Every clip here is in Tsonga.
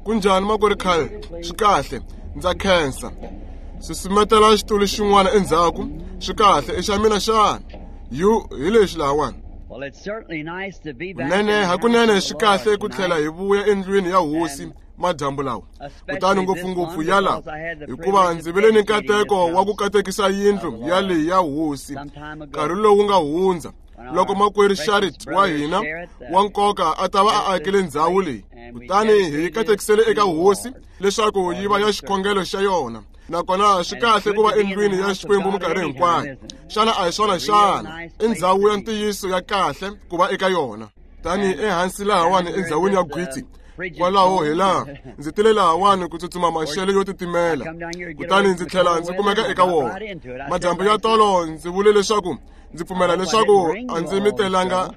Kunjhani makwerhu Carl? Swi kahle, ndza khensa. Susumetela xitulu xin'wana endzhaku. Swi kahle, i xa mina xana? Yu, hi lexi lahawani. Kunene, hakunene swi kahle ku tlhela hi vuya endlwini ya hosi madyambu lawa, kutani ngopfungopfu ya lawa, hikuva ndzi vile ni nkateko wa ku katekisa yindlu ya leyi ya hosi nkarhi lowu nga hundza, loko makwerhu Sharit wa hina wa nkoka a ta va a akile ndzhawu leyi, kutani hi yi katekisele eka hosi leswaku yi va ya xikhongelo xa yona. Nakona swi kahle ku va endlwini ya Xikwembu minkarhi hinkwayo. Xana a hi swona xana? I ndzhawu ya ntiyiso ya kahle ku va eka yona. Tani ehansi lahawani endzhawini ya gwitsi, kwalaho hi laha ndzi tile lahawani ku tsutsuma maxelo yo titimela, kutani ndzi tlhela ndzi kumeka eka wona. Madyambu ya tolo ndzi vule leswaku ndzi pfumela leswaku a ndzi mi telanga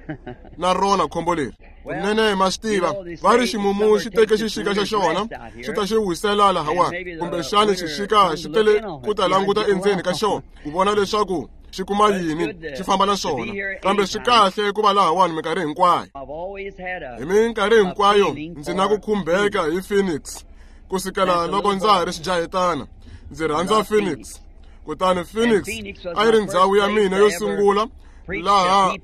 na rona khombo leri. Kunene ma swi tiva, va ri ximumu xi teke xixika xa xona xi ta xi wisela lahawani, kumbexani xixika xi tele ku ta languta endzeni ka xona ku vona leswaku xi kuma yini, xi famba na swona. Kambe swi kahle ku va lahawani minkarhi hinkwayo. Hi minkarhi hinkwayo ndzi na ku khumbeka hi Phoenix kusukela loko ndza ha ri xijahetana. Ndzi rhandza Phoenix. Kutani Phoenix a yi ri ndzhawu ya mina yo sungula laha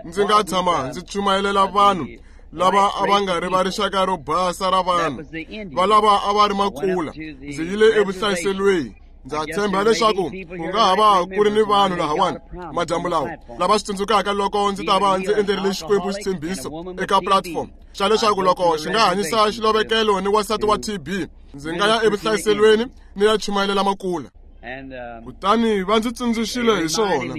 ndzi nga tshama ndzi chumayelela vanhu lava a va nga ri va rixaka ro basa ra vanhu, va lava a va ri makula. Ndzi yile evuhlayiselweni. Ndza tshemba leswaku ku nga ha va ku ri ni vanhu lahawani madyambu lawa lava swi tsundzukaka loko ndzi ta va ndzi endlerile Xikwembu xitshembiso eka platform xa leswaku loko xi nga hanyisa xilovekelo ni wansati wa TB, ndzi nga ya evuhlayiselweni ni ya chumayelela makula. Kutani va ndzi tsundzuxile hi swona,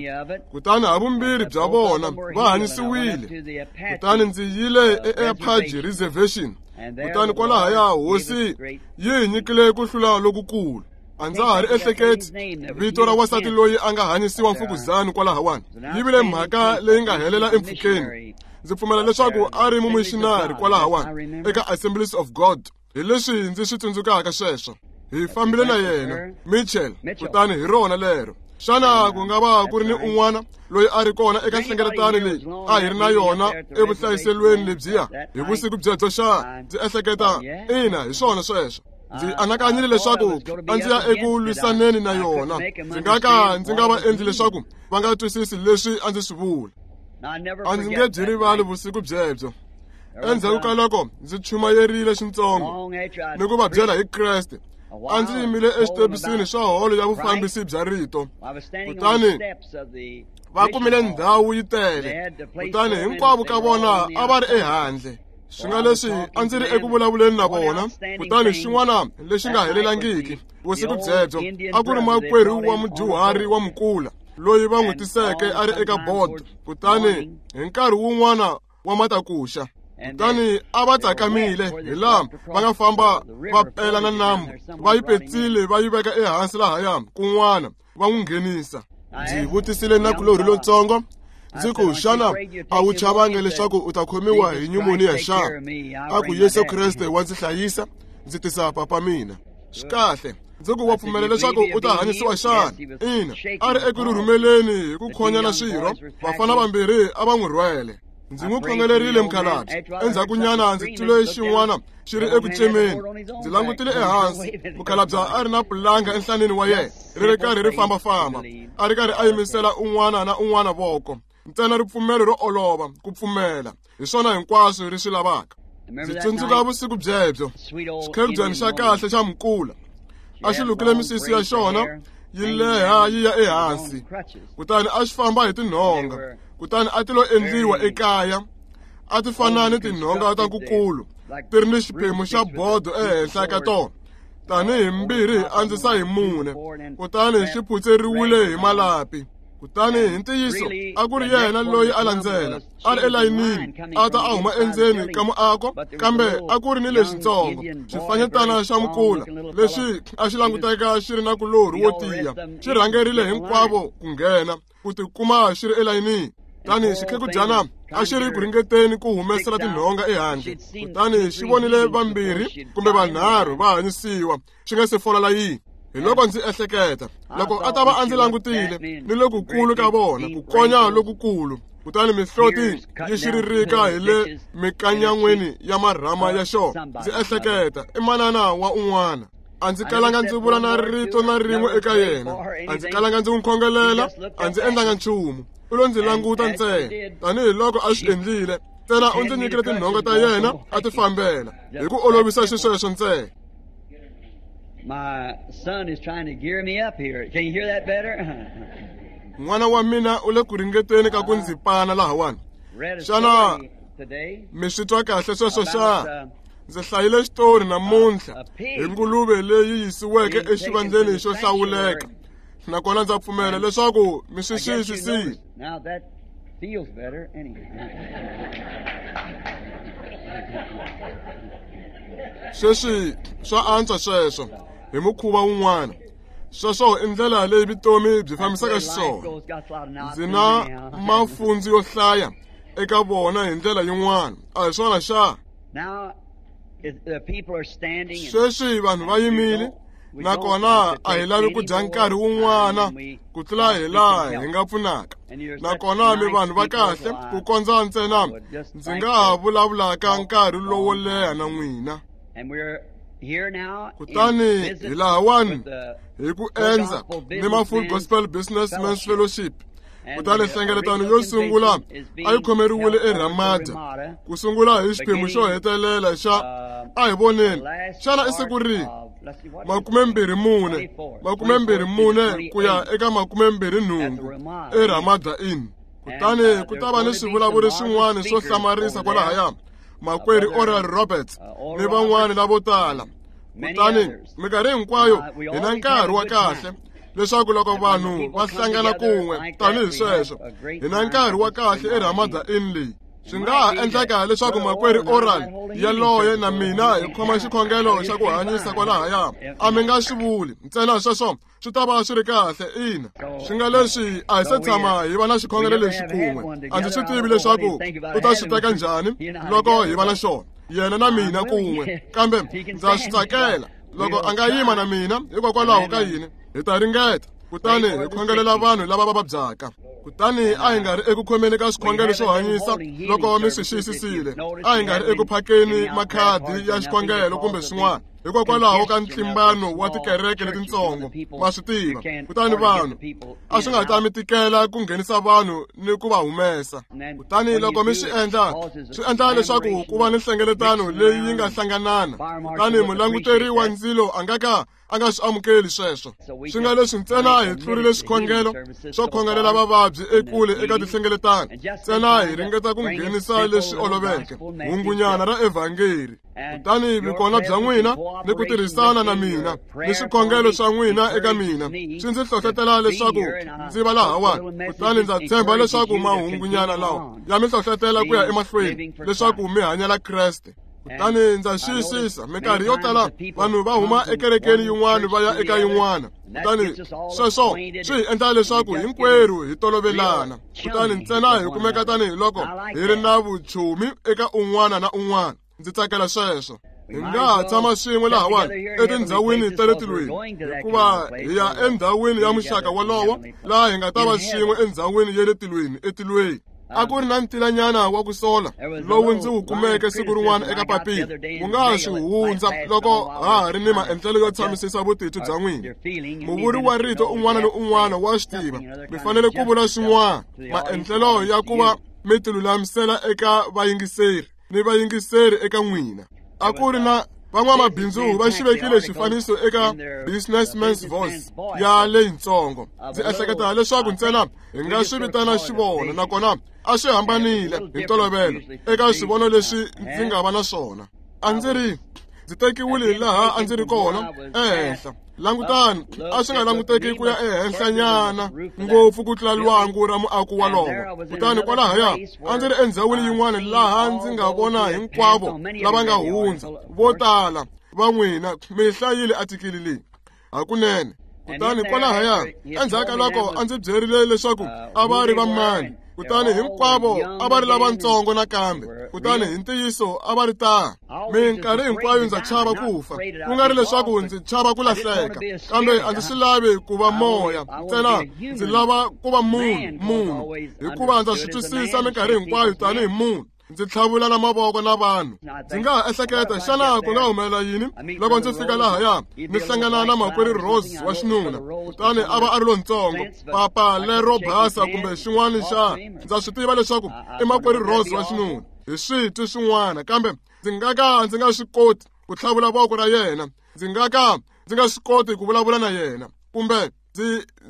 kutani havumbirhi bya vona va hanyisiwile. Kutani ndzi yile eApache Reservation, kutani kwalahaya hosi yi hi nyikile ku hlula lokukulu. A ndza ha ri ehleketi vito ra wansati loyi a nga hanyisiwa mfukuzani kwalahawani. Yi vile mhaka leyi nga helela empfhukeni. Ndzi pfumela leswaku a ri mumishinari kwalahawani eka Assemblies of God. Hi leswi ndzi swi tsundzukaka sweswo. Hi fambile na yena Mitchell, kutani hi rona lero. Xana ku nga va ku ri ni un'wana loyi a ri kona eka nhlengeletano leyi a hi ri na yona evuhlayiselweni lebyiya hi vusiku byebyo xana? Ndzi ehleketa, ina, hi swona sweswo. Ndzi anakanyile leswaku a ndzi ya eku lwisaneni na yona. Ndzi nga ka ndzi nga va endli leswaku va nga twisisi leswi a ndzi swi vula. A ndzi nge byi rivali vusiku byebyo. Endzhaku ka loko ndzi chumayerile xintsongo ni ku va byela hi Kreste, a ndzi yimile exitebisini xa holo ya vufambisi bya rito. Kutani va kumile ndhawu yi tele, kutani hinkwavo ka vona a va ri ehandle. Swi nga leswi a ndzi ri eku vulavuleni na vona, kutani xin'wana lexi nga helelangiki vusiku byebyo a ku ri makwerhu wa mudyuhari wa mukula loyi va n'wi tiseke a ri eka bodo. Kutani hi nkarhi wun'wana wa matakuxa, kutani a va tsakamile hi laha va nga famba va pela na nambu, va yi petsile va yi veka ehansi lahaya kun'wana va n'wi nghenisa. Ndzi vutisile nakulorhi lontsongo, ndzi ku, xana a wu chavangi leswaku u ta khomiwa hi nyumoniya xana? A ku, Yesu Kreste wa ndzi hlayisa, ndzi tisa papa mina. Swi kahle. Ndzi ku, wa pfumela leswaku u ta hanyisiwa xana? Ina, a ri eku rhurhumeleni hi ku khonyana swirho, vafana vambirhi a va n'wi rhwele. Ndzi n'wi khongelerile mukhalabye. Endzhakunyana ndzi twile xin'wana xi ri eku cemeni. Ndzi langutile ehansi, mukhalabye a ri na pulanga enhlaneni wa yena, ri ri karhi ri fambafamba, a ri karhi a yimisela un'wana na un'wana voko. Ntsena ripfumelo ro olova, ku pfumela, hi swona hinkwaswo ri swi lavaka. Ndzi tsundzuka vusiku byebyo, xikhebyani xa kahle xa mukula a xi lukile misisi ya xona yi leha yi ya ehansi, kutani a xi famba hi tinhonga, kutani a ti lo endliwa ekaya, a ti fana ni tinhonga ta nkukulu, ti ri ni xiphemu xa bodo ehenhla ka tona, tanihi mbirhi hi andzisa hi mune, kutani xi phutseriwile hi malapi. Kutani hi ntiyiso a ku ri yena loyi a landzela, a ri elayinini, a ta a huma endzeni ka muako, kambe a ku ri ni lexitsongo xifanyetana xa mukula lexi a xi languteka xi ri na kulorhi wo tiya, xi rhangerile hinkwavo ku nghena, ku tikuma xi ri elayinini. Kutani xikhekudyana a xi ri ku ringeteni ku humesela tinhonga ehandle, kutani xi vonile vambirhi kumbe vanharhu va hanyisiwa xi nga se fola layini. Hi loko ndzi ehleketa loko a ta va a ndzi langutile ni lokukulu ka vona ku konya lokukulu, kutani mihloti yi xiririka hi le mikanyan'weni ya marhama ya xona. Ndzi ehleketa i manana wa un'wana. A ndzi kalanga ndzi vula na rito na rin'we eka yena, a ndzi kalanga ndzi n'wi khongelela, a ndzi endlanga nchumu. U lo ndzi languta ntsena tanihiloko a swi endlile, ntsena u ndzi nyikile tinhonga ta yena a ti fambela hi ku olovisa xisweswo ntsena. My son is trying to gear me up here. Can you hear that better? N'wana wa mina u le ku ringeteni ka ku ndzi pana lahawani. Xana mi swi twa kahle sweswo xa? Ndzi hlayile xitori namuntlha hi nguluve leyi yisiweke exivandleni xo hlawuleka, nakona ndza pfumela leswaku mi swi xiyisisile. Now that feels better anyway. Sweswi swa antswa sweswo hi mukhuva wun'wana. Sweswo i ndlela leyi vutomi byi fambisaka xiswona. Ndzi na mafundzu yo hlaya eka vona hi ndlela yin'wana, a hi swona xa? Sweswi vanhu va yimile, nakona a hi lavi ku dya nkarhi wun'wana ku tlula hi laha hi nga pfunaka. Nakona mi vanhu va kahle ku kondza ntsena ndzi nga ha vulavulaka nkarhi lowo leha na n'wina. Kutani hi lahawani hi ku endza ni ma Full Gospel Businessmen's Fellowship. Kutani nhlengeletano yo sungula a yi khomeriwile eRamada, ku sungula hi xiphemu xo hetelela xa a hi voneni xana i siku rihi? 24 24 ku ya eka 28 eRamada Inn. Kutani ku ta va ni swivulavuri swin'wana swo hlamarisa kwalahaya, makwerhu Oral Roberts ni van'wana lavo tala. Kutani minkarhi hinkwayo hi na nkarhi wa kahle leswaku loko vanhu va hlangana kun'we tanihi sweswo, hi na nkarhi wa kahle eRamada Inn leyi. Swi nga ha endleka leswaku makwerhu Oral yaloye na mina hi khoma xikhongelo xa ku hanyisa kwalahaya. A mi nga swi vuli ntsena sweswo swi ta va swi ri kahle. Ina, swi nga leswi a hi se tshama hi va na xikhongelo lexi kun'we. A ndzi swi tivi leswaku u ta swi teka njhani loko hi va na xona, yena na mina kun'we, kambe ndza swi tsakela loko a nga yima na mina. Hikokwalaho ka yini hi ta ringeta, kutani hi khongelela vanhu lava va vabyaka. Kutani a hi nga ri eku khomeni ka swikhongelo swo hanyisa loko mi swi xiyisisile, a hi nga ri eku phakeni makhadi ya xikhongelo kumbe swin'wana, hikokwalaho ka ntlimbano wa tikereke letintsongo, ma swi tiva. Kutani vanhu a swi nga ta mi tikela ku nghenisa vanhu ni ku va humesa. Kutani loko mi swi endla, swi endla leswaku ku va ni nhlengeletano leyi yi nga hlanganana. Kutani mulanguteri wa ndzilo a nga ka a nga swi amukeli sweswo. Swi nga leswi ntsena hi tlurile swikhongelo swo khongelela vavabyi ekule eka tinhlengeletano, ntsena hi ringeta ku nghenisa leswi oloveke, hungunyana ra evhangeli. Kutani vukona bya n'wina ni ku tirhisana na mina ni swikhongelo swa n'wina eka mina swi ndzi hlohletela leswaku ndzi va lahawani. Kutani ndza tshemba leswaku mahungunyana lawa ya mi hlohletela ku ya emahlweni leswaku mi hanyela Kreste. Kutani ndza xiyisisa minkarhi yo tala vanhu va huma ekerekeni yin'wana va ya eka yin'wana. Kutani sweswo swi hi endla leswaku hinkwerhu hi tolovelana. Kutani ntsena hi kumeka tanihiloko hi ri na vuchomi eka un'wana na un'wana. Ndzi tsakela sweswo. Hi nga ha tshama swin'we lahawani etindhawini ta le tilweni, hikuva hi ya endhawini ya muxaka wolowo laha hi nga ta va swin'we endhawini ya le tilweni etilweni. A ku ri na ntilanyana wa ku sola lowu ndzi wu kumeke siku rin'wana eka papila. Wu nga ha swi hundza loko ha ha ri ni maendlelo yo tshamisisa vutitwi bya n'wina. Muvuri wa rito un'wana ni un'wana wa swi tiva, mi fanele ku vula swin'wana, maendlelo ya ku va mi tilulamisela eka vayingiseri ni vayingiseri eka n'wina. A ku ri na van'wamabindzu va xi vekile xifaniso eka Businessman's Voice ya leyintsongo. Ndzi ehleketa leswaku ntsena hi nga swi vitana xivono, nakona a swi hambanile hi ntolovelo eka swivono leswi ndzi nga va na swona. A ndzi ri ndzi tekiwile laha a ndzi ri kona ehenhla. Langutani, a swi nga languteki ku ya ehenhlanyana ngopfu ku tlula lwangu ra muako wolowo. Kutani kwalahaya a ndzi ri endhawini yin'wana laha ndzi nga vona hinkwavo lava nga hundza, vo tala va n'wina mi hlayile atikili leyi hakunene. Kutani kwalahaya endzhaku ka loko a ndzi byerile leswaku a va ri va mani Kutani hinkwavo a va ri lavatsongo nakambe, kutani hi ntiyiso a va ri tano. Minkarhi hinkwayo ndza chava ku fa, ku nga ri leswaku ndzi chava ku lahleka, kambe a ndzi swi lavi ku va moya ntsena, ndzi lava ku va munhu, hikuva ndza swi twisisa minkarhi hinkwayo tanihi munhu. Ndzi tlhavula na mavoko na vanhu. Ndzi nga ha ehleketa, xana ku nga humelela yini loko ndzi fika lahaya ni hlangana na makwerhu Rose wa xinuna, kutani a va a ri lontsongo, papa lero basa kumbe xin'wana xa. Ndza swi tiva leswaku i makwerhu Rose wa xinuna hi switwi swin'wana, kambe ndzi nga ka ndzi nga swi koti ku tlhavula voko ra yena, ndzi nga ka ndzi nga swi koti ku vulavula na yena, kumbe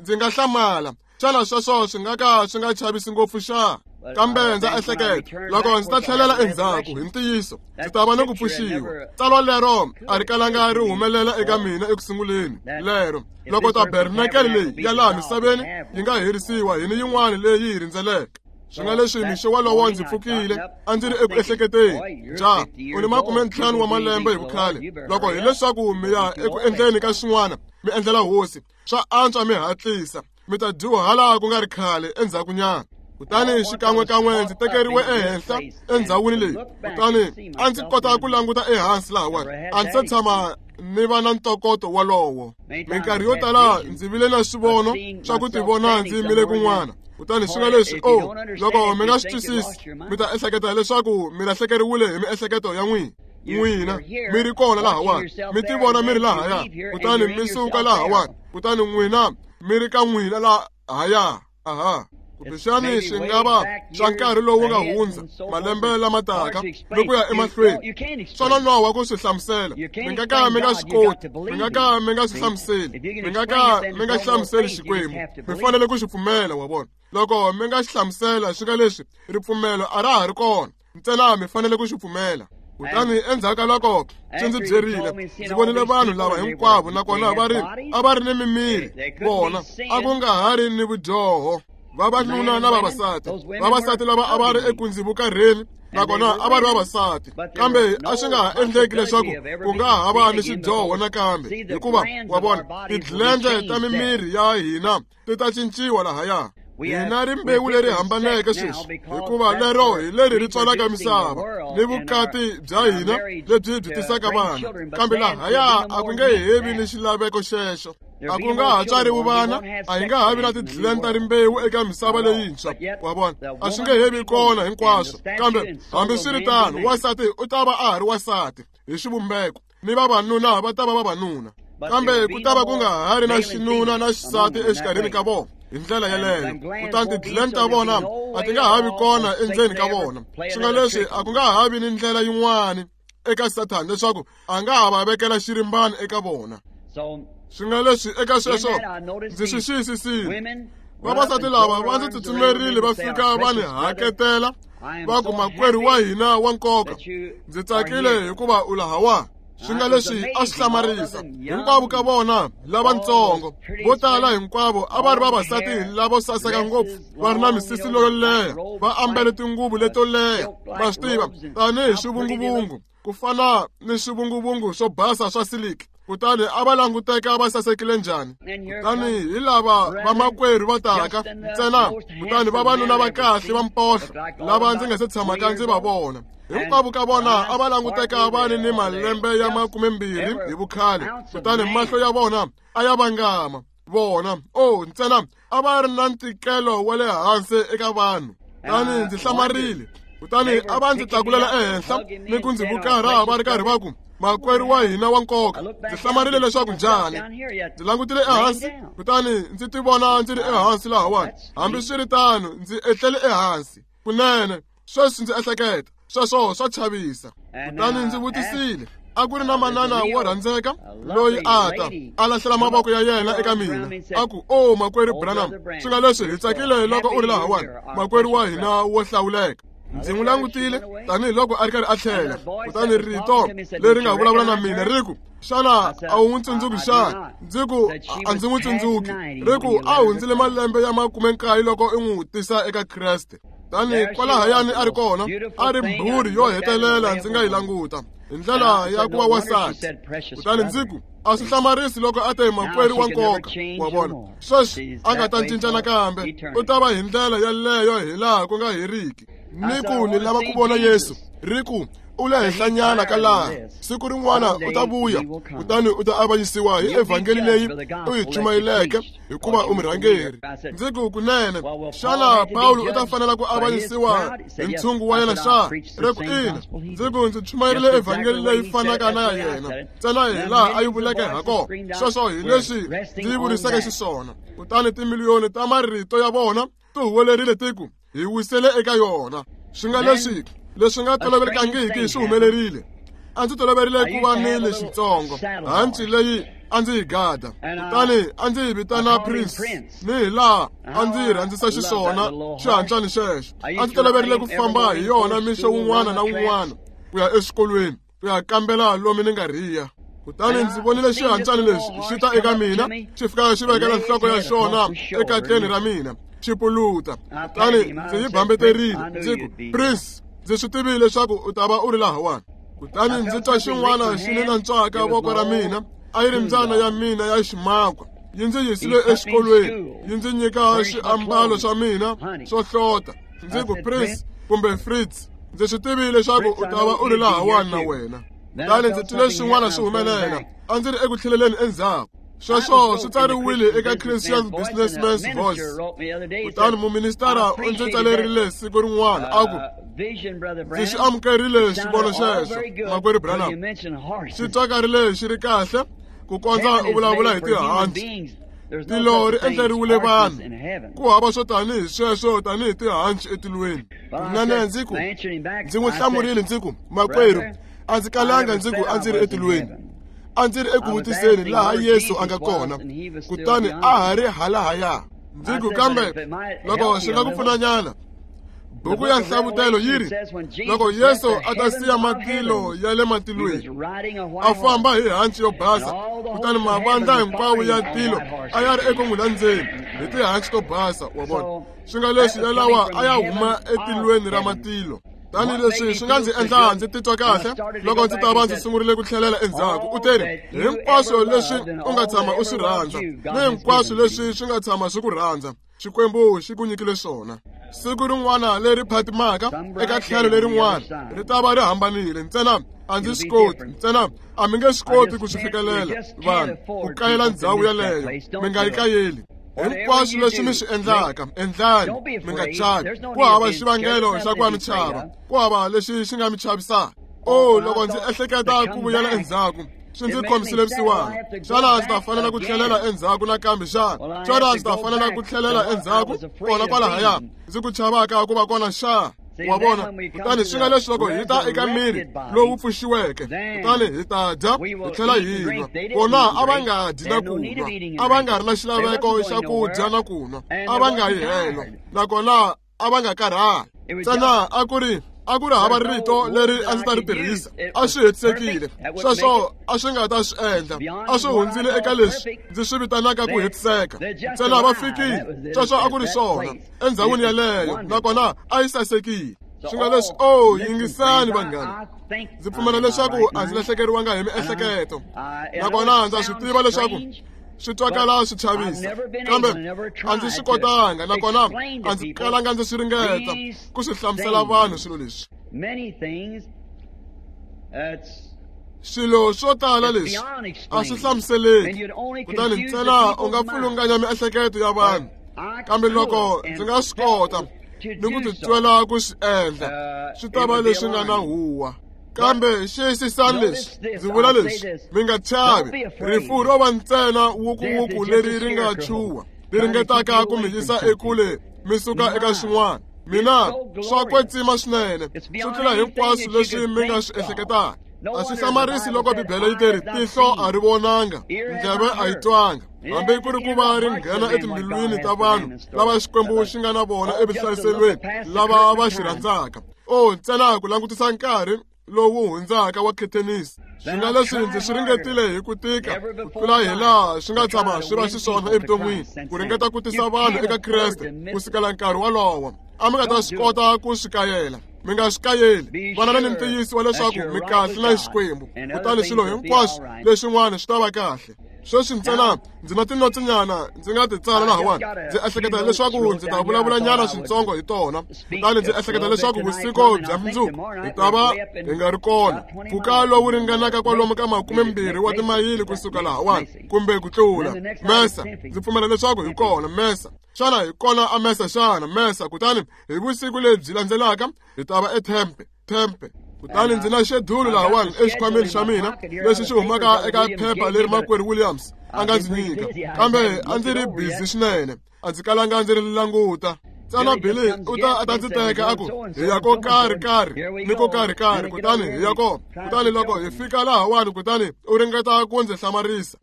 ndzi nga hlamala. Xana sweswo swi nga ka swi nga chavisi ngopfu xa? Kambe ndza ehleketa, loko ndzi ta tlhelela endzhaku hi ntiyiso, ndzi ta va ni ku pfuxiwa. Tsalwa lero a ri kalanga ri humelela eka mina ekusunguleni lero loko tabernakele leyi ya laha misaveni yi nga herisiwa hi ni yin'wana leyi yi rindzeleke. Swi nga leswi mixo wolowo ndzi pfukile, a ndzi ri eku ehleketeni, ja, u ni 50 wa malembe hi vukhale, loko hileswaku mi ya eku endleni ka swin'wana mi endlela hosi, swa antswa mi hatlisa, mi ta dyuhala ku nga ri khale endzhakunyana. Kutani xikan'wekan'we ndzi tekeriwe ehenhla endhawini leyi, kutani a ndzi kota ku languta ehansi lahawani. A ndzi se tshama ni va na ntokoto wolowo. Minkarhi yo tala ndzi vile na swivono swa ku tivona ndzi yimile kun'wana. Kutani swi nga leswi, o, loko mi nga swi twisisi, mi ta ehleketa leswaku mi lahlekeriwile hi miehleketo ya n'wina. N'wina mi ri kona lahawani, mi tivona mi ri lahaya, kutani mi suka lahawani, kutani n'wina mi ri ka n'wina lahaya. Aha. Kumbexani swi nga va swa nkarhi lowu nga hundza, malembe lama taka ni ku ya emahlweni. Swa nonoha ku swi hlamusela. Mi nga ka mi nga swi koti, mi nga ka mi nga swi hlamuseli, mi nga ka mi nga hlamuseli Xikwembu. Mi fanele ku xi pfumela, wa vona. Loko mi nga xi hlamusela, swi nga leswi ripfumelo a ra ha ri kona, ntsena mi fanele ku xi pfumela. Kutani endzhaku ka loko swi ndzi byerile, ndzi vonile vanhu lava hinkwavo, nakona a va ri ni mimiri, vona a ku nga ha ri ni vudyoho. Vavanuna na vavasati, vavasati lava a va ri eku ndzi vukarheni, nakona a va ri vavasati, kambe a swi nga ha endleki leswaku ku nga ha va ni xidyoho nakambe, hikuva wa vona tidlendle ta mimiri ya hina ti ta cinciwa lahaya. Hina rimbewu leri hambaneke sweswi, hikuva lero hi leri ri tswalaka misava ni vukati bya hina lebyi byi tisaka vana, kambe lahaya a ku nge hevi ni xilaveko xexo. A ku nga ha tswariwi vana, a hi nga ha vi na tidleni ta rimbewu eka misava leyintshwa, wa vona, a swi nge hevi kona hinkwaswo. Kambe hambiswiritano, wansati u ta va a ha ri wansati hi xivumbeko, ni vavanuna va ta va vavanuna, kambe ku ta va ku nga ha ri na xinuna na xisati exikarhini ka vona hi ndlela yeleyo. Kutani tidleni ta vona a ti nga ha vi kona endzeni ka vona. Swi nga leswi a ku nga ha vi ni ndlela yin'wana eka Sathana leswaku a nga ha va vekela xirimbani eka vona. Swi nga leswi eka sweswo ndzi swi xiyisisile. Vavasati lava va ndzi tsutsumerile va fika va ni haketela, va ku, makwerhu wa hina wa nkoka, ndzi tsakile hikuva u lahawa. Swi nga leswi a swi hlamarisa. Hinkwavo ka vona lavatsongo, vo tala hinkwavo a va ri vavasati lavo saseka ngopfu, va ri na misisi leyo leha, va ambele tinguvu leto leha, va swi tiva, tanihi swivunguvungu, ku fana ni swivunguvungu swo basa swa siliki. Kutani a va languteka va sasekile njhani. Kutani hi lava vamakwerhu va taka ntsena, kutani vavanuna va kahle va mpohlo lava ndzi nga se tshamaka ndzi va vona. Hinkwavo ka vona a va languteka va ri ni malembe ya 20 hi vukhale, kutani mahlo ya vona a ya vangama. Vona, o, ntsena a va ri na ntikelo wa le hansi eka vanhu. Kutani ndzi hlamarile. Kutani a va ndzi tlakulela ehenhla ni ku ndzi vukarha va ri karhi va ku, makwerhu wa hina wa nkoka. Ndzi hlamarile leswaku njhani. Ndzi langutile ehansi, kutani ndzi tivona ndzi ri ehansi lahawani. Hambiswiritano, ndzi etlele ehansi kunene. Sweswi ndzi ehleketa, sweswo swa chavisa. Kutani ndzi vutisile, a ku ri na manana wo rhandzeka loyi a ta a lahlela mavoko ya yena eka mina, a ku, o, makwerhu Branham, swi nga leswi hi tsakile loko u ri lahawani, makwerhu wa hina wo hlawuleka. Ndzi n'wi langutile tanihiloko a ri karhi a tlhela, kutani rito leri nga vulavula na mina ri ku, xana a wu n'wi tsundzuki xana? Ndzi ku, a ndzi n'wi tsundzuki. Ri ku, a hundzile malembe ya 19 loko u n'wi tisa eka Kreste. Tani kwalahayani a ri kona, a ri mbhuri yo hetelela ndzi nga yi languta hi ndlela ya ku va wansati. Kutani ndzi ku, A swi hlamarisi loko a te makwerhu wa nkoka, wa vona. Sweswi a nga ta cinca nakambe, u ta va hi ndlela yaleyo hi laha ku nga heriki. Ni ku ni lava ku vona Yesu, ri ku u le henhlanyana ka laha. Siku rin'wana u ta vuya, kutani u ta avanyisiwa hi evhangeli leyi u yi chumayeleke, hikuva u murhangeri. Ndzi ku kunene, xana Pawulo u ta fanela ku avanyisiwa hi ntshungu wa yena xa? Ri ku ina. Ndzi ku ndzi chumayerile evhangeli leyi fanaka na ya yena, ntsena hi laha a yi vuleke ha kona. Sweswo hi leswi ndzi yi vuriseke xiswona. Kutani timiliyoni ta marito ya vona ti huwelerile ti ku, hi wisele eka yona. Swi nga leswi leswi nga tolovelekangiki swi humelerile. A ndzi toloverile ku va ni lexitsongo, hanci leyi a ndzi yi gada, kutani a ndzi yi vitana Prince, ni hi laha a ndzi yi rhandzisa xiswona xihancani xexo. A ndzi toloverile ku famba hi yona mixo wun'wana na wun'wana ku ya exikolweni, ku ya kambela lomu ni nga rhiya. Kutani ndzi vonile xihancani lexi xi ta eka mina, xi fika xi vekela nhloko ya xona ekatleni ra mina, xi puluta. Kutani ndzi yi bambeterile, ndzi ku, Prince, ndzi swi tivile leswaku u ta va u ri lahawani. Kutani ndzi twa xin'wana xi ni nantswaka voko ra mina, a yi ri mbyana ya mina ya ximakwa. Yi ndzi yisile exikolweni, yi ndzi nyika swiambalo swa mina swo hlota. Ndzi ku, Prince kumbe Fritz, ndzi swi tivile leswaku u ta va u ri lahawani na wena. Kutani ndzi twile swin'wana swi humelela, a ndzi ri eku tlheleleni endzhaku. Sweswo swi tsariwile eka Christian Businessman's Voice. Kutani muministara u ndzi tsalerile siku rin'wana a ku, ndzi xi amukerile xivono xexo, makwerhu Branham. Xi twakarile xi ri kahle ku kondza u vulavula hi tihanci. Tilo ri endleriwile vanhu, ku hava swo tanihi sweswo tanihi tihanci etilweni. Kunene ndzi ku, ndzi n'wi hlamurile ndzi ku, makwerhu, a ndzi kalanga ndzi ku a ndzi ri etilweni. A ndzi ri eku vutiseni laha Yesu a nga kona, kutani a ha ri halahaya. Ndzi ku, kambe loko swi nga ku pfunanyana, buku ya Nhlavutelo yi ri, loko Yesu a ta siya matilo ya le matilweni, a famba hi hanci yo basa, kutani mavandla hinkwawo ya tilo a ya ri eku n'wi landzeni hi tihanci to basa, wa vona. Swi nga leswi yalawa a ya huma etilweni ra matilo. Tani leswi swi nga ndzi endla ndzi titwa kahle loko ndzi ta va ndzi sungurile ku tlhelela endzhaku. U teri, hinkwaswo leswi u nga tshama u swi rhandza, ni hinkwaswo leswi swi nga tshama swi ku rhandza, Xikwembu xi ku nyikile swona. Siku rin'wana leri phatimaka eka tlhelo lerin'wana ri ta va ri hambanile. Ntsena a ndzi swi koti, ntsena a mi nge swi koti ku swi fikelela vanhu ku kayela ndhawu yaleyo. Mi nga yi kayeli. Hinkwaswo leswi mi swi endlaka, endlani, mi nga chavi. Ku hava xivangelo xa ku va mi chava, ku hava lexi xi nga mi chavisaka. Oh, loko ndzi ehleketa ku vuyela endzhaku, swi ndzi khomisile vusiwana. Xana ndzi ta fanela ku tlhelela endzhaku nakambe xana? Xana ndzi ta fanela ku tlhelela endzhaku kona kwalahaya ndzi ku chavaka ku va kona xa? Wa vona? Kutani swi nga leswi loko hi ta eka miri lowu pfuxiweke, kutani hi ta dya hi tlhela hi nwa. Vona a va nga dyi na ku nwa, a va nga ri na xilaveko xa ku dya na ku nwa, a va nga yi helo, nakona a va nga karhali. Ntsena a ku ri hava rito leri a ndzi ta ri tirhisa, a swi hetisekile. Sweswo a swi nga ta swi endla, a swi hundzile eka leswi ndzi swi vitanaka ku hetiseka. Ntsena va fikile, sweswo a ku ri swona endzhawini yaleyo, nakona a yi sasekile. Swi nga leswi, oh, yingisani vanghana, ndzi pfumela leswaku a ndzi lahlekeriwanga hi miehleketo, nakona ndza swi tiva leswaku swi twakala swi chavisa, kambe a ndzi swi kotanga, nakona a ndzi kalanga ndzi swi ringeta ku swi hlamusela vanhu swilo leswi. Swilo swo tala leswi a swi hlamuseleki, kutani ntsena u nga pfulunganya miehleketo ya vanhu. Kambe loko ndzi nga swi kota ni ku titwela ku swi endla, swi ta va leswi nga na huwa. Kambe xiyisisani leswi, ndzi vula leswi, mi nga chavi. Rifu ro va ntsena wukuwuku leri ri nga chuha, ri ringetaka ku mi yisa ekule mi suka eka xin'wana. Mina swa kwetsima swinene, swi tlula hinkwaswo leswi mi nga swi ehleketaka. A swi hlamarisi loko Bibele yi teri, tihlo a ri vonanga, ndleve a yi twanga, hambi ku ri ku va ri nghena etimbilwini ta vanhu lava Xikwembu xi nga na vona evuhlayiselweni, lava va xi rhandzaka. Oh, ntsena ku langutisa nkarhi lowu hundzaka wa khethenisi. Swi nga leswi ndzi swi ringetile hi ku tika ku tlula hi laha swi nga tshama swi va xiswona evuton'wini, ku ringeta ku tisa vanhu eka Kreste ku sukela nkarhi wolowo. A mi nga ta swi kota ku swi kayela. Mi nga swi kayeli, vanana ni ntiyiso wa leswaku mi kahle na Xikwembu, kutani swilo hinkwaswo leswin'wana swi ta va kahle. Sweswi ntsena ndzi na tinotsinyana ndzi nga ti tsala lahawani. Ndzi ehleketa leswaku ndzi ta vulavulanyana swintsongo hi tona. Kutani ndzi ehleketa leswaku vusiku bya mundzuku hi ta va hi nga ri kona mpfhuka lowu ringanaka kwalomu ka 20 wa timayili kusuka lahawani kumbe ku tlula. Mesa, ndzi pfumela leswaku hi kona. Mesa, xana hi kona a Mesa xana? Mesa. Kutani hi vusiku lebyi landzelaka hi ta va eTempe. Tempe. Kutani ndzi na xedulu lahawani exikhwameni xa mina lexi xi humaka eka phepha leri makwerhu Williams a nga ndzi nyika, kambe a ndzi ri busy swinene, a ndzi kalanga ndzi ri languta. Tsana Billy u ta a ta ndzi teka a ku hi ya ko karhi karhi ni ko karhi karhi, kutani hi ya kona. Kutani loko hi fika lahawani, kutani u ringeta ku ndzi hlamarisa.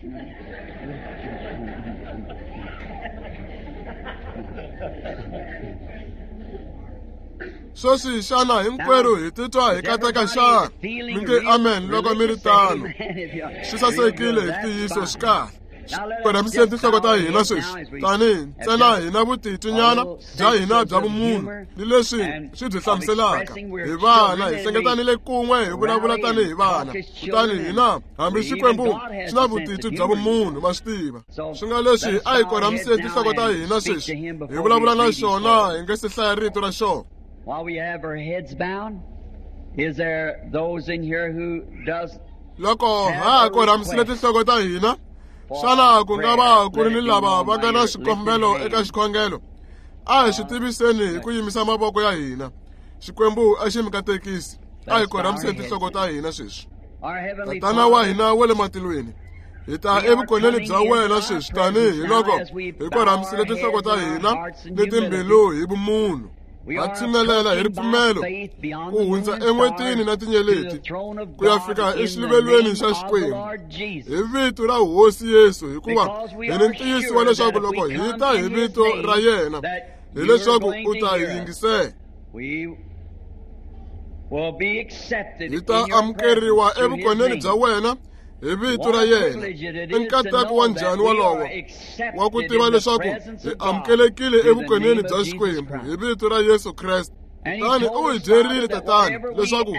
Sweswi xana hinkwerhu hi titwa hi kateka xana? Mi nge amen loko mi ri tano. Swi sasekile hi ntiyiso, swi kahle. Korhamiseni tinhloko ta hina sweswi, tanihi ntsena hi na vutitwinyana bya hina bya vumunhu ni leswi swi byi hlamuselaka. Hi vana, hi hlengetanile kun'we hi vulavula tanihi vana. Kutani hina, hambi Xikwembu xi na vutitwi bya vumunhu, ma swi tiva. Swi nga leswi a hi korhamiseni tinhloko ta hina sweswi, hi vulavula na xona hi nga se hlaya rito ra xona. While we have our heads bowed, is there those in here who does loko ha korhamisile tinhloko ta hina, xana ku nga va ku ri ni lava va nga na xikombelo eka xikhongelo? A hi swi tiviseni hi ku yimisa mavoko ya hina. Xikwembu a xi mi katekisi. A hi korhamiseni tinhloko ta hina sweswi. Tatana wa hina wa le matilweni, hi ta evukoneni bya wena sweswi tanihi loko hi korhamisile tinhloko ta hina ni timbilu hi vumunhu. Ha tshinelela hi ripfumelo ku hundza en'wetini na tinyeleti ku ya fika exiluvelweni xa Xikwembu hi vito ra Hosi Yesu, hikuva hi ni ntiyiso wa leswaku loko hi ta hi vito ra yena, hileswaku u ta hi yingisela. Hi ta amukeriwa evukoneni bya wena hi vito ra yena. I nkateko wa njhani wolowo wa ku tiva leswaku hi amukelekile evukoneni bya Xikwembu hi vito ra Yesu Kreste. Kutani u hi byerile, Tatana, leswaku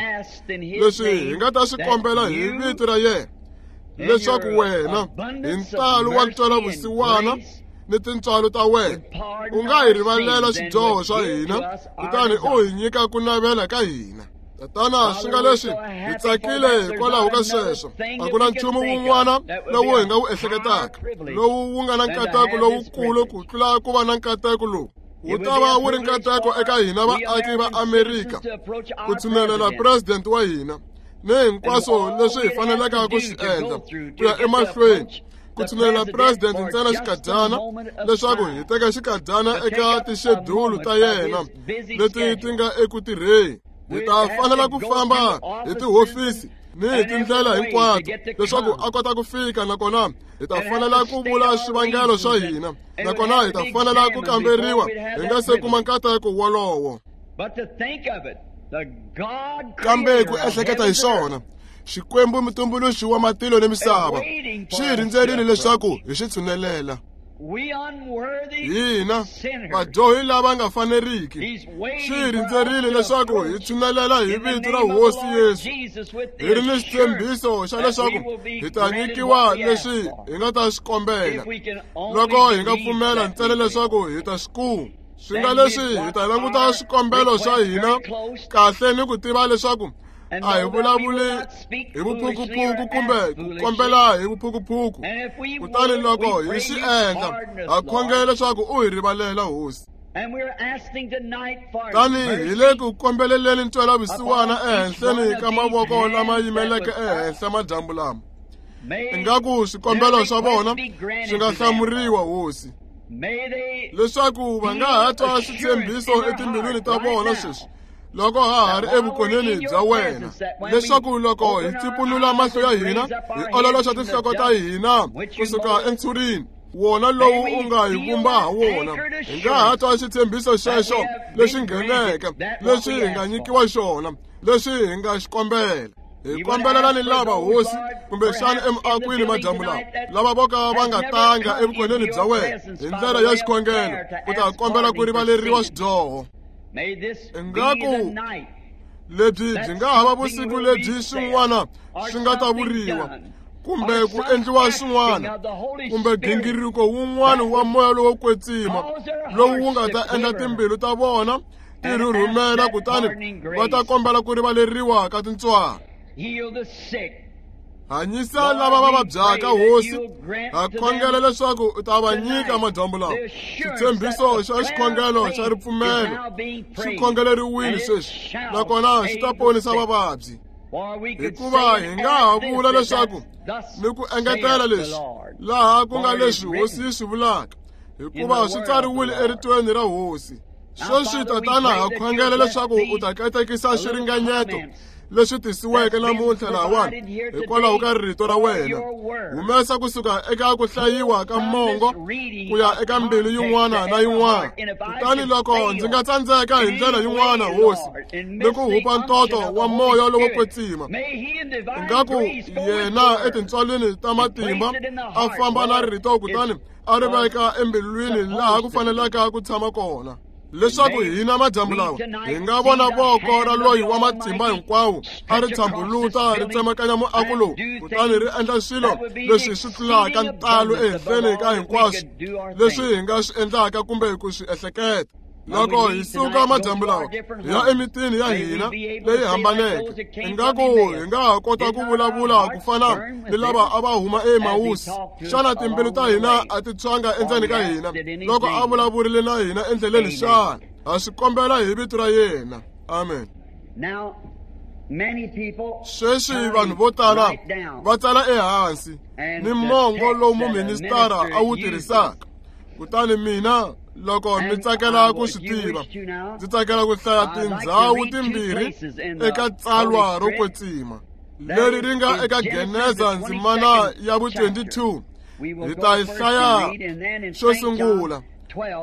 leswi hi nga ta swi kombela hi vito ra yena, leswaku wena hi ntalo wa ntwelavusiwana ni tintswalo ta wena u nga hi rivalela swidyoho swa hina, kutani u hi nyika ku navela ka hina. Tatana, swi nga leswi hi tsakile hikwalaho ka sweswo. A ku na nchumu wun'wana lowu hi nga wu ehleketaka lowu wu nga na nkateko lowukulu ku tlula ku va na nkateko lowu. Wu ta va wu ri nkateko eka hina vaaki va Amerika ku tshinelela president wa hina ni hinkwaswo leswi hi faneleke ku swi endla ku ya emahlweni ku tshinelela president ntsena xikadyana, leswaku hi teka xikadyana eka tixedulu ta yena leti ti nga eku tirheni. Hi ta fanela ku famba hi tihofisi ni hi tindlela hinkwato leswaku a kota ku fika, nakona hi ta fanela ku vula swivangelo swa hina, nakona hi ta fanela ku kamberiwa hi nga se kuma nkateko wolowo. Kambe ku ehleketa hi swona, Xikwembu mutumbuluxi wa matilo ni misava xi hi rindzerile leswaku hi xi tshunelela. Hina vadyohi lava nga faneriki xi hi rindzerile leswaku hi tshunelela hi vito ra Hosi Yesu, hi ri ni xitshembiso xa leswaku hi ta nyikiwa leswi hi nga ta swi kombela loko hi nga pfumela ntsena leswaku hi ta swi kuma. Swi nga leswi hi ta languta swikombelo swa hina kahle ni ku tiva leswaku a hi vulavuli hi vuphukuphuku kumbe ku kombela hi vuphukuphuku. Kutani loko hi swi endla, ha khongela leswaku u hi rivalela, Hosi. Tani hi le ku kombeleleni ntwelavusiwana ehenhleni ka mavoko lama yimeleke ehenhla madyambu lama, ingaku swikombelo swa vona swi nga hlamuriwa, Hosi, leswaku va nga ha twa switshembiso etimbilwini ta vona sweswi loko ha ha ri evukoneni bya wena, leswaku loko hi tsipunula mahlo ya hina hi ololoxa tinhloko ta hina kusuka entshurini wona lowu u nga hi vumba ha wona, hi nga ha twa xitshembiso xexo lexi ngheneke leswi hi nga nyikiwa xona, leswi hi nga xi kombela. Hi kombelela ni lava, Hosi, kumbexana emiakwini madyambu lawa, lava vo ka va nga tanga evukoneni bya wena hi ndlela ya xikhongelo ku ta kombela ku rivaleriwa swidyoho. Ingaku Lebyi byi nga hava vusiku lebyi swin'wana swi nga ta vuriwa kumbe ku endliwa swin'wana kumbe gingiriko wun'wana wa moya lowo kwetsima lowu wu nga ta endla timbilu ta vona ti rhurhumela kutani va ta kombela ku rivaleriwa ka tintswalo. Hanyisa lava va vabyaka, Hosi, ha khongela leswaku u ta va nyika madyambu lawa. Xitshembiso xa xikhongelo xa ripfumelo xi khongeleriwile sweswi, nakona xi ta ponisa vavabyi. Hikuva hi nga ha vula leswaku ni ku engetela leswi laha ku nga leswi Hosi yi swi vulaka, hikuva swi tsariwile eritweni ra Hosi. Sweswi, Tatana, ha khongela leswaku u ta katekisa xiringanyeto leswi tisiweke namuntlha lahawani hikwalaho ka rito ra wena. Humesa kusuka eka ku hlayiwa ka mongo ku ya eka mbilu yin'wana na yin'wana. Kutani loko ndzi nga tsandzeka hi ndlela yin'wana, Hosi, ni ku hupa ntoto wa moya lowo kwetsima, ingaku yena etintswalweni ta matimba a famba na rito kutani a ri veka embilwini laha ku fanelaka ku tshama kona, leswaku hina madyambu lawa hi nga vona voko ra loyi wa matimba hinkwawo a ri tshambuluta ri tsemakanya muako lowu kutani ri endla swilo leswi swi tlulaka ntalo ehenhleni ka hinkwaswo leswi hi nga swi endlaka kumbe ku swi ehleketa. Loko hi suka madyambu lawa hi ya emitini ya hina leyi hambaneke, ingaku hi nga ha kota ku vulavula ku fana ni lava a va huma eEmawusi. Xana timbilu ta hina a ti tshwanga endzeni ka hina loko a vulavurile na hina endleleni xana? Ha swi kombela hi vito ra yena. Amen. Sweswi vanhu vo tala va tsala ehansi ni mongo lowu muministara a wu tirhisaka. Kutani mina, loko mi tsakela ku swi tiva, ndzi tsakela ku hlaya tindhawu timbirhi eka tsalwa ro kwetsima leri ri nga eka Geneza ndzimana ya vu-22. Hi ta yi hlaya xo sungula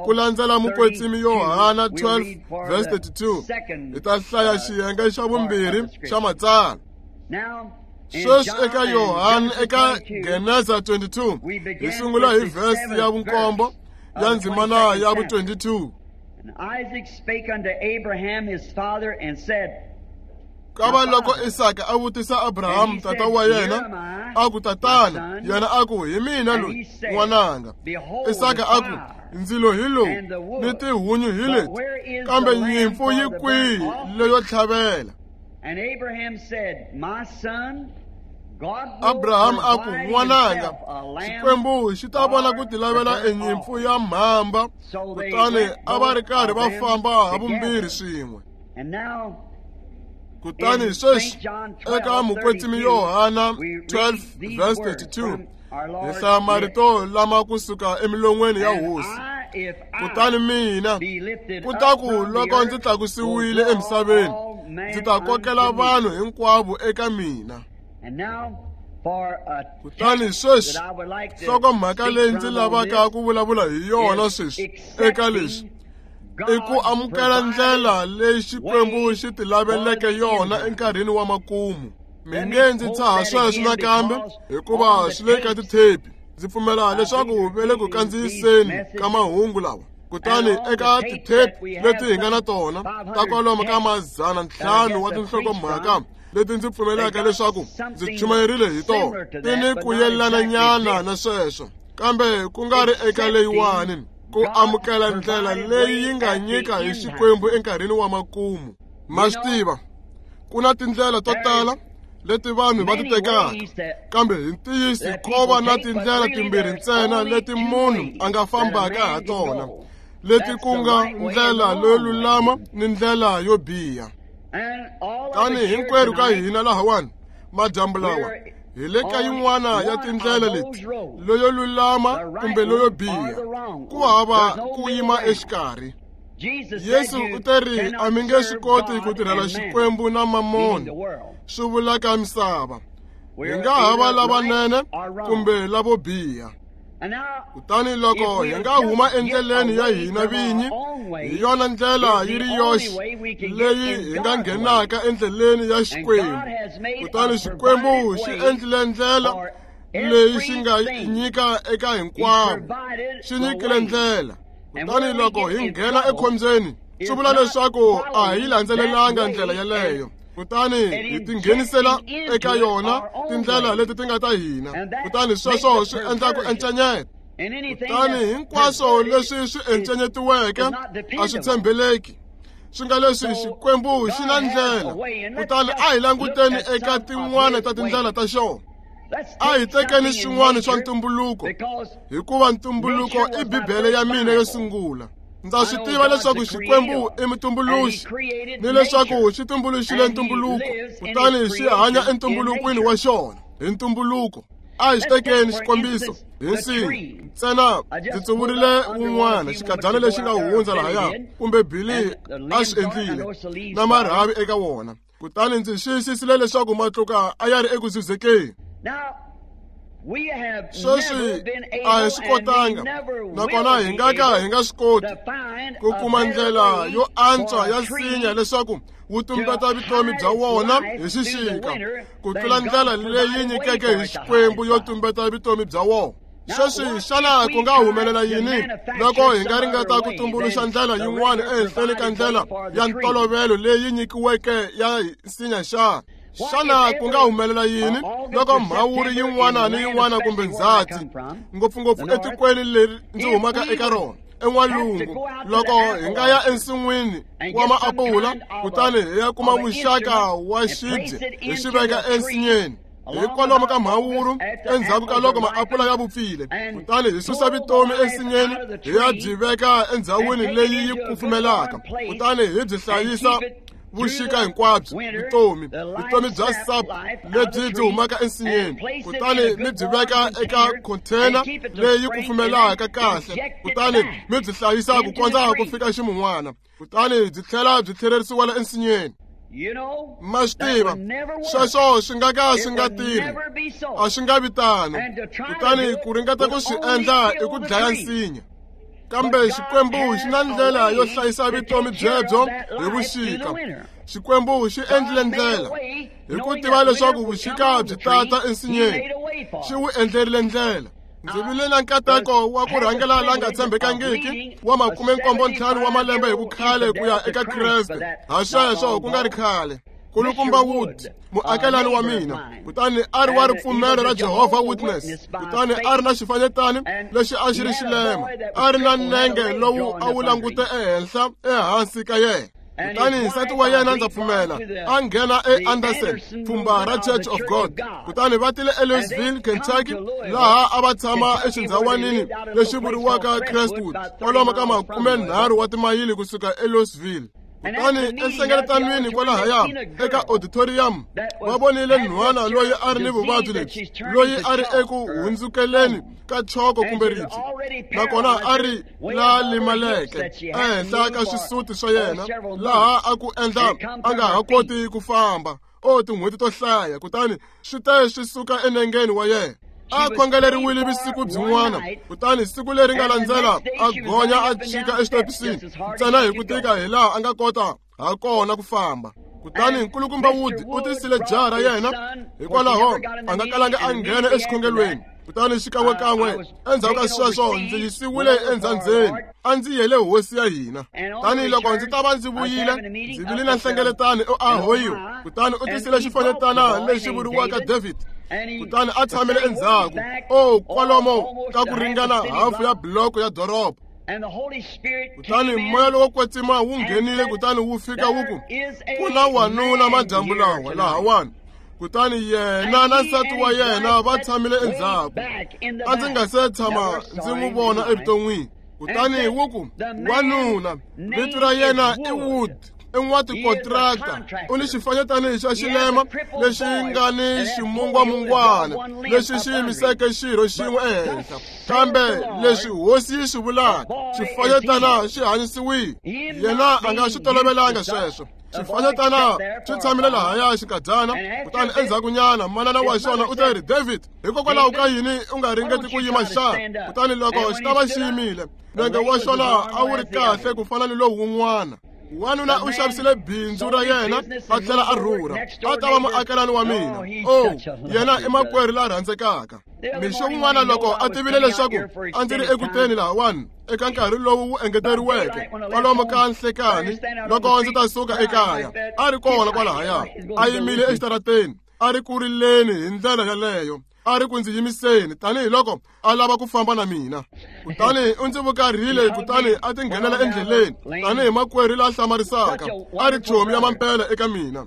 ku landzela mukwetsimi Yohana 12 verse 32. Hi ta hlaya xiyenge xa vumbirhi xa matsalwa. Sweswi eka Yohana, eka Geneza 22, hi sungula hi verse ya vunkombo ya ndzimana ya vu-22. Isaac spake unto Abraham his father and said, Kava loko Isaka a vutisa Abraham tata wa yena, a ku, Tatana, yena a ku, hi mina loyi, n'wananga. Isaka a ku, ndzilo hi lowu ni tihunyi hi leti, kambe nyimpfu yi kwihi leyo tlhavela? And Abraham said, My son, Abraham a ku, n'wananga, Xikwembu xi ta vona ku tilavela enyimpfu ya mhamba. Kutani a va ri karhi va famba ha vumbirhi swin'we. Kutani sweswi eka mukwetsimi Yohana 12 verse 32 hi hlaya marito lama kusuka emilon'weni ya Hosi. Kutani mina, kutaku loko ndzi tlakusiwile emisaveni, ndzi ta kokela vanhu hinkwavo eka mina. Kutani sweswi nhlokomhaka leyi ndzi lavaka ku vulavula hi yona sweswi eka leswi i ku amukela ndlela leyi Xikwembu xi tilaveleke yona enkarhini wa makumu. Mi nge ndzi tshaha sweswo nakambe hikuva swi le ka tithepi. Ndzi pfumela leswaku ve le ku kandziyiseni ka mahungu lawa. Kutani eka tithepi leti hi nga na tona ta kwalomu ka 500 wa tinhlokomhaka leti ndzi pfumelaka leswaku ndzi chumayerile hi tona, ti ni ku yelananyana na sweswo, kambe ku nga ri eka leyiwani, ku amukela ndlela leyi yi nga nyika hi Xikwembu enkarhini wa makumu. Ma swi tiva, ku na tindlela to tala leti vanhu va ti tekaka, kambe hi ntiyiso ko va na tindlela timbirhi ntsena leti munhu a nga fambaka ha tona, leti ku nga ndlela leyo lulama ni ndlela yo biha. Tani hinkwerhu ka hina lahawani madyambu lawa hi le ka yin'wana ya tindlela leti, leyo lulama kumbe leyo biha, ku hava ku yima exikarhi. Yesu u te ri a mi nge swi koti ku tirhela Xikwembu na mamoni, swi vulaka misava. Hi nga ha va lavanene kumbe lavo biha. Kutani loko hi nga huma endleleni ya hina vinyi, hi yona ndlela yi ri yoxe leyi hi nga nghenaka endleleni ya Xikwembu. Kutani Xikwembu xi endlile ndlela leyi xi nga nyika eka hinkwavo, xi nyikile ndlela. Kutani loko hi nghena ekhombyeni, Swi vula leswaku a hi landzelelanga ndlela yeleyo, kutani hi tinghenisela eka yona tindlela leti ti nga ta hina, kutani sweswo swi endla ku encenyeta. Kutani hinkwaswo leswi swi encenyetiweke a swi tshembeleki. Swi nga leswi Xikwembu xi na ndlela, kutani a hi languteni eka tin'wana ta tindlela ta xona. A hi tekeni swin'wana swa ntumbuluko, hikuva ntumbuluko i Bibele ya mina yo sungula. Ndza swi tiva leswaku Xikwembu i mutumbuluxi, ni leswaku xi tumbuluxile ntumbuluko, kutani xi hanya entumbulukweni wa xona hi ntumbuluko. A hi xi tekeni xikombiso hi nsinya ntsena. Ndzi tsuvurile wun'wana xikadyana lexi nga hundza lahaya, kumbe Billy a swi endlile, na marhavi eka wona, kutani ndzi xiyisisile leswaku matluka a ya ri eku zuzekeni. Sweswi a hi swi kotanga, nakona hi nga ka hi nga swi koti ku kuma ndlela yo antswa ya nsinya leswaku wu tumbeta vutomi bya wona hi xixika ku tlula ndlela leyi nyikeke hi Xikwembu yo tumbeta vutomi bya wona. Sweswi xana ku nga humelela yini loko hi nga ringeta ku tumbuluxa ndlela yin'wana ehenhleni ka ndlela ya ntolovelo leyi nyikiweke ya nsinya xa? Xana ku nga humelela yini loko mhawuri yin'wana ni yin'wana kumbe ndzhati, ngopfungopfu etikweni leri ndzi humaka eka rona en'walungu, loko hi nga ya ensin'wini wa maapula kutani hi ya kuma muxaka wa xibye hi xi veka ensinyeni hi kwalomu ka mhawuru endzhaku ka loko maapula ya vupfile, kutani hi susa vutomi ensinyeni hi ya byi veka endhawini leyi yi kufumelaka, kutani hi byi hlayisa vuxika hinkwabyo, vutomi bya sap lebyi byi humaka ensinyeni, kutani mi byi veka eka container leyi kufumelaka kahle, kutani mi byi hlayisa ku kondza ku fika ximun'wana, kutani byi tlhela byi tlhererisiwela ensinyeni. Ma swi tiva sweswo swi nga ka swi nga tirhi, a swi nga vi tano. Kutani ku ringeta ku swi endla i ku dlaya nsinya. Kambe Xikwembu xi na ndlela yo hlayisa vutomi byebyo hi vuxika. Xikwembu xi endlile ndlela hi ku tiva leswaku vuxika byi tata ensinyeni, xi wu endlerile ndlela. Ndzi vile na nkateko wa ku rhangela la nga tshembekangiki wa 75 wa malembe hi vukhale ku ya eka Kreste, ha sweswo ku nga ri khale. Kulukumba Wood, muakelani wa mina, kutani a ri wa ripfumelo ra Jehovah Witness, kutani a ri na xifanyetani lexi a xi ri xilema, a ri na nenge lowu a wu langute ehenhla ehansi ka yena. Kutani nsati wa yena, ndza pfumela, a nghena eAnderson, pfhumba ra Church of God, kutani va tile eLouisville, Kentucky, laha a va tshama exindhawanini lexi vuriwaka Crestwood, kwalomu ka 30 wa timayili kusuka eLouisville. Kutani enhlengeletanweni kwalahaya eka auditorium va vonile nhwana loyi a ri ni vuvabyi lebyi, loyi a ri eku hundzukeleni ka choko kumbe ribye, nakona a ri la limaleke ehenhla ka swisuti swa yena, laha a ku endla a nga ha koti ku famba o tin'hweti to hlaya, kutani swi te swi suka enengeni wa yena. A khongeleriwile vusiku byin'wana, kutani siku leri nga landzela a gonya a chika exitepisini ntsena hi ku tika hi laha a nga kota ha kona ku famba. Kutani Nkulukumba Wood u tisile jaha ra yena, hikwalaho a nga kalanga a nghena exikhongelweni. Kutani xikan'wekan'we endzhaku ka sweswo ndzi yisiwile endzhandzeni, a ndzi yele hosi ya hina. Tani loko ndzi ta va ndzi vuyile, ndzi vile na nhlengeletano eOhio, kutani u tisile xifanyetana lexi vuriwaka David, kutani a tshamile endzhaku o kwalomo ka ku ringana hafu ya buloko ya doroba. Kutani moya lowo kwetsima wu nghenile, kutani wu fika wu ku, ku na wanuna madyambu lawa lahawani. Kutani yena na nsati wa yena va tshamile endzhaku, a ndzi nga se tshama ndzi n'wi vona evuton'wini. Kutani wu ku, wanuna vito ra yena i Wood, i n'watikontraka, u ni xifanyetana xa xilema lexi nga ni ximungwamungwana lexi xi yimiseke xirho xin'we ehenhla, kambe leswi hosi yi swi vulaka, xifanyetana xi hanyisiwile. Yena a nga swi tolovelanga sweswo. Xifanyetana xi tshamile lahaya xikadyana, kutani endzhakunyana manana wa xona u te ri, David, hikokwalaho ka yini u nga ringeti ku yima xana? Kutani loko xi ta va xi yimile, nenge wa xona a wu ri kahle ku fana ni lowu wun'wana. Wanuna u xavisile bindzu ra yena a tlhela a rhurha a ta va muakelani wa mina. O, yena i makwerhu la rhandzekaka. Mixo wun'wana loko a tivile leswaku a ndzi ri ekuteni lahawani eka nkarhi lowu wu engeteriweke kwalomu ka nhlekani loko ndzi ta suka ekaya, a ri kona kwalahaya a yimile exitarateni a ri ku rileni hi ndlela yaleyo, a ri ku ndzi yimiseni tanihiloko a lava ku famba na mina. Kutani u ndzi vukarhile kutani a tinghenela endleleni tanihi makwerhu la hlamarisaka, a ri chomi ya mampela eka mina.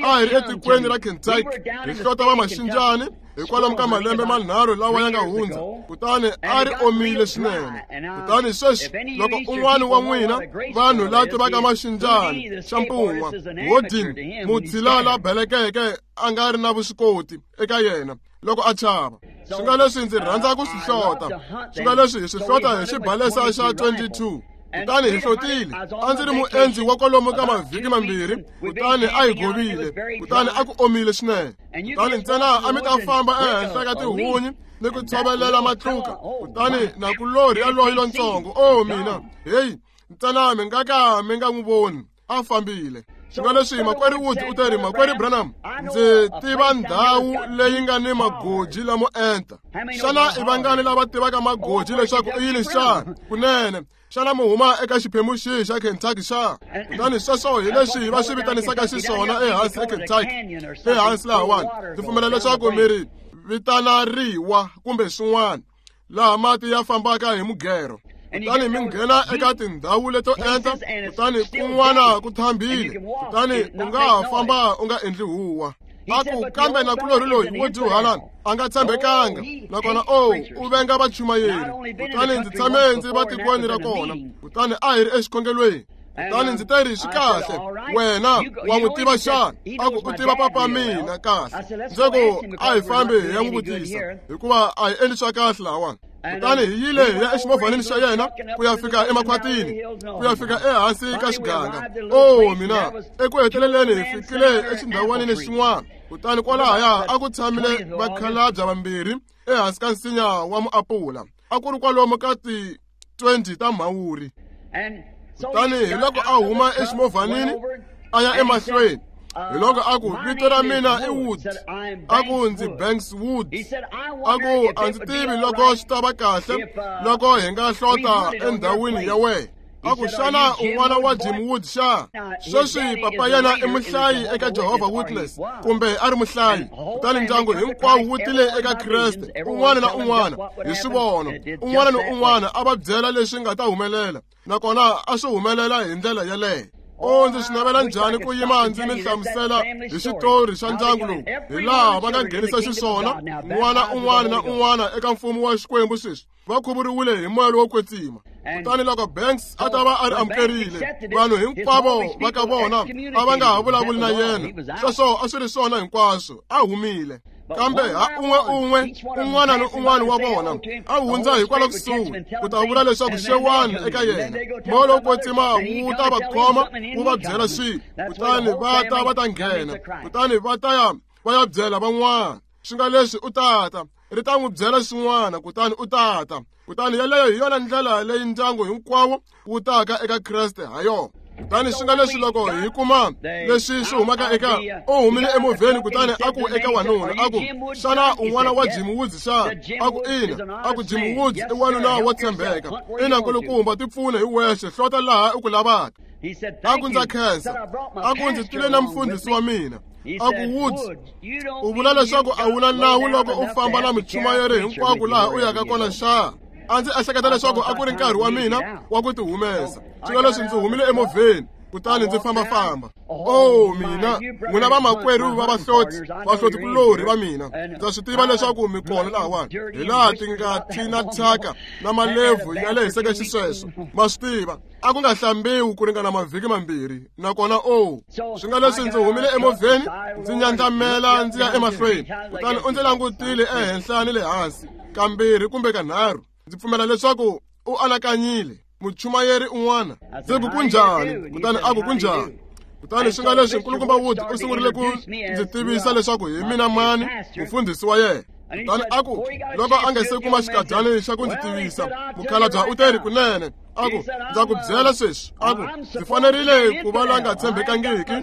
A hi ri etikweni ra Kentucky hi hlota va maxinjani hikwalomu ka malembe manharhu lawa ya nga hundza, kutani a ri omile swinene. Kutani sweswi loko un'wana wa n'wina vanhu la tivaka maxinjani xa mpun'wa, Hodin, mutshila la belekeke a nga ri na vuswikoti eka yena loko a chava. Swi nga leswi ndzi rhandza ku swi hlota, swi nga leswi hi swi hlota hi xibalesa xa 22. Kutani hi hlotile. A ndzi ri muendzi wa kwalomu ka mavhiki mambirhi, kutani a hi govile, kutani a ku omile swinene. Kutani ntsena a mi ta famba ehenhla ka tihunyi ni ku tshovelela matluka, kutani nakulorhi yaloyi lontsongo, o mina, heyi, ntsena mi nga ka mi nga n'wi voni, a fambile. Swi nga leswi makwerhu Woods u teri, makwerhu Branham, ndzi tiva ndhawu leyi nga ni magoji lamo enta. Xana i vangani lava tivaka magoji leswaku i yini xana? Kunene, xana mi huma eka xiphemu xihi xa Kentucky xa? Kutani sweswo hi leswi va swi vitanisaka xiswona ehansi eKentucky, ehansi lahawani. Ndzi pfumela leswaku mi ri vitana riwa kumbe swin'wana, laha mati ya fambaka hi mugero. Kutani mi nghena eka tindhawu leto enta, kutani kun'wana ku thambile, kutani u nga ha famba u nga endli huwa. A ku, kambe nakulorhi loyi wo dyuhala a nga tshembekanga, nakona o u venga vachumayeri. Kutani ndzi tshame ndzi va tikweni ra kona, kutani a hi ri exikhongelweni. Kutani ndzi teri, swi kahle, wena wa n'wi tiva xana? A ku, u tiva papa mina kahle. Ndzi ku, a hi fambi hi ya n'wi vutisa, hikuva a hi endli swa kahle lahawani. Kutani hi yile hi ya eximovhanini xa yena ku ya fika emakhwatini, ku ya fika ehansi ka xiganga. O mina, eku heteleleni hi fikile exindhawanini xin'wana. Kutani kwalahaya a ku tshamile vakhalabya vambirhi ehansi ka nsinya wa muapula. A ku ri kwalomu ka ti 20 ta mhawuri. Kutani hi loko a huma eximovhanini a ya emahlweni, hi loko a ku, vito ra mina i Woods. A ku, ndzi Banks Woods. A ku, a ndzi tivi loko swi ta va kahle loko hi nga hlota endhawini ya wena. A ku, xana un'wana wa Jim Woods xa? Sweswi papa yena i muhlayi eka Jehovah Witness, kumbe a ri muhlayi. Kutani ndyangu hinkwawo wu tile eka Kreste, un'wana na un'wana hi swivono, un'wana ni un'wana a va byela leswi nga ta humelela, nakona a swi humelela hi ndlela yaleyo. O, ndzi swi navela njhani ku yima ndzi mi hlamusela hi xitori xa ndyangu lowu, hi laha va nga nghenisa xiswona n'wana un'wana na un'wana eka mfumo wa Xikwembu sweswi. Va khuvuriwile hi moya lowo kwetsima. Kutani loko Banks a ta va a ri amukerile, vanhu hinkwavo va ka vona a va nga ha vulavuli na yena. Sweswo a swi ri swona hinkwaswo, a humile. Kambe ha un'we un'we, un'wana ni un'wana wa vona a hundza hikwalaho kusuhi ku ta vula leswaku xewani eka yena. Moya lowo kwetsima wu ta va khoma wu va byela swilo, kutani va ta va ta nghena, kutani va ta ya va ya byela van'wana. Swi nga leswi u tata ri ta n'wi byela xin'wana, kutani u tata. Kutani yaleyo hi yona ndlela leyi ndyangu hinkwawo wu taka eka Kreste ha yona. Kutani swi nga leswi loko hi kuma leswi swi humaka eka u humile emovheni, kutani a ku eka wanuna, a ku, xana un'wana wa Jim Woods xa? A ku, ina. A ku, Jim Woods i wanuna wo tshembeka. Ina, nkulukumba, ti pfune hi wexe, hlota laha u ku lavaka. A ku, ndza khensa. A ku, ndzi tile na mufundhisi wa mina. A ku, Woods, u vula leswaku a wu na nawu loko u famba na muchumayeri hinkwako laha u yaka kona xa? A ndzi ehleketa leswaku a ku ri nkarhi wa mina wa ku tihumesa. Swi nga leswi ndzi humile emovheni, kutani ndzi fambafamba. O mina, n'wina vamakwerhu va vahloti, vahloti-kulorhi va mina, ndza swi tiva leswaku mi kona lahawani, hi laha ti nga thina thyaka na malebvu ya lehiseke xisweswo. Ma swi tiva, a ku nga hlambiwi ku ringana mavhiki mambirhi, nakona o swi nga leswi ndzi humile emovheni, ndzi nyandlamela ndzi ya emahlweni. Kutani u ndzi langutile ehenhla ni le hansi kambirhi kumbe kanharhu. Ndzi pfumela leswaku u anakanyile, muchumayeri un'wana. Ndzi ku, kunjhani? Kutani a ku, kunjhani? Kutani swi nga leswi nkulukumba Wood u sungurile ku ndzi tivisa leswaku hi mina mani mufundhisi wa yena. Kutani a ku, loko a nga se kuma xikadyani xa ku ndzi tivisa, mukhalabya u teri, kunene A ku, ndza ku byela sweswi, a ku, ndzi fanerile ku va la nga tshembekangiki.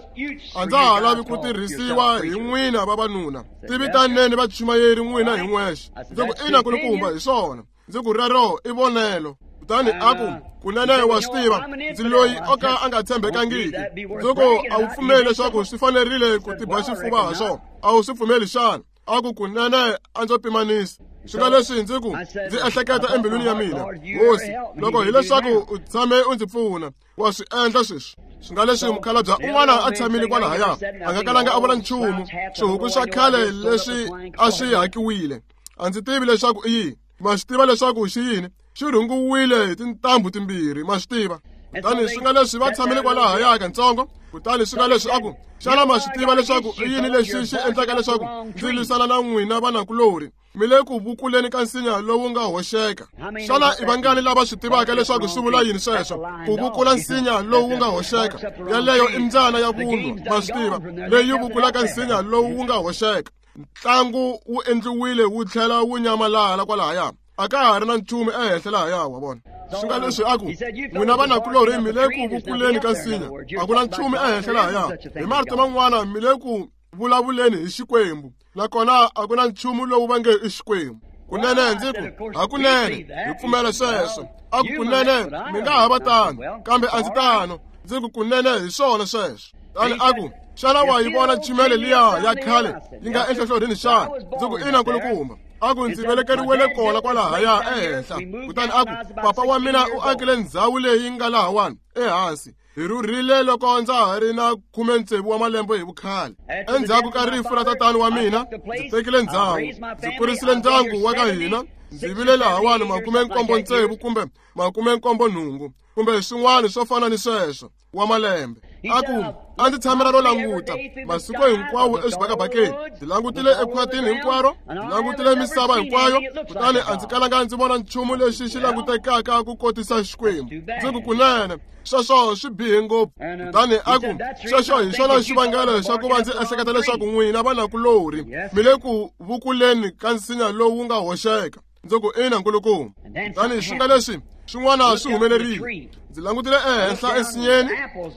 A ndza ha lavi ku tirhisiwa hi n'wina vavanuna. Tivitaneni vachumayeri n'wina hi n'wexe. Ndzi ku, ina kulukumba, hi swona. Ndzi ku, rero i vonelo. Kutani a ku, kunene wa swi tiva, ndzi loyi o ka a nga tshembekangiki. Ndzi ku, a wu pfumeli leswaku swi fanerile ku tiba xifuva ha swona? A wu swi pfumeli xana? A ku, kunene a ndzo pimanisa. Swi nga leswi ndzi ku, ndzi ehleketa embilwini ya mina, Hosi, loko hileswaku u tshame u ndzi pfuna, wa swi endla sweswi. Swi nga leswi mukhalabye un'wana a tshamile kwalahaya, a nga kalanga a vula nchumu. Swihuku swa khale leswi a swi hakiwile, a ndzi tivi leswaku i yini. Ma swi tiva leswaku xi yini? Xi rhungiwile hi tintambu timbirhi, ma swi tiva. Kutani swi nga leswi va tshamile kwalahaya katsongo. Kutani swi nga leswi a ku, xana ma swi tiva leswaku i yini lexi xi endlaka leswaku ndzi lwisana na n'wina vanakulorhi? Mi le ku vukuleni ka nsinya lowu nga hoxeka. Xana i vangani lava swi tivaka leswaku swi vula yini sweswo? Ku vukula nsinya lowu nga hoxeka. Yaleyo i mbyana ya vunwa, ma swi tiva, leyi vukulaka nsinya lowu nga hoxeka. Ntlangu wu endliwile wu tlhela wu nyamalala kwalahaya. A ka ha ri na nchumu ehenhla lahaya, wa vona. Swi nga leswi a ku, n'wina vanakulorhi mi le ku vukuleni ka nsinya, a ku na nchumu ehenhla lahaya. Hi marito man'wana, mi le ku vulavuleni hi Xikwembu, nakona a ku na nchumu lowu va nge i Xikwembu. Kunene ndzi ku, hakunene hi pfumela sweswo. A ku, kunene mi nga ha va tano, kambe a ndzi tano. Ndzi ku, kunene hi swona sweswo. Kutani a ku, xana wa yi vona chimele liya ya khale yi nga enhlohlorhini xana? Ndzi ku, ina nkulukumba. A ku, ndzi velekeriwele kona kwalahaya ehenhla. Kutani a ku, papa wa mina u akile ndhawu leyi nga lahawani ehansi. Hi rhurhile loko ndza ha ri na 16 wa malembe hi vukhale. Endzhaku ka rifu ra tatani wa mina, ndzi tekile ndhawu, ndzi kurisile ndyangu wa ka hina. Ndzi vile lahawani 76 kumbe 78 kumbe swin'wana swo fana ni sweswo wa malembe. A ku, a ndzi tshamela ro languta masiku hinkwawo exibakabakeni. Ndzi langutile ekhwatini hinkwaro, ndzi langutile misava hinkwayo, kutani a ndzi kalanga ndzi vona nchumu lexi xi langutekaka ku kotisa Xikwembu. Ndzi ku, kunene sweswo swi bihe ngopfu. Kutani a ku, sweswo hi xona xivangelo xa ku va ndzi ehleketa leswaku n'wina vanakulorhi mi le ku vukuleni ka nsinya lowu nga hoxeka. Ndzi ku, ina nkulukumba. Kutani swi nga leswi swin'wana swi humelerile. Ndzi langutile ehenhla ensinyeni,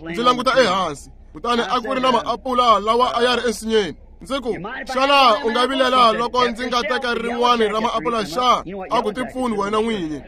ndzi languta ehansi, kutani a ku ri na maapula lawa a ya ri ensinyeni. Ndzi ku, xana u nga vilela loko ndzi nga teka rin'wana ra maapula xa? A ku, tipfuni wena n'winyi.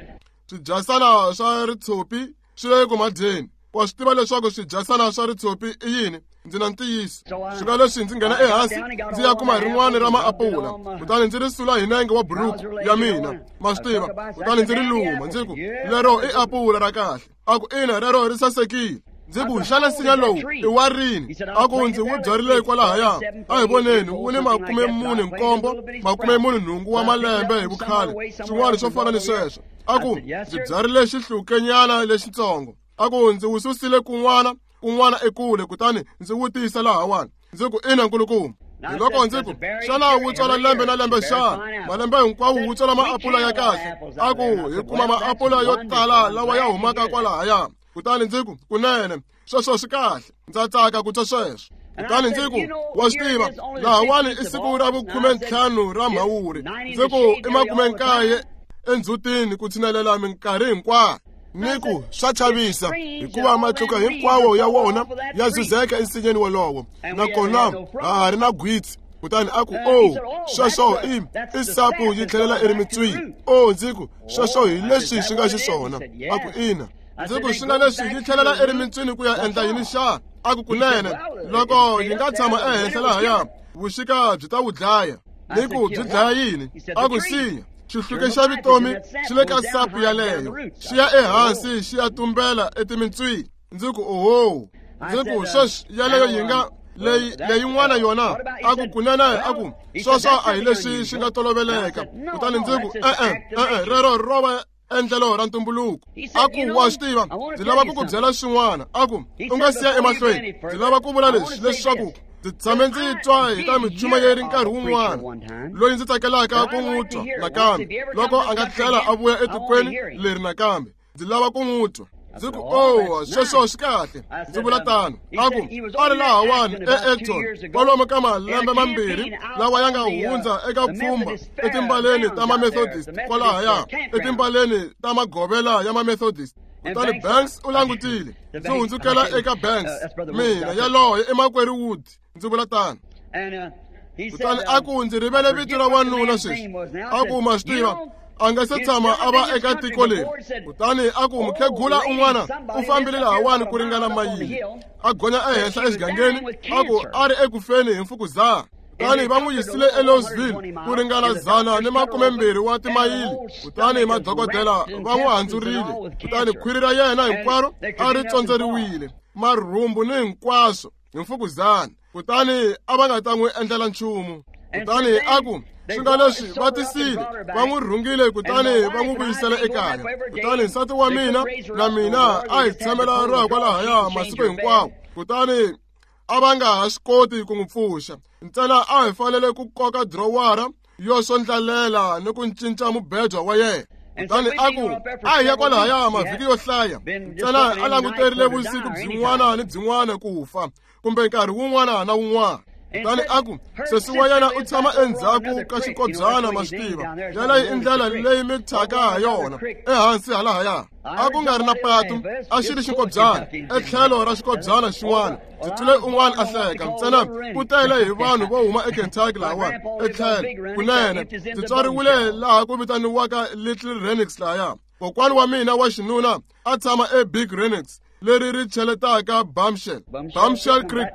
Swidyasana swa ritshopi swi le ku madyeni. Wa swi tiva leswaku swidyasana swa ritshopi i yini? Ndzi na ntiyiso. Swi nga leswi ndzi nghena ehansi, ndzi ya kuma rin'wana ra maapula, kutani ndzi ri sula hi nenge wa buruku ya mina, ma swi tiva, kutani ndzi ri luma. Ndzi ku, lero i apula ra kahle. A ku, ina, rero ri sasekile. Ndzi ku, xana nsinya lowu i wa rini? A ku, ndzi wu byarile kwalahaya. A hi voneni, wu ni 47 48 wa malembe hi vukhale, swin'wana swo fana ni sweswo. A ku, ndzi byarile xihlukenyana lexitsongo. A ku, ndzi wu susile kun'wana kun'wana ekule, kutani ndzi wu tisa lahawani. Ndzi ku, ina nkulukumba. Hi loko ndzi ku, xana wu tswala lembe na lembe xana? Malembe hinkwawo wu tswala maapula ya kahle. A ku, hi kuma maapula yo tala lawa ya humaka kwalahaya. Kutani ndzi ku, kunene sweswo swi kahle, ndza tsaka ku twa sweswo. Kutani ndzi ku, wa swi tiva, lahawani i siku ra vu-15 ra Mhawuri. Ndzi ku, i 90 endzhutini ku tshinelela minkarhi hinkwayo. Ni ku, swa chavisa, hikuva matluka hinkwawo ya wona ya zuzeka ensinyeni wolowo, nakona ha ha ri na gwitsi. Kutani a ku, oh, sweswo i sapu yi tlhelela erimitswini. Oh, ndzi ku, sweswo hi leswi swi nga xiswona. A ku, ina. Ndzi ku, swi nga leswi yi tlhelela erimitswini ku ya endla yini xana? A ku, kunene loko yi nga tshama ehenhla lahaya, vuxika byi ta wu dlaya. Ni ku, byi dlaya yini? A ku, nsinya xihluke xa vutomi xi le ka sapu yaleyo, xi ya ehansi xi ya tumbela etimintswini. Ndzi ku, oho. Ndzi ku, sweswi yaleyo yi nga leyin'wana yona. A ku, kunene. A ku, sweswo a hi leswi swi nga toloveleka. Kutani ndzi ku, e-e, rero ro va endlelo ra ntumbuluko. A ku, wa swi tiva, ndzi lava ku ku byela swin'wana. A ku, u nga siya emahlweni, ndzi lava ku vula leswi, leswaku ndzi tshame ndzi twa hi ta michumayeri nkarhi wun'wana loyi ndzi tsakelaka ku n'wi twa nakambe, loko a nga tlhela a vuya etikweni leri nakambe, ndzi lava ku n'wi twa. Ndzi ku, oh, sweswo swi kahle. Ndzi vula tano. A ku, a ri lahawani e-Acton kwalomu ka malembe mambirhi lawa ya nga hundza eka pfhumba etimbaleni ta ma-Methodist kwalahaya, etimbaleni ta magovela ya ma-Methodist. Kutani Banks u langutile. Ndzi hundzukela eka Banks. Mina yaloye i makwerhu Wood, ndzi vula tano. Kutani a ku ndzi rivele vito ra wanuna sweswi. A ku ma swi tiva, a nga se tshama a va eka tiko leri. Kutani a ku mukhegula un'wana u fambile lahawani ku ringana mayili, a gonya ehenhla exigangeni, a ku a ri ekufeni hi mfukuzana. Kutani va n'wi yisile eLouisville ku ringana 120 wa timayili. Kutani madokodela va n'wi handzurile. Kutani khwiri ra yena hinkwaro a ri tsondzeriwile, marhumbu ni hinkwaswo hi mfukuzana. Kutani a va nga ta n'wi endlela nchumu. Kutani a ku swi nga leswi va tisile, va n'wi rhungile kutani va n'wi vuyisela ekaya. Kutani nsati wa mina na mina a hi tshamela ro ya kwalahaya masiku hinkwawo. Kutani a va nga ha swi koti ku n'wi pfuxa. Ntsena a hi fanele ku koka drowara yo swondlalela ni ku cinca mubedwa wa yena. Kutani a ku a hi ya kwalahaya mavhiki yo hlaya. Ntsena a languterile vusiku byin'wana ni byin'wana ku fa, kumbe nkarhi wun'wana na wun'wana. Kutani a ku sesi wa yena u tshama endzhaku ka xikobyana, ma swi tiva, yaleyo i ndlela leyi mi thyaka ha yona ehansi halahaya. A ku nga ri na patu, a xi ri xikobyana etlhelo ra xikobyana xin'wana. Ndzi twile un'wana a hleka. Ntsena ku tele hi vanhu vo huma eKentucky lahawani etlhelo. Kunene ndzi tswariwile laha ku vitaniwaka Little Renix lahaya. Kokwani wa mina wa xinuna a tshama eBig Renix, leri ri cheletaka Bamshell. Bamshell Creek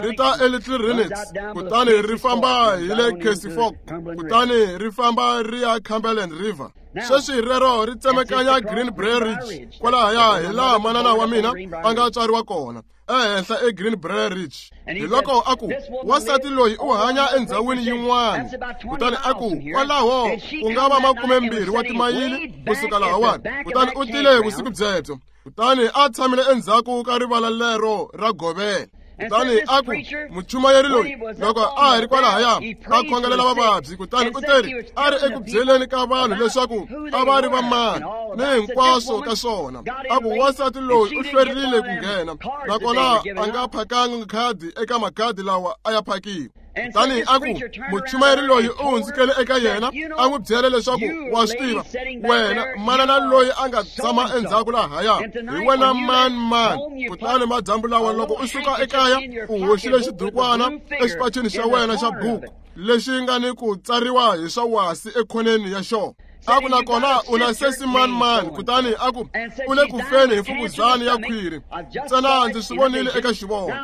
ri ta eLittle Renix, kutani ri famba hi le Casey Fork, kutani ri famba ri ya Cumberland River. Sweswi rero ri tsemekanya Greenbrier Ridge kwalahaya hi laha manana wa mina a nga tswariwa kona, ehenhla eGreenbrier Ridge. Hi loko a ku wansati loyi u hanya endhawini yin'wana. Kutani a ku kwalaho ku nga va 20 wa timayili kusuka lahawani. Kutani u tile vusiku byebyo. Kutani a tshamile endzhaku ka rivala lero ra govela. Kutani a ku muchumayeri loyi loko a ha ri kwalahaya a khongelela vavabyi. Kutani u teri a ri eku byeleni ka vanhu leswaku a va ri va mani ni hinkwaswo ka swona. A ku wansati loyi u hlwerile ku nghena, nakona a nga phakanga khadi eka makhadi lawa a ya phakiwa. Kutani a ku muchumayeri loyi u hundzukele eka yena, a n'wi byela leswaku wa swi tiva wena manana loyi a nga tshama endzhaku lahaya hi wena mani mani. Kutani madyambu lawa loko u suka ekaya u hoxile xidukwana exipacini xa wena xa buku lexi nga ni ku tsariwa hi swa wasi ekhoneni ya xona. A ku nakona u na sesi mani mani. Kutani a ku u le ku feni hi mfukuzana ya khwiri, ntsena ndzi swi vonile eka xivono.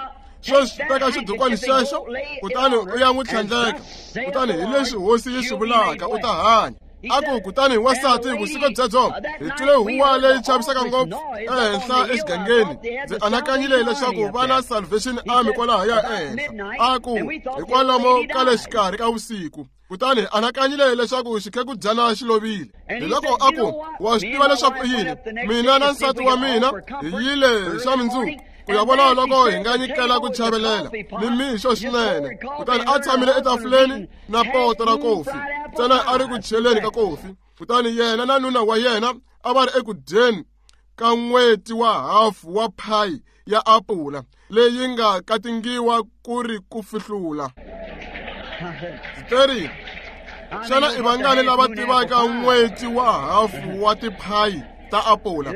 Sweswi teka xidukwani xexo kutani u ya n'wi tlhandleka. Kutani hi leswi hosi yi swi vulaka, u ta hanya. A ku kutani wansati vusiku byebyo hi twile huwa leyi chavisaka ngopfu ehenhla exigangeni. Ndzi anakanyile leswaku va na Salvation Army kwalahaya ehenhla. A ku hikwalomo ka le xikarhi ka vusiku. Kutani anakanyile leswaku xikhekudyana xi lovile. Hi loko a ku wa swi tiva leswaku i yini, mina na nsati wa mina hi yile xa mundzuku ku ya vona loko hi nga nyikela ku chavelela ni mixo swinene. Kutani a tshamile etafuleni na poto ra kofi, ntsena a ri ku cheleni ka kofi. Kutani yena na nuna wa yena a va ri eku dyeni ka n'weti wa hafu wa phayi ya apula leyi nga katingiwa ku ri ku fihlula. Ndzi teri, xana i vangani lava tivaka n'weti wa hafu wa tiphayi ta apula?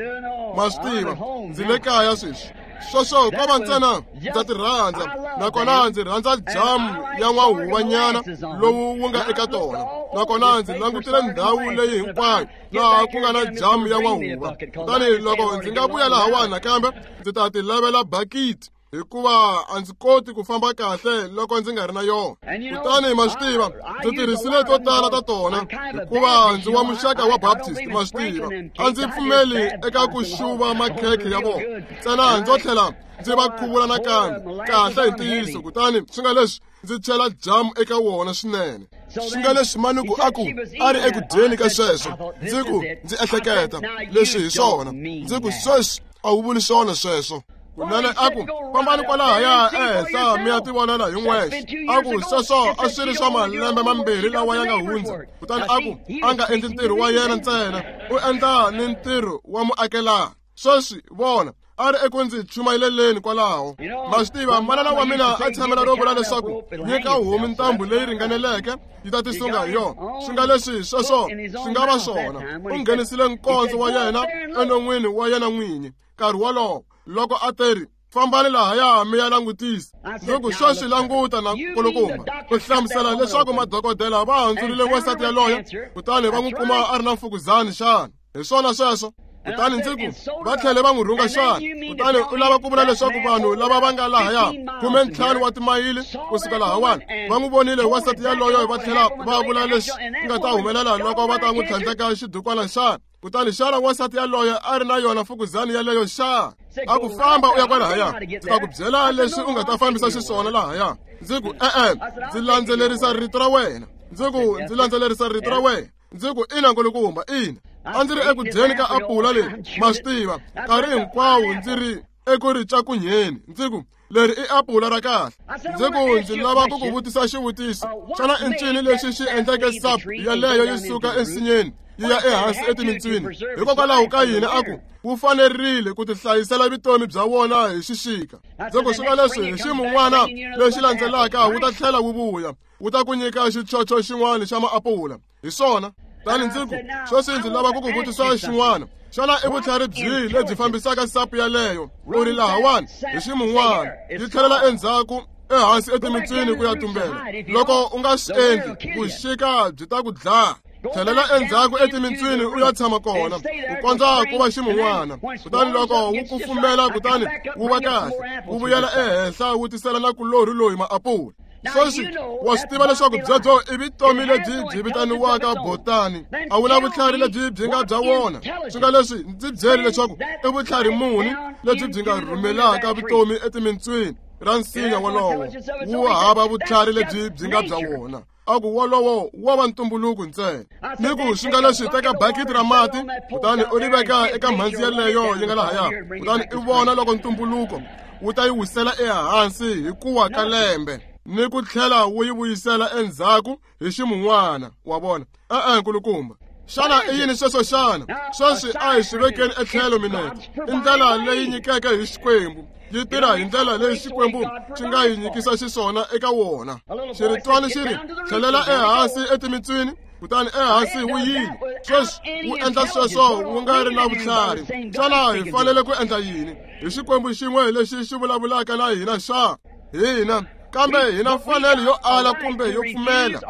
Ma swi tiva, ndzi le kaya sweswi. Sweswo ko va ntsena ndza ti rhandza, nakona ndzi rhandza jamu ya n'wahuwanyana lowu wu nga eka tona. Nakona ndzi langutile ndhawu leyi hinkwayo laha ku nga na jamu ya n'wahuva. Kutani loko ndzi nga vuya lahawani nakambe, ndzi ta ti lavela bakiti, hikuva a ndzi koti ku famba kahle loko ndzi nga ri na yona. Kutani ma swi tiva, ndzi tirhisile to tala ta tona, hikuva ndzi wa muxaka wa Baptist, ma swi tiva. A ndzi pfumeli eka ku xuva makhekhe ya vona, ntsena ndzo tlhela ndzi va khuvula nakambe kahle hi ntiyiso. Kutani swi nga leswi ndzi chela jamu eka wona swinene. Swi nga leswi manuku a ku a ri eku dyeni ka sweswo. Ndzi ku ndzi ehleketa leswi hi swona. Ndzi ku sweswi a wu vuli swona sweswo. Kunene a ku fambani kwalahaya ehenhla mi ya tivonela hi n'wexe. A ku sweswo a swi ri swa malembe mambirhi lawa ya nga hundza. Kutani a ku a nga endli ntirho wa yena ntsena, u endla ni ntirho wa muakelani. Sweswi vona, A ri eku ndzi chumayeleleni kwalaho. Ma swi tiva, manana wa mina a tshamela ro vula leswaku nyika homu ntambu leyi ringaneleke yi ta tisunga hi yona. Swi nga leswi sweswo swi nga va swona. U nghenisile nkondzo wa yena enon'wini wa yena n'winyi nkarhi wolowo loko a teri, fambani lahaya mi ya langutisa. Ndzi ku sweswi languta na nkulukumba ku hlamusela leswaku madokodela va handzurile wansati yaloye kutani va n'wi kuma a ri na mfukuzani xana. Hi swona sweswo. Kutani ndzi ku va tlhele va n'wi rhunga xana. Kutani u lava ku vula leswaku vanhu lava va nga lahaya 15 wa timayili kusuka lahawani va n'wi vonile wansati yaloye va tlhela va vula leswi nga ta humelela loko va ta n'wi tlhandleka xidukwana xana. Kutani xana wansati yaloye a ri na yona mfukuzani yaleyo xa? A ku famba u ya kwalahaya, ndzi ta ku byela leswi u nga ta fambisa xiswona lahaya. Ndzi ku e-e, ndzi landzelerisa rito ra wena. Ndzi ku ndzi landzelerisa rito ra wena. Ndzi ku ina nkulukumba, ina. A ndzi ri eku dyeni ka apula leri, ma swi tiva, nkarhi hinkwawo ndzi ri eku ri cakunyeni. Ndzi ku leri i apula ra kahle. Ndzi ku ndzi lava ku ku vutisa xivutiso. Xana i ncini lexi xi endleke sap yaleyo yi suka ensinyeni yi ya ehansi etimintswini? Hikokwalaho ka yini a ku wu fanerile ku tihlayisela vutomi bya wona hi xixika? Ndzi ku swi nga leswi hi ximun'wana lexi landzelaka wu ta tlhela wu vuya, wu ta ku nyika xichocho xin'wana xa maapula. Hi swona. Tani ndzi ku sweswi ndzi lava ku ku vutisa xin'wana. Xana i vutlhari byihi lebyi fambisaka sapu yaleyo u ri lahawani hi ximun'wana yi tlhelela endzhaku ehansi etimintswini ku ya tumbela? Loko u nga swi endli, vuxika byi ta ku dlaya. Tlhelela endzhaku etimintswini u ya tshama kona ku kondza ku va ximun'wana. Kutani loko wu kufumela kutani wu va kahle, wu vuyela ehenhla wu tisela na kulorhi loyi maapula. Sweswi wa swi tiva leswaku byebyo i vutomi lebyi byi vitaniwaka botani. A wu na vutlhari lebyi byi nga bya wona. Swi nga leswi ndzi byeli leswaku i vutlhari muni lebyi byi nga rhumelaka vutomi etimintswini ra nsinya wolowo. Wu hava vutlhari lebyi byi nga bya wona. A ku wolowo wa va ntumbuluko ntsena. Ni ku swi nga leswi teka bakiti ra mati kutani u ri veka eka mhandzi yaleyo yi nga lahaya, kutani i vona loko ntumbuluko wu ta yi wisela ehansi hi kuwa ka lembe ni ku tlhela wu yi vuyisela endzhaku hi ximun'wana. Wa vona? E-e, nkulukumba. Xana i yini sweswo xana? Sweswi a hi swi vekeni etlhelo minete. I ndlela leyi nyikeke hi Xikwembu. Yi tirha hi ndlela leyi Xikwembu xi nga yi nyikisa xiswona eka wona. Xiritwani xi ri, tlhelela ehansi etimintswini, kutani ehansi wu yile. Sweswi wu endla sweswo wu nga ri na vutlhari. Xana hi fanele ku endla yini? Hi Xikwembu xin'we lexi xi vulavulaka na hina xa? Hina kambe hina mfanelo yo ala kumbe yo pfumela,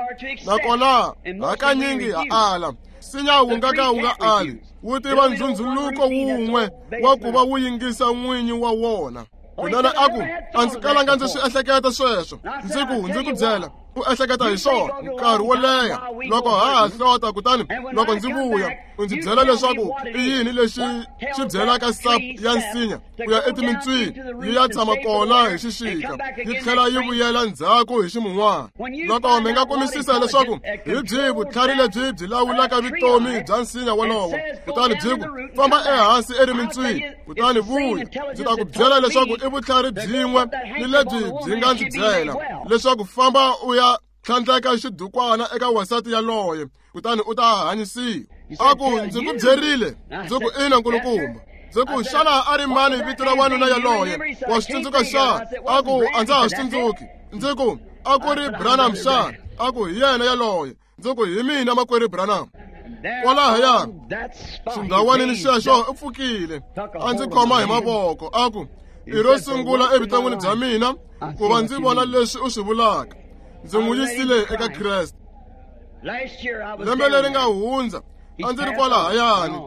nakona hakanyingi ha ala. Nsinya wu nga ka wu nga ali, wu tiva ndzhundzhuluko wun'we wa ku va wu yingisa n'winyi wa wona. Kunene a ku a ndzi kalanga ndzi swi ehleketa sweswo. Ndzi ku ndzi ku byela, u ehleketa hi swona nkarhi wo leha loko ha ha hlota, kutani loko ndzi vuya u ndzi byela leswaku i yini lexi xi byelaka sap ya nsinya ku ya etimintswini yi ya tshama kona hi xixika yi tlhela yi vuyela ndzhaku hi ximun'wana. Loko mi nga kumisisa leswaku hi byihi vutlhari lebyi byi lawulaka vutomi bya nsinya wolowo, kutani byi ku famba ehansi erimintswini kutani vuya, ndzi ta ku byela leswaku i vutlhari byin'we ni lebyi byi nga ndzi byela leswaku famba u ya tlhandleka xidukwana eka wansati yaloye kutani u ta hanyisiwa. A ku ndzi ku byerile. Ndzi ku ina nkulukumba. Ndzi ku xana a ri mani vito ra wanuna yaloye? Wa swi tsundzuka xana? A ku a ndza ha swi tsundzuki. Ndzi ku a ku ri Branham xana? A ku hi yena yaloye. Ndzi ku hi mina makwerhu Branham. Kwalahaya xindhawanini xexo u pfukile a ndzi khoma hi mavoko a ku i ro sungula evuton'wini bya mina ku va ndzi vona leswi u swi vulaka. Ndzi n'wi yisile eka Kreste. Lembe leri nga hundza a ndzi ri kwalahayani,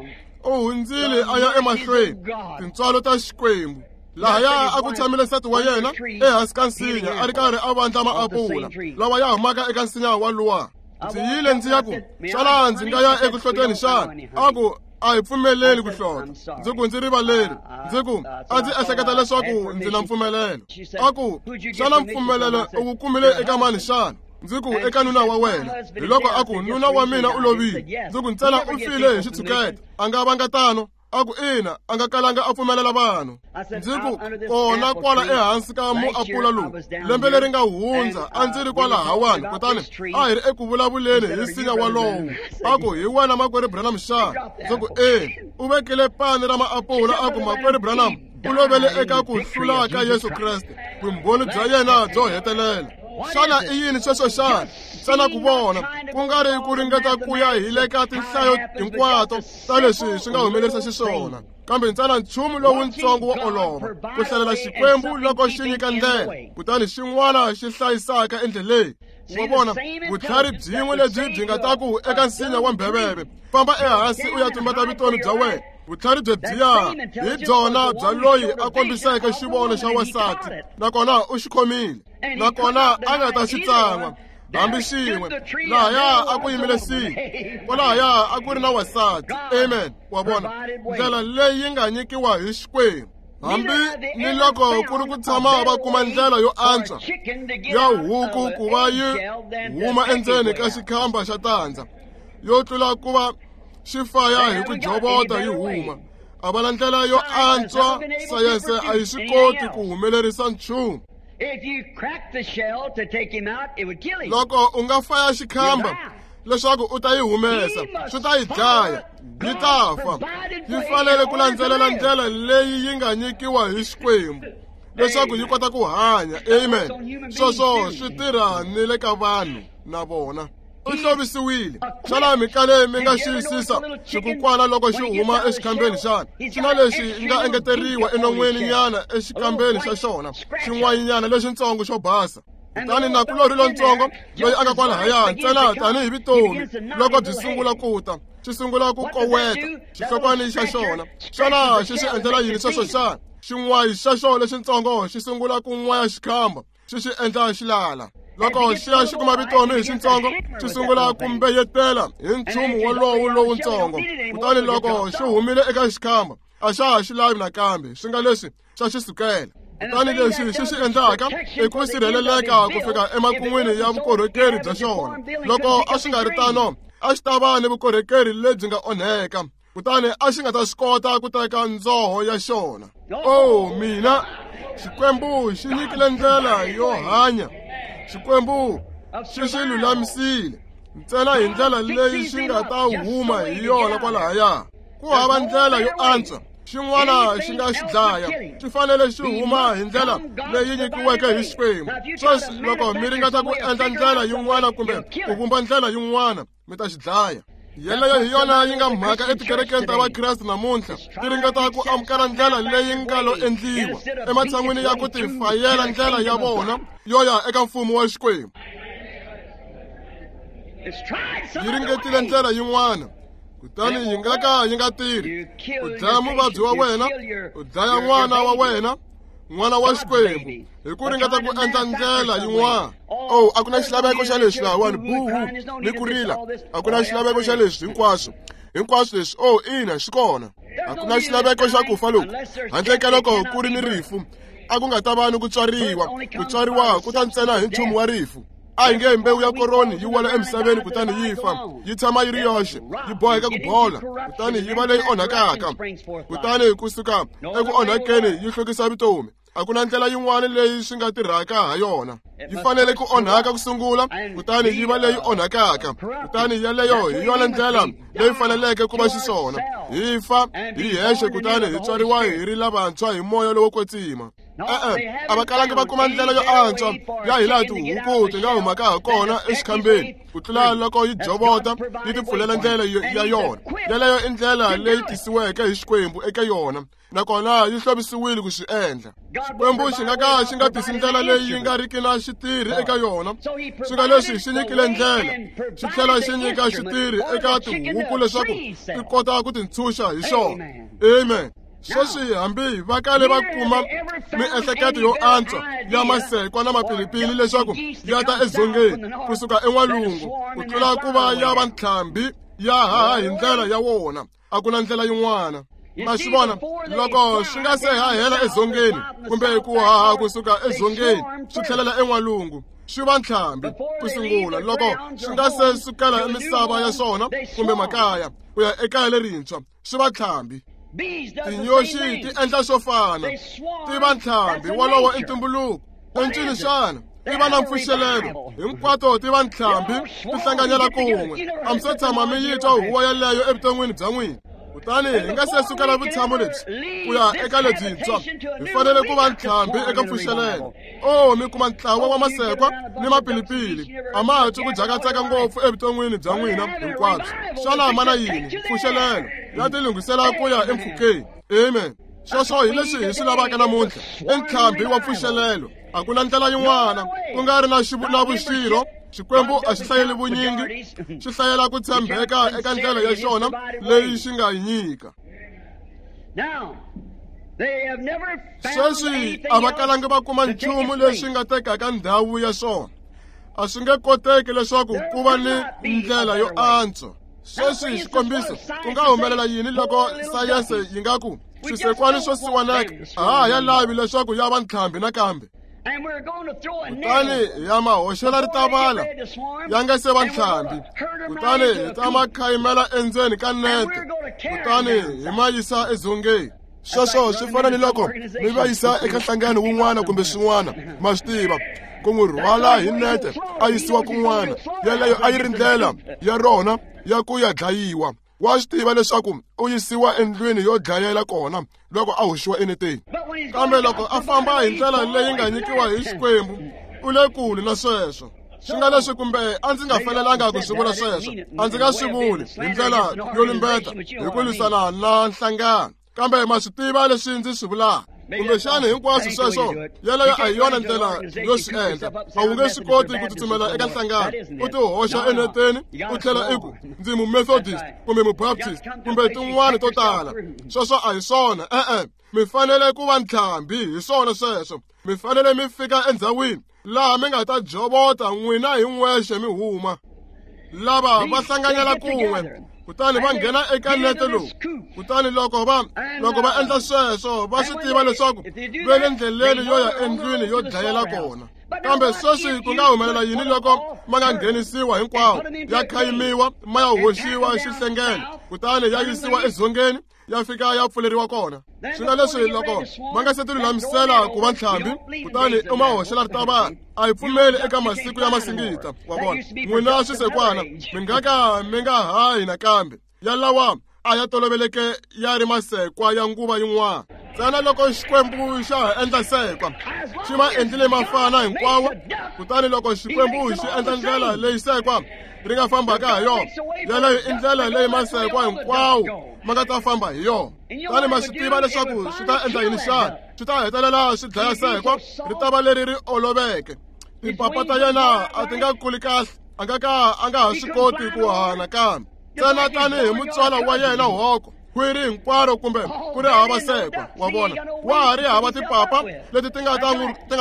u hundzile a ya emahlweni, tintswalo ta Xikwembu. Lahaya a ku tshamile nsati wa yena ehansi ka nsinya a ri karhi a vandla maapula lawa ya humaka eka nsinya waluwa. Ndzi yile ndzi ya ku xana ndzi nga ya eku hloteni xana? A ku a hi pfumeleli ku hlota. Ndzi ku ndzi rivaleri. Ndzi ku a ndzi ehleketa leswaku ndzi na mpfumelelo. A ku xana mpfumelelo u wu kumile eka mani xana? Ndzi ku eka nuna wa wena. Hi loko a ku nuna wa mina u lovile. Ndzi ku ntsena u file hi xitshuketa, a nga vanga tano. A ku ina, a nga kalanga a pfumelela vanhu. Ndzi ku kona kwala ehansi ka muapula lowu lembe leri nga hundza a ndzi ri kwalahawani, kutani a hi ri eku vulavuleni hi nsinya walowo. A ku hi wena makwerhu Branham xana? Ndzi ku e. U vekile pani ra maapula a ku makwerhu Branham, U lovele eka ku hlula ka Yesu Kreste, vumbhoni bya yena byo hetelela. Xana i yini sweswo xana? Ntsena ku vona, ku nga ri ku ringeta ku ya hi le ka tinhlayo hinkwato ta leswi swi nga humelerisa xiswona, kambe ntsena nchumu lowuntsongo wo olova, ku hlalela Xikwembu loko xi nyika ndlela, kutani xin'wana xi hlayisaka endleleni. Wa vona, vutlhari byin'we lebyi byi nga ta ku eka nsinya wa mbheveve, famba ehansi u ya tumbeta vutomi bya wena. Vutlhari byo byiya hi byona bya loyi a kombiseke xivono xa wansati, nakona u xi khomile, nakona a nga ta xi tsan'wa hambi xin'we. Lahaya a ku yimile siku, kwalahaya a ku ri na wansati. Amen. Wa vona, ndlela leyi yi nga nyikiwa hi Xikwembu. Hambi ni loko ku ri ku tshama va kuma ndlela yo antswa ya huku ku va yi huma endzeni ka xikhamba xa tandza, yo tlula ku va xi faya hi ku jovota yi huma. A va na ndlela yo antswa, sayense a yi swi koti ku humelerisa nchumu. Loko u nga faya xikhamba leswaku u ta yi humesa, swi ta yi dlaya, yi ta fa. Yi fanele ku landzelela ndlela leyi yi nga nyikiwa hi Xikwembu leswaku yi kota ku hanya. Amen. Sweswo swi tirha ni le ka vanhu na vona. U hlovisiwile. Xana mi kale mi nga xiyisisa xikukwana loko xi huma exikhambeni xana? Xi na lexi nga engeteriwa enon'weni nyana exikambeni xa xona, xin'wanyana lexintsongo xo basa. Kutani nakulorhi lontsongo loyi a nga kwalahaya ntsena tanihi vutomi loko byi sungula ku ta, xi sungula ku koweta xihlokwani xa xona. Xana xi swi endlela yini sweswo xana? Xin'wayi xa xona lexintsongo xi sungula ku n'waya xikhamba, xi xi endla xi lala. Loko xi ya xi kuma vutomi hi xintsongo, xi sungula ku mbeyetela hi nchumu wolowo lowuntsongo. Kutani loko xi humile eka xikhamba, a xa ha xi lavi nakambe, swi nga leswi xa xi sukela. Kutani leswi xi swi endlaka i ku sirheleleka ku fika emakun'wini ya vukorhokeri bya xona. Loko a swi nga ri tano, a xi ta va ni vukorhokeri lebyi nga onheka, kutani a xi nga ta swi kota ku teka ndzoho ya xona. Oh mina, Xikwembu xi nyikile ndlela yo hanya. Xikwembu xi swi lulamisile ntsena hi ndlela leyi xi nga ta huma hi yona kwalahaya. Ku hava ndlela yo antswa, xin'wana xi nga xi dlaya, xi fanele xi huma hi ndlela leyi nyikiweke hi Xikwembu. Sweswi loko mi ringeta ku endla ndlela yin'wana kumbe ku vumba ndlela yin'wana, mi ta xi dlaya. Yeleyo hi yona yi nga mhaka etikerekeni ta Vakreste namuntlha, ti ringeta ku amukela ndlela leyi nga lo endliwa ematshan'wini ya ku tifayela ndlela ya vona yo ya eka mfumo wa Xikwembu. Yi ringetile ndlela yin'wana, kutani yi nga ka yi nga tirhi. U dlaya muvabyi wa wena, u dlaya n'wana wa wena, n'wana wa Xikwembu, hi ku ringeta ku endla ndlela yin'wana. Oh, a ku na xilaveko xa leswi lahawani, buhu ni ku rila. A ku na xilaveko xa leswi hinkwaswo, hinkwaswo leswi. Oh, ina, xi kona. A ku na xilaveko xa ku fa loku, handle ka loko ku ri ni rifu. A ku nga ta va ni ku tswariwa, ku tswariwa ku ta ntsena hi nchumu wa rifu. A hi nge mbewu ya koroni yi wela emisaveni kutani yi fa, yi tshama yi ri yoxe, yi boheka ku bola, kutani yi va leyi onhakaka. Kutani kusuka eku onhakeni yi hlukisa vutomi. A ku na ndlela yin'wana leyi swi nga tirhaka ha yona. Yi fanele ku onhaka ku sungula, kutani yi va leyi onhakaka. Kutani yeleyo hi yona ndlela leyi faneleke ku va xiswona. Hi fa hi hexe kutani hi tswariwa hi ri lavantshwa hi moya lowo kwetsima. E-e, a va kalangi va kuma ndlela yo antswa ya hi laha tihuku ti nga humaka ha kona exikhambeni ku tlula loko yi jovota yi tipfulela ndlela ya yona. Yeleyo i ndlela leyi tisiweke hi Xikwembu eka yona, nakona yi hlovisiwile ku swi endla. Xikwembu xi nga ka xi nga tisi ndlela leyi yi nga riki na xitirhi eka yona. Swi nga leswi xi nyikile ndlela, xi tlhela xi nyika xitirhi eka tihuku leswaku ti kota ku tintshunxa hi xona. Amen. Sweswi hambi va kale va kuma miehleketo yo antswa ya masekwa na mapilipili leswaku ya ta edzongeni kusuka en'walungu ku tlula ku va ya va ntlhambi ya haha hi ndlela ya wona. A ku na ndlela yin'wana. Ma swi vona, loko swi nga se hahela edzongeni kumbe ku haha kusuka edzongeni swi tlhelela en'walungu, swi va ntlhambi ku sungula. Loko swi nga se sukela misava ya swona kumbe makaya ku ya ekaya lerintshwa, swi va ntlhambi. Tinyoxi ti endla swo fana, ti va ntlhambi wolowo i ntumbuluko. Encini xana ti va na mpfuxelelo, hinkwato ti va ntlhambi ti hlanganyela kun'we. A mi se tshama mi yi twa huwa yeleyo evuton'wini bya n'wina. Kutani hi nga se sukela vutshamo lebyi ku ya eka lebyintshwa, hi fanele ku va ntlhambi eka mpfuxelelo. O mi kuma ntlawa wa masekwa ni mapilipili, a ma ha twi ku jakatsaka ngopfu evuton'wini bya n'wina hinkwabyo. Xana ma na yini? Mpfuxelelo ya tilunghisela ku ya empfhukeni. Amen. Sweswo hi leswi hi swi lavaka namuntlha, i ntlhambi wa mpfuxelelo. A ku na ndlela yin'wana, ku nga ri na vuxirho. Xikwembu a xi hlayeli vunyingi, xi hlayela ku tshembeka eka ndlela ya xona leyi xi nga yi nyika. Sweswi a va kalangi va kuma nchumu lexi nga tekaka ndhawu ya xona. A swi nge koteki leswaku ku va ni ndlela yo antswa. Sweswi xikombiso, ku nga humelela yini loko sayense yi nga ku swisekwani swo siwaneka a ha ya lavi leswaku ya va ntlhambi nakambe? Kutani ya ma hoxela ritavala ya nga se va ntlhambi, kutani hi ta ma khayimela endzeni ka nete, kutani hi ma yisa edzongeni. Sweswo swi fana ni loko mi va yisa eka nhlangano wun'wana kumbe swin'wana, ma swi tiva, ku n'wi rhwala hi nete a yisiwa kun'wana. Yeleyo a yi ri ndlela ya rona ya ku ya dlayiwa. Wa swi tiva leswaku u yisiwa endlwini yo dlayela kona loko a hoxiwa eneteni. Kambe loko a famba hi ndlela leyi nga nyikiwa hi Xikwembu, u le kule na sweswo. Swi nga leswi kumbe a ndzi nga fanelanga ku swi vula sweswo, a ndzi nga swi vuli hi ndlela yo lumbeta hi ku lwisana na nhlangano, kambe ma swi tiva leswi ndzi swi vulaka. Kumbexana hinkwaswo sweswo, yeleyo a hi yona ndlela yo swi endla. A wu nge swi koti ku tsutsumela eka nhlangano, u tihoxa eneteni, u tlhela i ku ndzi Mumethodist kumbe Mubaptist kumbe tin'wana to tala. Sweswo a hi swona. E-e, mi fanele ku va ntlhambi hi swona sweswo. Mi fanele mi fika endhawini laha mi nga ta jovota n'wina hi n'wexe mi huma. Lava va hlanganyela kun'we, kutani va nghena eka nete lowu. Kutani loko va endla sweswo, va swi tiva leswaku va le ndleleni yo ya endlwini yo dlayela kona. Kambe sweswi ku nga humelela yini loko ma nga nghenisiwa hinkwawo, ya khayimiwa, ma ya hoxiwa xihlengelo, kutani ya yisiwa edzongeni, ya fika ya pfuleriwa kona? Swi nga leswi loko ma nga se ti lulamisela ku va ntlhambi, kutani u ma hoxela ritavala. A hi pfumeli eka masiku ya masingita, wa vona. N'wina swisekwana mi nga ka mi nga hayi nakambe. Yalawa a ya toloveleke ya ri masekwa ya nguva yin'wana. Ntsena loko Xikwembu xa ha endla sekwa, xi ma endlile mafana hinkwawo. Kutani loko Xikwembu xi endla ndlela leyi sekwa ri nga fambaka ha yona, yeleyo i ndlela leyi masekwa hinkwawo ma nga ta famba hi yona. Kutani ma swi tiva leswaku swi ta endla yini xana? Swi ta hetelela swi dlaya sekwa, ri ta va leri ri oloveke. Timpapa ta yena a ti nga kuli kahle, a nga ka a nga ha swi koti ku haha nakambe. Ntsena tanihi mutswala wa yena hoko, khwiri hinkwaro kumbe ku ri hava sekwa, wa vona, wa ha ri hava timpapa leti ti nga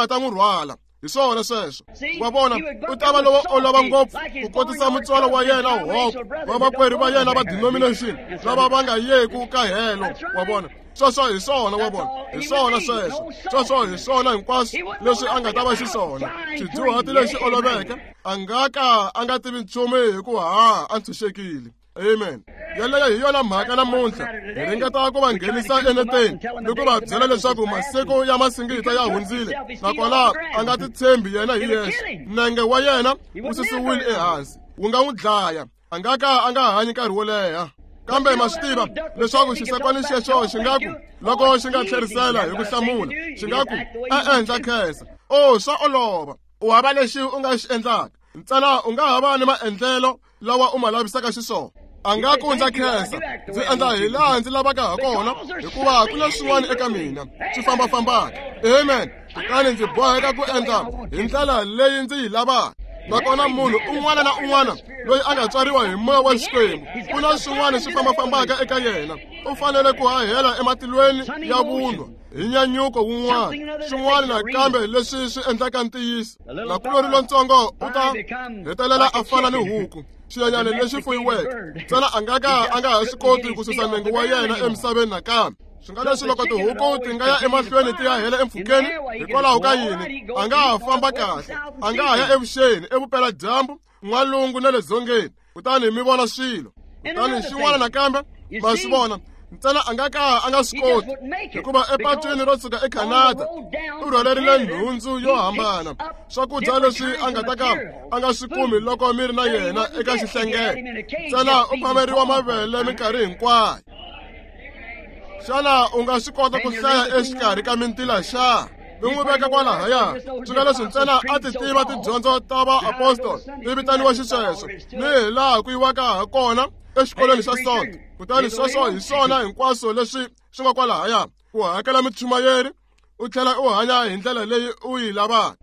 ta n'wi rhwala. Hi swona sweswo, wa vona, u ta va lowo olova ngopfu ku kotisa mutswalo wa yena hoko, vamakwerhu va yena va denomination lava va nga yeku ka helo, wa vona. Sweswo hi swona, wa vona, hi swona sweswo. Sweswo hi swona hinkwaswo leswi a nga ta va xiswona. Xidyuhati lexi oloveke, a nga ka a nga tivi nchumu hi ku haha a ntshunxekile. Amen. Yeleyo hi yona mhaka namuntlha. Hi ringeta ku va nghenisa eneteni ni ku va byela leswaku masiku ya masingita ya hundzile, nakona a nga titshembi yena hi yexe. Nenge wa yena wu susiwile ehansi, wu nga n'wi dlaya. A nga ka a nga hanyi nkarhi wo leha. Kambe ma swi tiva leswaku xisekwani xexo xi nga ku loko xi nga tlherisela hi ku hlamula, xi nga ku e-e, ndza khensa. O, swa olova. U hava lexi u nga xi endlaka. Ntsena u nga ha va ni maendlelo lawa u ma lavisaka xiswona. A nga ku ndza khensa, ndzi endla hi laha ndzi lavaka ha kona, hikuva ku na swin'wana eka mina swi fambafambaka. Amen. Kutani ndzi boheka ku endla hi ndlela leyi ndzi yi lavaka. Nakona munhu un'wana na un'wana loyi a nga tswariwa hi moya wa Xikwembu, ku na swin'wana swi fambafambaka eka yena. U fanele ku hahela ematilweni ya vunwa hi nyanyuko wun'wana, swin'wana nakambe leswi swi endlaka ntiyiso. Nakulori lontsongo u ta hetelela a fana ni huku, xinyenyana lexi fuyiweke. Ntsena a nga ka a nga ha swi koti ku susa nenge wa yena emisaveni nakambe. Swi nga leswi loko tihuku ti nga ya emahlweni ti ya hela empfhukeni, hikwalaho ka yini? A nga ha famba kahle, a nga ha ya evuxeni, evupeladyambu, n'walungu na le dzongeni, kutani mi vona swilo. Kutani xin'wana nakambe ma swi vona, ntsena a nga ka a nga swi koti, hikuva epatwini ro suka eCanada u rhwalerile nhundzu yo hambana, swakudya leswi a nga ta ka a nga swi kumi loko mi ri na yena eka xihlengelo. Ntsena u phameriwa mavele minkarhi hinkwayo. Xana u nga swi kota ku hlaya exikarhi ka mintila xa? Mi n'wi veka kwalahaya. Swi nga leswi ntsena a ti tiva tidyondzo ta vaapostoli ti vitaniwa xisweswo ni hi laha ku yiwaka ha kona exikolweni xa Sonto. Kutani sweswo hi swona hinkwaswo leswi swi nga kwalahaya, ku hakela muchumayeri u tlhela u hanya hi ndlela leyi u yi lavaka.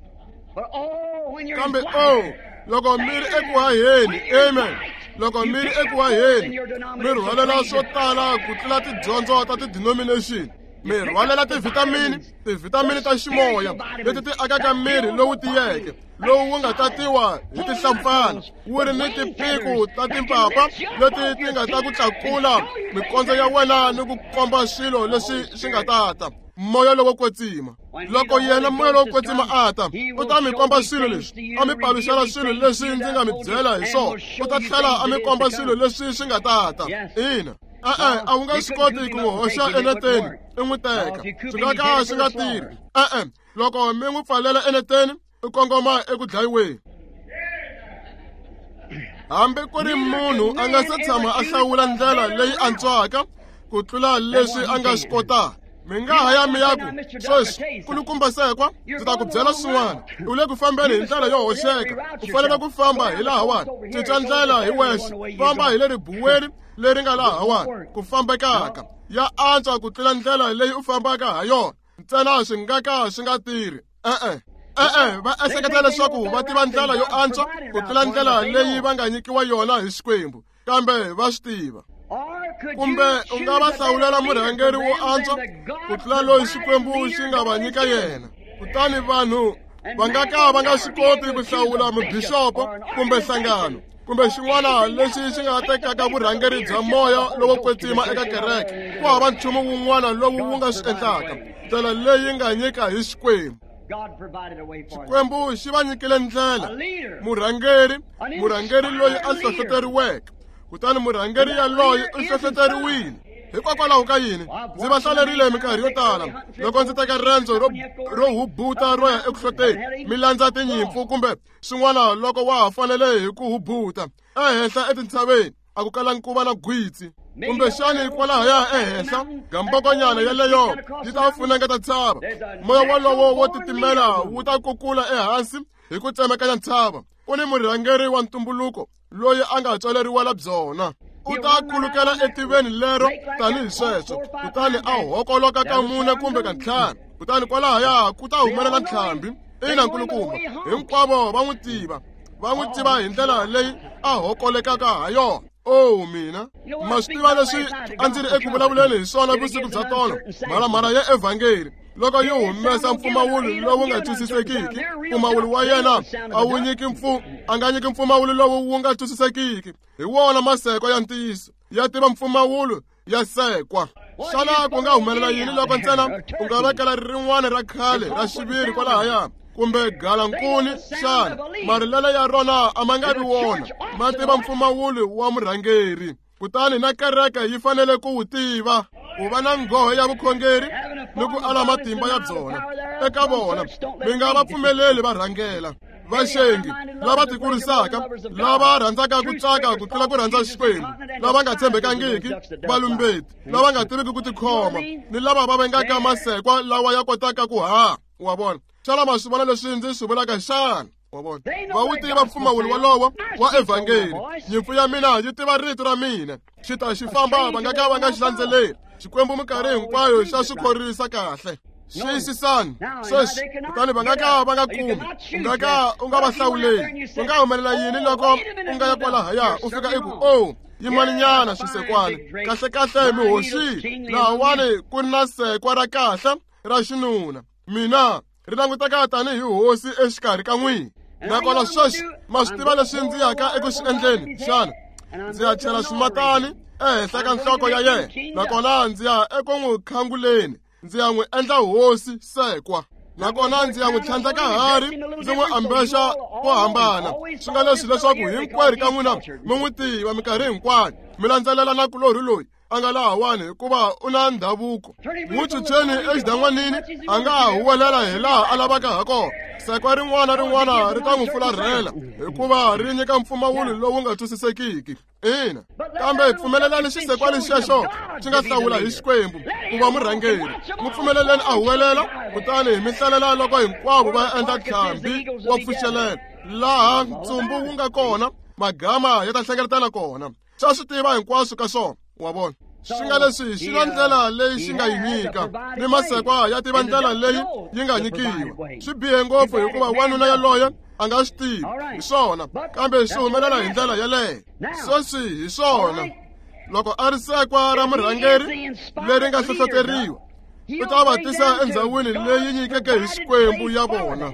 Kambe o loko mi ri eku haheni, amen, loko mi ri eku haheni mi rhwalela swo tala ku tlula tidyondzo ta ti-denomination. Mi rhwalela tivhitamini ta ximoya leti ti akaka miri lowu tiyeke, lowu wu nga tatiwa hi tihlampfana, wu ri ni tipiku ta timpapa leti ti nga ta ku tlakula mikondzo ya wena ni ku komba swilo leswi swi nga tata. Moya lowo kwetsima, loko yena moya lowo kwetsima a ta, u ta mi komba swilo leswi, a mi paluxela swilo leswi ndzi nga mi byela hi swona, u ta tlhela a mi komba swilo leswi swi nga tata. Ina, e-e, a wu nga swi koti ku n'wi hoxa eneteni i n'wi teka, swi nga ka swi nga tirhi. E-e, loko mi n'wi pfalela eneteni u kongoma eku dlayiweni. Hambi ku ri munhu a nga se tshama a hlawula ndlela leyi antswaka ku tlula leswi a nga swi kotaka. Mi nga ha ya mi ya ku, sweswi kulukumba sekwa, ndzi ta ku byela swin'wana. U le ku fambeni hi ndlela yo hoxeka, u fanele ku famba hi lahawani. Cinca ndlela hi wexe, famba hi le ribuweni leri nga lahawani ku fambekaka. Ya antswa ku tlula ndlela leyi u fambaka ha yona, ntsena swi nga ka swi nga tirhi. E-e, e-e, va ehleketa leswaku va tiva ndlela yo antswa ku tlula ndlela leyi va nga nyikiwa yona hi Xikwembu, kambe va swi tiva. Kumbe u nga va hlawulela murhangeri wo antswa ku tlula loyi Xikwembu xi nga va nyika yena. Kutani vanhu va nga ka va nga swi koti ku hlawula mubixopo kumbe nhlangano kumbe xin'wana lexi xi nga tekaka vurhangeri bya moya lowo kwetsima eka kereke. Ku hava nchumu wun'wana lowu wu nga swi endlaka, ndlela leyi nga nyika hi Xikwembu. Xikwembu xi va nyikile ndlela, murhangeri loyi a hlohloteriweke. Kutani murhangeri yaloye u hlohloteriwile. Hikokwalaho ka yini? Ndzi va hlalerile minkarhi yo tala loko ndzi teka rendzo ro hubuta ro ya eku hloteni, mi landza tinyimpfu kumbe swin'wana loko wa ha fanele hi ku hubuta ehenhla etintshaveni, a ku kalangi ku va na gwitsi. Kumbexani kwalahaya ehenhla gambokonyana yeleyo yi ta funengeta ntshava. Moya wolowo wo titimela wu ta kukula ehansi hi ku tsemekanya ntshava. Ku ni murhangeri wa ntumbuluko loyi a nga tswaleriwela byona. U ta khulukela etiveni lero tanihi sweswo, kutani a hokoloka ka 4 kumbe ka 5, kutani kwalahaya ku ta humelela ntlhambi. Ina, nkulukumba, hinkwavo va n'wi tiva, va n'wi tiva hi ndlela leyi a hokolekaka ha yona. Oh mina, ma swi tiva leswi a ndzi ri eku vulavuleni hi swona vusiku bya tolo, mhalamhala ya evhangeli loko yi humesa mpfumawulo lowu nga twisisekiki, mpfumawulo wa yena a wu nyiki a nga nyiki mpfumawulo lowu wu nga twisisekiki. Hi wona maseko ya ntiyiso, ya tiva mpfumawulo ya sekwa. Xana ku nga humelela yini loko ntsena u nga vekela rin'wana ra khale ra xiviri kwalahaya kumbe galankuni? Xana marilelo ya rona a ma nga vi wona? Ma tiva mpfumawulo wa murhangeri, kutani na kereke yi fanele ku wu tiva. Ku va na nghohe ya vukhongeri ni ku ala matimba ya byona eka vona, mi nga va pfumeleli va rhangela. Vaxengi lava tikurisaka, lava rhandzaka ku tsaka ku tlula ku rhandza Xikwembu, lava nga tshembekangiki, valumbeti, lava nga tiviki ku tikhoma, ni lava va vengaka masekwa lawa ya kotaka ku haha. Wa vona? Xana ma swi vona leswi ndzi swi vulaka xana? Wa vona? Va wu tiva mpfumawulo wolowo wa evhangeli. Nyimpfu ya mina yi tiva rito ra mina, xi ta xi famba, va nga ka va nga xi landzeleli. Xikwembu minkarhi hinkwayo xa swi khorwisa kahle. Xiyisisani sweswi, kutani va nga ka va nga kumi, u nga ka u nga va hlawuleli. Ku nga humelela yini loko u nga ya kwalahaya u fika i ku, oh, yimaninyana swisekwani, kahlekahle mi hoxile, lahawani ku ri na sekwa ra kahle ra xinuna, mina ri languteka tanihi hosi exikarhi ka n'wina. Nakona sweswi ma swi tiva leswi ndzi yaka eku swi endleni xana? Ndzi ya chela swimatani ehenhla ka nhloko ya yena, nakona ndzi ya eku n'wi khanguleni, ndzi ya n'wi endla hosi sekwa. Nakona ndzi ya n'wi tlhandleka hari, ndzi n'wi ambexa ko hambana. Swi nga leswi leswaku hinkwerhu ka n'wina mi n'wi tiva minkarhi hinkwayo, mi landzelela nakulorhi loyi. a nga lahawani hikuva u na ndhavuko. N'wi chucheni exidan'wanini, a nga ha huwelela hi laha a lavaka ha kona. Sekwa rin'wana rin'wana ri ta n'wi fularhela hikuva ri nyika mpfumawulo lowu nga twisisekiki. Ina, kambe pfumelelani xisekwani xexo xi nga hlawula hi Xikwembu ku va murhangeri. N'wi pfumeleleni a huwelela, kutani mi hlalela loko hinkwavo va endla ntlhambi wa pfuxelela. Laha ntsumbu wu nga kona, magama ya ta hlengeletana kona. Xa swi tiva hinkwaswo ka swona, wa vona. Swi nga leswi xi na ndlela leyi xi nga yi nyika, ni masekwa ya tiva ndlela leyi yi nga nyikiwa. Swi bihe ngopfu hikuva wanuna yaloye a nga swi tivi, hi swona, kambe swi humelela hi ndlela yeleyo. Sweswi hi swona, loko a ri sekwa ra murhangeri leri nga hlohloteriwa, u ta va tisa endzhawini leyi nyikeke hi Xikwembu ya vona.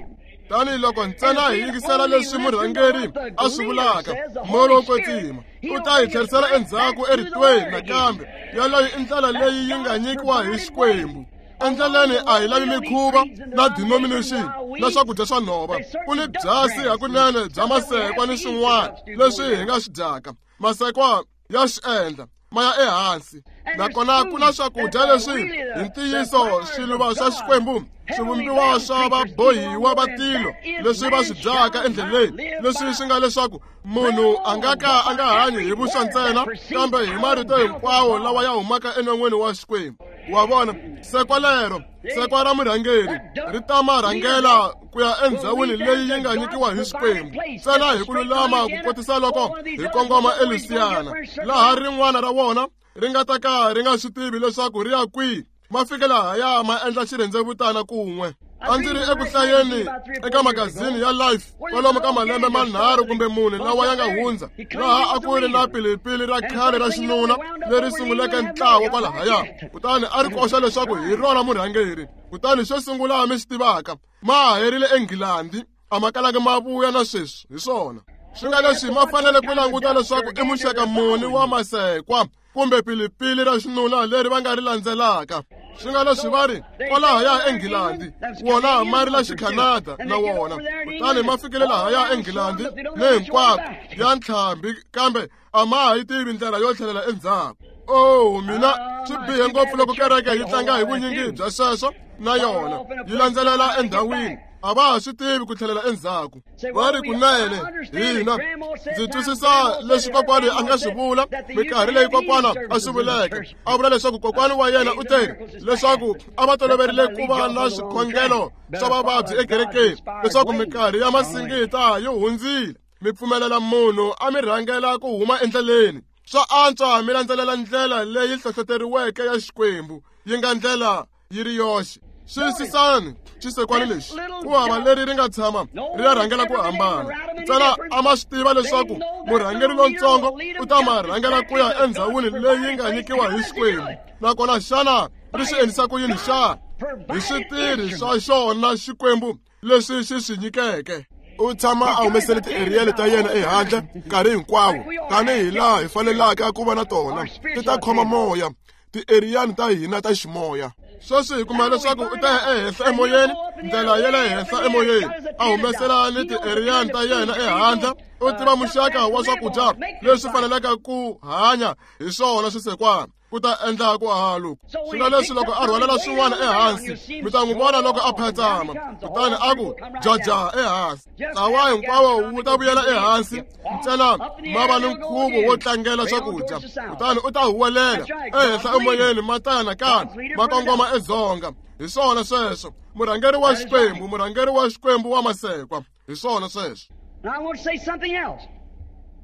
Tanihi loko ntsena hi yingisela leswi murhangeri a swi vulaka, Moya lowo Kwetsima u ta hi tlherisela endzhaku eritweni nakambe. Yaleyo i ndlela leyi yi nga nyikiwa hi Xikwembu. Endleleni a hi lavi mikhuva na denomination na swakudya swa nhova. Ku ni byasi hakunene bya masekwa ni swin'wana leswi hi nga swi dyaka. Masekwa ya swi endla ma ya ehansi, nakona ku na swakudya leswi hi ntiyiso swiluva swa Xikwembu, swivumbiwa swa vabohiwa va tilo leswi va swi dyaka endleleni, leswi swi nga leswaku munhu a nga ka a nga hanyi hi vuswa ntsena, kambe hi marito hinkwawo lawa ya humaka enon'wini wa Xikwembu. Wa vona, sekwa lero, sekwa ra murhangeri ri ta ma rhangela ku ya endzhawini leyi yi nga nyikiwa hi Xikwembu ntsena hi ku lulama, ku kotisa loko hi kongoma eLusiyana, laha rin'wana ra wona ri nga ta ka ri nga swi tivi leswaku ri ya kwihi. Ma fike lahaya ma endla xirhendzevutana kun'we. A ndzi ri eku hlayeni eka magazini ya Life kwalomu ka malembe manharhu kumbe mune lawa ya nga hundza, laha a ku ri na pilipili ra khale ra xinuna leri sunguleke ntlawa kwalahaya, kutani a ri koxa leswaku hi rona murhangeri. Kutani xo sungula mi swi tivaka, ma ha herile eNghilandi, a ma kalanga ma vuya na sweswi. Hi swona swi nga leswi ma fanele ku languta leswaku i muxaka muni wa masekwa kumbe pilipili ra xinuna leri va nga ri landzelaka. Swi nga leswi va ri kwalahaya eNghilandi, wona ma ri la Xikhanada na wona, kutani ma fikile lahaya eNghilandi ni hinkwako ya ntlhambi, kambe a ma ha yi tivi ndlela yo tlhelela endzhaku. Oh, mina swi bihe ngopfu loko kereke yi tlanga hi vunyingi bya sweswo na yona yi landzelela endhawini, a va ha swi tivi ku tlhelela endzhaku. Va ri kunene hina ndzi twisisa leswi kokwani a nga swi vula minkarhi leyi kokwana a swi vuleke. A vula leswaku kokwani wa yena u te leswaku a va toloverile ku va na swikhongelo swa vavabyi ekerekeni, leswaku minkarhi ya masingita yi hundzile, mi pfumelela munhu a mi rhangela ku huma endleleni. Swa antswa mi landzelela ndlela leyi hlohloteriweke ya Xikwembu, yi nga ndlela yi ri yoxe. Xiyisisani xisekwani lexi, ku hava leri ri nga tshama ri ya rhangela ku hambana. Ntsena a ma swi tiva leswaku murhangeri lontsongo u ta ma rhangela ku ya endzhawini leyi nga nyikiwa hi Xikwembu. Nakona xana ri swi endlisa ku yini xana? Hi switirhi swa xona Xikwembu leswi xi swi nyikeke. U tshama a humesele tieriyele ta yena ehandle nkarhi hinkwawo, tanihi laha hi fanelaka ku va na tona. Ti ta khoma moya, tieriyani ta hina ta ximoya. Sweswi hi kuma leswaku u ta ya ehenhla emoyeni, ndlela ya le henhla emoyeni, a humesela ni tieriyani ta yena ehandle. U tiva muxaka wa swakudya leswi faneleke ku hanya hi swona swisekwana ku ta endla ku halu. Swi nga leswi loko a rhwalela swin'wana ehansi, mi ta n'wi vona loko a phatsama, kutani a ku jaja ehansi. Ntlawa hinkwawo wu ta vuyela ehansi, ntsena ma va ni nkhuvo wo tlangela swakudya, kutani u ta huwelela ehenhla emoyeni, ma ta ya nakambe ma kongoma edzonga. Hi swona sweswo, murhangeri wa Xikwembu, murhangeri wa Xikwembu wa masekwa. Hi swona sweswo.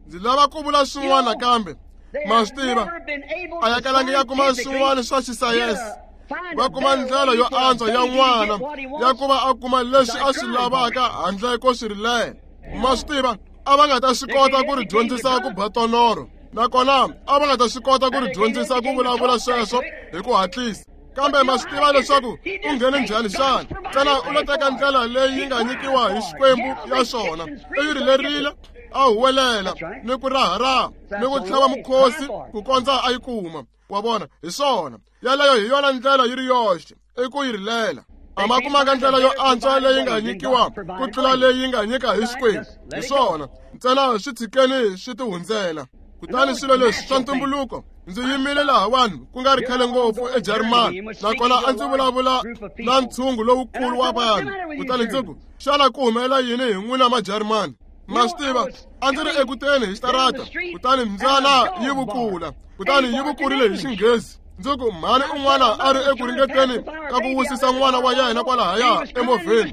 Ndzi lava ku vula swin'wana kambe. Ma swi tiva, a ya kalangi ya kuma swin'wana swa xisayense, va kuma ndlela yo antswa ya n'wana ya ku va a kuma leswi a swi lavaka handle ko swi rilela. Ma swi tiva, a va nga ta swi kota ku ri dyondzisa ku ba tonoro, nakona a va nga ta swi kota ku ri dyondzisa ku vulavula sweswo hi ku hatlisa. Kambe ma swi tiva leswaku u nghene njhani xana? Ntsena u lo teka ndlela leyi yi nga nyikiwa hi Xikwembu ya swona, u yi rilerile, a huwelela ni ku raharaha ni ku tlhava mukhosi ku kondza a yi kuma. Wa vona, hi swona yaleyo hi yona ndlela yi ri yoxe, i ku yi rilela. A ma kumanga ndlela yo antswa leyi nga nyikiwa ku tlula leyi nga nyika hi Xikwembu. Hi swona ntsena swi tshikeni swi tihundzela. Kutani swilo leswi swa ntumbuluko Ndzi yimile lahawani ku nga ri khale ngopfu eJarimani, nakona a ndzi vulavula na ntshungu lowukulu wa vanhu. Kutani ndzi ku, xana ku humelela yini hi n'wina Majarimani? Ma swi tiva, a ndzi ri ekuteni hi xitarata, kutani mbyana yi vukula, kutani yi vukurile hi Xinghezi. Ndzi ku, mhani un'wana a ri eku ringeteni ka ku wisisa n'wana wa yena kwalahaya emovheni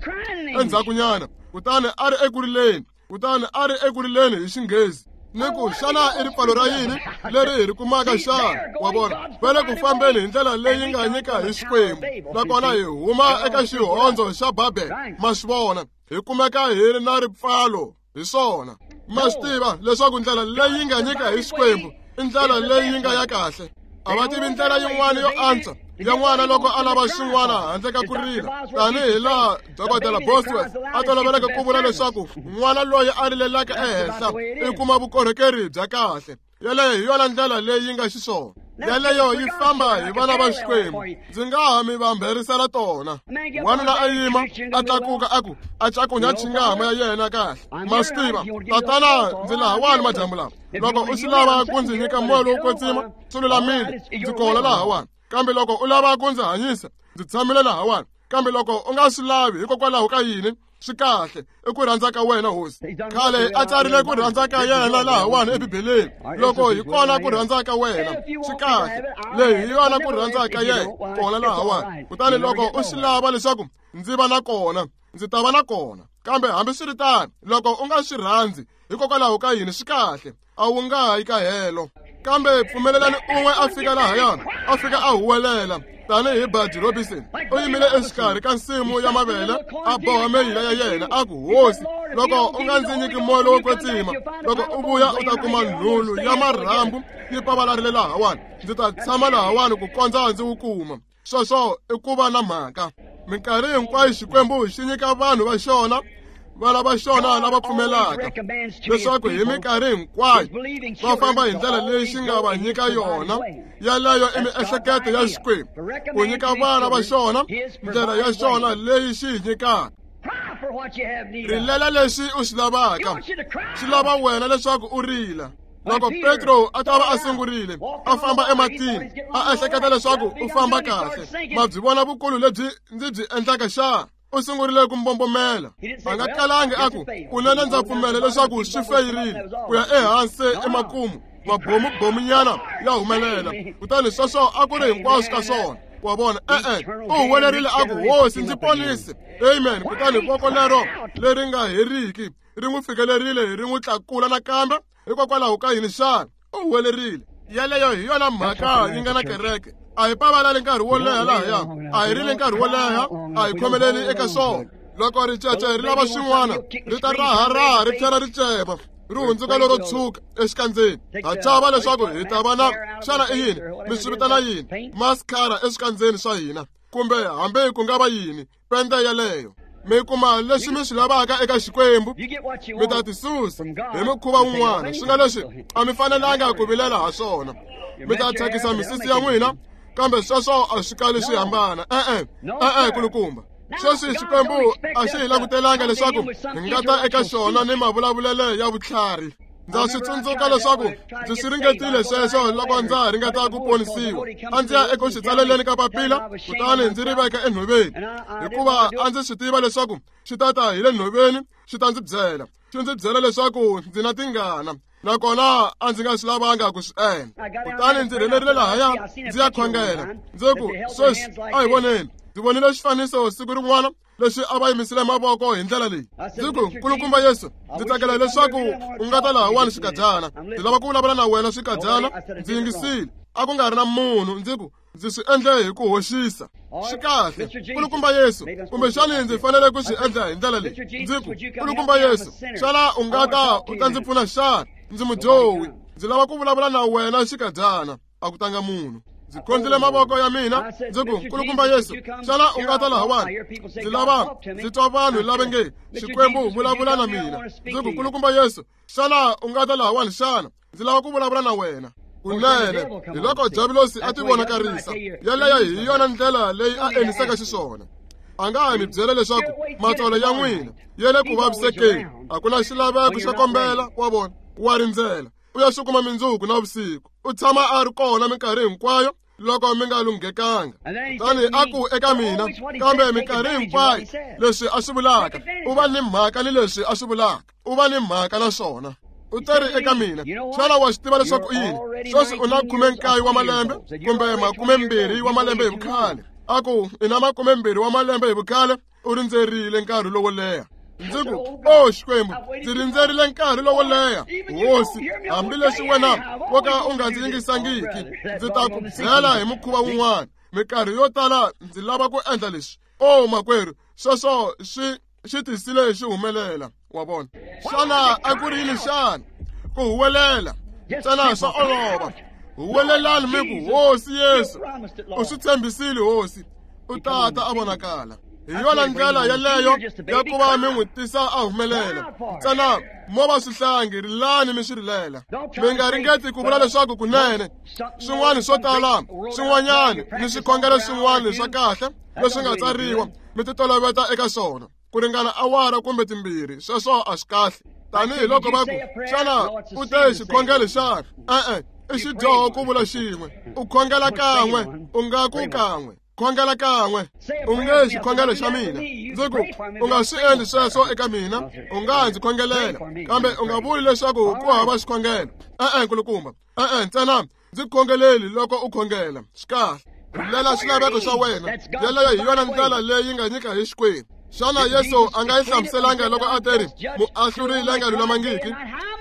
endzhakunyana, kutani a ri eku rileni, kutani a ri eku rileni hi Xinghezi. Ni ku, xana i ripfalo ra yini leri hi ri kumaka xana? Wa vona, va le ku fambeni hi ndlela leyi nga nyika hi Xikwembu, nakona hi huma eka xihondzo xa Babel. Ma swi vona, hi kumeka hi ri na ripfalo hi swona. Ma swi tiva leswaku ndlela leyi nga nyika hi Xikwembu i ndlela leyi yi nga ya kahle. A va tivi ndlela yin'wana yo antswa ya n'wana loko a lava xin'wana handle ka ku rila, tanihi laha Dokodela Bosworth a toloveleke ku vula leswaku n'wana loyi a rilelaka ehenhla i kuma vukorhokeri bya kahle. Yeleyo hi yona ndlela leyi yi nga xiswona. Yeleyo yi famba hi vana va Xikwembu. Ndzi nga ha mi vamberisela tona. Wanuna a yima, a tlakuka a ku, a cakunya chingama ya yena kahle. Ma swi tiva, tatana, ndzi lahawani madyambu lawa. Loko u swi lava ku ndzi nyika moya lowo kwetsima, swi lulamile, ndzi kona lahawani. Kambe loko u lava ku ndzi hanyisa, ndzi tshamile lahawani. Kambe loko u nga swi lavi, hikokwalaho ka yini? Swi kahle, i ku rhandza ka wena, Hosi. Khale a tsarile ku rhandza ka yena lahawani eBibeleni. Loko hi kona ku rhandza ka wena, swi kahle, leyi hi yona ku rhandza ka yena kona lahawani. Kutani loko u swi lava leswaku ndzi va na kona, ndzi ta va na kona. Kambe hambiswiritano, loko u nga swi rhandzi, hikokwalaho ka yini? Swi kahle, a wu nga yi ka helo. Kambe pfumelelani un'we a fika lahayani, a fika a huwelela tanihi Buddy Robinson. U yimile exikarhi ka nsimu ya mavele, a boha meyila ya yena, a ku, Hosi, loko u nga ndzi nyiki moya lowo kwetsima, loko u vuya u ta kuma nhulu ya marhambu yi pavalarile lahawani. Ndzi ta tshama lahawani ku kondza ndzi wu kuma. Sweswo i ku va na mhaka. Minkarhi hinkwayo Xikwembu xi nyika vanhu va xona, vana va xona lava pfumelaka, leswaku hi minkarhi hinkwayo va famba hi ndlela leyi xi nga va nyika yona. Yeleyo i miehleketo ya Xikwembu, ku nyika vana va xona ndlela ya xona leyi xi yi nyikaka. Rilela leswi u swi lavaka, xi lava wena leswaku u rila. Loko Petro a ta va a sungurile a famba ematini, a ehleketa leswaku u famba kahle. Ma byi vona vukulu lebyi ndzi byi endlaka xana? U sungurile ku mbombomela. A nga kalangi a ku, kunene ndza pfumela leswaku swi feyirile ku ya ehansi emakumu, mabomubomunyana ya humelela. Kutani sweswo a ku ri hinkwaswo ka swona. Wa vona, e-e, u huwelerile a ku, Hosi, ndzi ponise. Amen. Kutani voko lero leri nga heriki ri n'wi fikelerile, ri n'wi tlakula nakambe. Hikokwalaho ka yini xana? U huwelerile. Yeleyo hi yona mhaka yi nga na kereke. A hi pavalali nkarhi wo leha lahaya, a hi rili nkarhi wo leha, a hi khomeleli eka swona. Loko ricece ri lava xin'wana, ri ta raharaha ri tlhela ri cema, ri hundzuka lero tshuka exikandzeni. Ha chava leswaku hi ta va na, xana i yini? Mi swi vitana yini? Mascara eswikandzeni swa hina, kumbe hambi ku nga va yini, pende yeleyo. Mi kuma leswi mi swi lavaka eka Xikwembu, mi ta tisusa hi mukhuva wun'wana. Swi nga leswi a mi fanelanga ku vilela ha swona. Mi ta thyakisa misisi ya n'wina, kambe sweswo a swi kali swi hambana. E-e, e-e, kulukumba. Sweswi Xikwembu a xi hi langutelanga leswaku hi nga ta eka xona ni mavulavulelo ya vutlhari. Ndza swi tsundzuka leswaku ndzi swi ringetile sweswo loko ndza ha ringeta ku ponisiwa. A ndzi ya eku swi tsaleleni ka papila, kutani ndzi ri veka enhoveni, hikuva a ndzi swi tiva leswaku xi ta ta hi le nhoveni xi ta ndzi byela. Xi ndzi byela leswaku ndzi na tingana, nakona a ndzi nga swi lavanga ku swi endla. Kutani ndzi rhelerile lahaya ndzi ya khongela. Ndzi ku, sweswi a hi voneni. Ndzi vonile xifaniso siku rin'wana leswi a va yimisile mavoko hi ndlela leyi. Ndzi ku, Nkulukumba Yesu, ndzi tsakela leswaku u nga ta lahawani xikadyana. Ndzi lava ku vulavula na wena xikadyana. Ndzi yingisile, a ku nga ri na munhu. Ndzi ku, ndzi swi endle hi ku hoxisa. Swi kahle, Nkulukumba Yesu, kumbexani ndzi fanele ku swi endla hi ndlela leyi. Ndzi ku, Nkulukumba Yesu, xana u nga ta u ta ndzi pfuna xana? Ndzi mudyohi, ndzi lava ku vulavula na wena xikadyana. A ku tanga munhu. Ndzi khondzile mavoko ya mina, ndzi ku, Nkulukumba Yesu, xana u nga ta lahawani? Ndzi lava ndzi twa vanhu lava nge Xikwembu vulavula na mina. Ndzi ku, Nkulukumba Yesu, xana u nga ta lahawani xana? Ndzi lava ku vulavula na wena. Kunene, hi loko Diabulosi a tivonakarisa. Yeleyo hi yona ndlela leyi a endlisaka xiswona. A nga ha mi byela leswaku matsolo ya n'wina ya le ku vavisekeni. A ku na xilaveko xo kombela, wa vona, wa rindzela. U ya swi kuma mindzuku na vusiku. U tshama a ri kona minkarhi hinkwayo loko mi nga lunghekanga. Kutani a ku eka mina, kambe minkarhi hinkwayo leswi a swi vulaka, u va ni mhaka ni leswi a swi vulaka, u va ni mhaka na swona. U teri eka mina, xana wa swi tiva leswaku i yini? Sweswi u na 19 wa malembe kumbe 20 wa malembe hi vukhale. A ku i na 20 wa malembe hi vukhale, u rindzerile nkarhi lowo leha. Ndzi ku, o Xikwembu, ndzi rindzerile nkarhi lowo leha, hosi, hambileswi wena wo ka u nga ndzi yingisangiki, ndzi ta ku byela hi mukhuva wun'wana. Minkarhi yo tala ndzi lava ku endla leswi. O makwerhu, sweswo swi tisile xi humelela, wa vona. Xana a ku ri yini xana? Ku huwelela ntsena swa olova. Huwelelani mi ku, Hosi Yesu, u swi tshembisile Hosi, u tata a vonakala. Hi yona ndlela yeleyo ya ku va mi n'wi tisa a humelela. Ntsena mo va swihlangi, rilani mi swi rilela. Mi nga ringeti ku vula leswaku kunene swin'wana swo tala, swin'wanyana ni swikhongelo swin'wana swa kahle leswi nga tsariwa, mi titoloveta eka swona ku ringana awara kumbe 2. Sweswo a swi kahle. Tanihi loko va ku, xana u te xikhongelo xana? E-e, i xidyoho ku vula xin'we. U khongela kan'we, u nga ku kan'we. Khongela kan'we, u nge xikhongelo xa mina. Ndzi ku, u nga swi endli sweswo eka mina, u nga ndzi khongelela, kambe u nga vuli leswaku ku hava xikhongelo. E-e, nkulukumba. E-e, ntsena ndzi khongeleli loko u khongela. Swi kahle. Rilela swilaveko swa wena. Yeleyo hi yona ndlela leyi nga nyika hi Xikwembu. Xana Yesu a nga yi hlamuselanga loko a teri muahluri la nga lulamangiki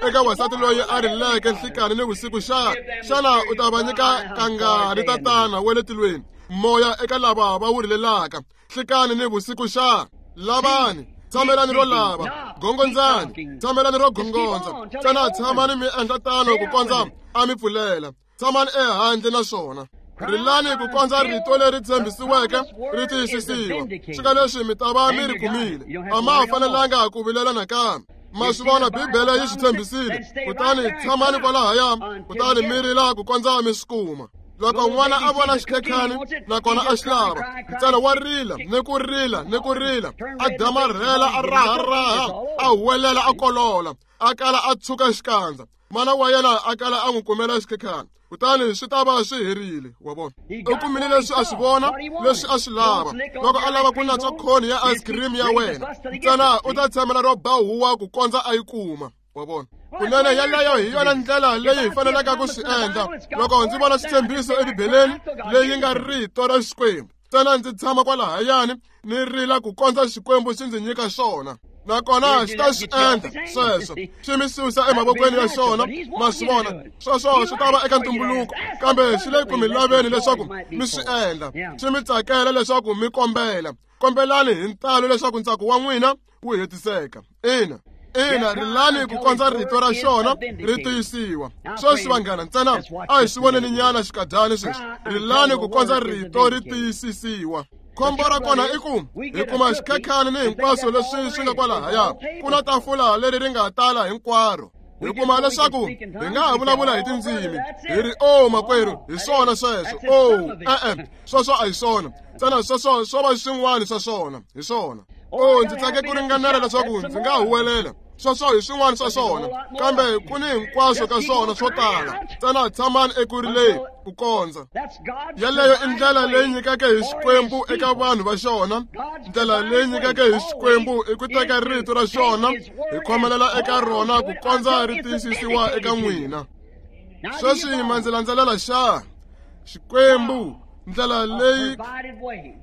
eka wansati loyi a rileke nhlikani ni vusiku xana? Xana u ta va nyika kangani Tatana wa le tilweni moya eka lava va wu rilelaka nhlikani ni vusiku xana? Lavani, tshamelani ro lava, gongondzani, tshamelani ro gongondza, ntsena tshamani mi endla tano ku kondza a mi pfulela. Tshamani ehandle na swona. Rilani ku kondza rito leri tshembisiweke ri tiyisisiwa. Swi nga leswi mi ta va mi ri kumile. A ma ha fanelanga ku vilela nakambe. Ma swi vona, Bibele yi swi tshembisile. Kutani tshamani kwalahaya, kutani mi rila ku kondza mi swi kuma. Loko n'wana a vona xikhekhani nakona a xi lava, ntsena wa rila ni ku rila ni ku rila, a damarhela, a raharaha, a huwelela, a kolola, a kala a tshuka xikandza. Mana wa yena a kala a n'wi kumela xikhekhani, kutani swi ta va swi herile. Wa vona, u kumile leswi a swi vona, leswi a swi lava. Loko a lava ku natswa khoni ya ice cream ya wena, ntsena u ta tshamela ro ba huwa ku kondza a yi kuma. Wa vona, kunene yeleyo hi yona ndlela leyi hi faneleke ku swi endla. Loko ndzi vona xitshembiso eBibeleni leyi nga rito ra Xikwembu, ntsena ndzi tshama kwalahayani ni rila ku kondza Xikwembu xi ndzi nyika xona. Nakona xi ta swi endla sweswo, xi mi susa emavokweni ya xona. Ma swi vona, sweswo swi ta va eka ntumbuluko, kambe xi le ku mi laveni leswaku mi swi endla. Xi mi tsakela leswaku mi kombela. Kombelani hi ntalo leswaku ntsako wa n'wina wu hetiseka. Ina, ina, rilani ku kondza rito ra xona ri tiyisiwa. Sweswi vanghana, ntsena a hi swi voneni nyana xikadyani sweswi. Rilani ku kondza rito ri tiyisisiwa. Khombo ra kona i ku hi kuma xikhekhani ni hinkwaswo leswi swi nga kwalahaya. Ku na tafula leri ri nga tala hinkwaro. Hi kuma leswaku hi nga ha vulavula hi tindzimi, hi ri, o makwerhu, hi swona sweswo. O, e-e, sweswo a hi swona. Ntsena sweswo swo va swin'wana swa swona, hi swona. O, ndzi tsake ku ringanela leswaku ndzi nga huwelela. Sweswo hi swin'wana swa swona, kambe ku ni hinkwaswo ka swona swo tala. Ntsena tshamani eku rileni ku kondza. Yeleyo i ndlela leyi nyikeke hi Xikwembu eka vanhu va xona. Ndlela leyi nyikeke hi Xikwembu i ku teka rito ra xona hi khomelela eka rona ku kondza ri tiyisisiwa eka n'wina. Sweswi ma ndzi landzelela xa Xikwembu, ndlela leyi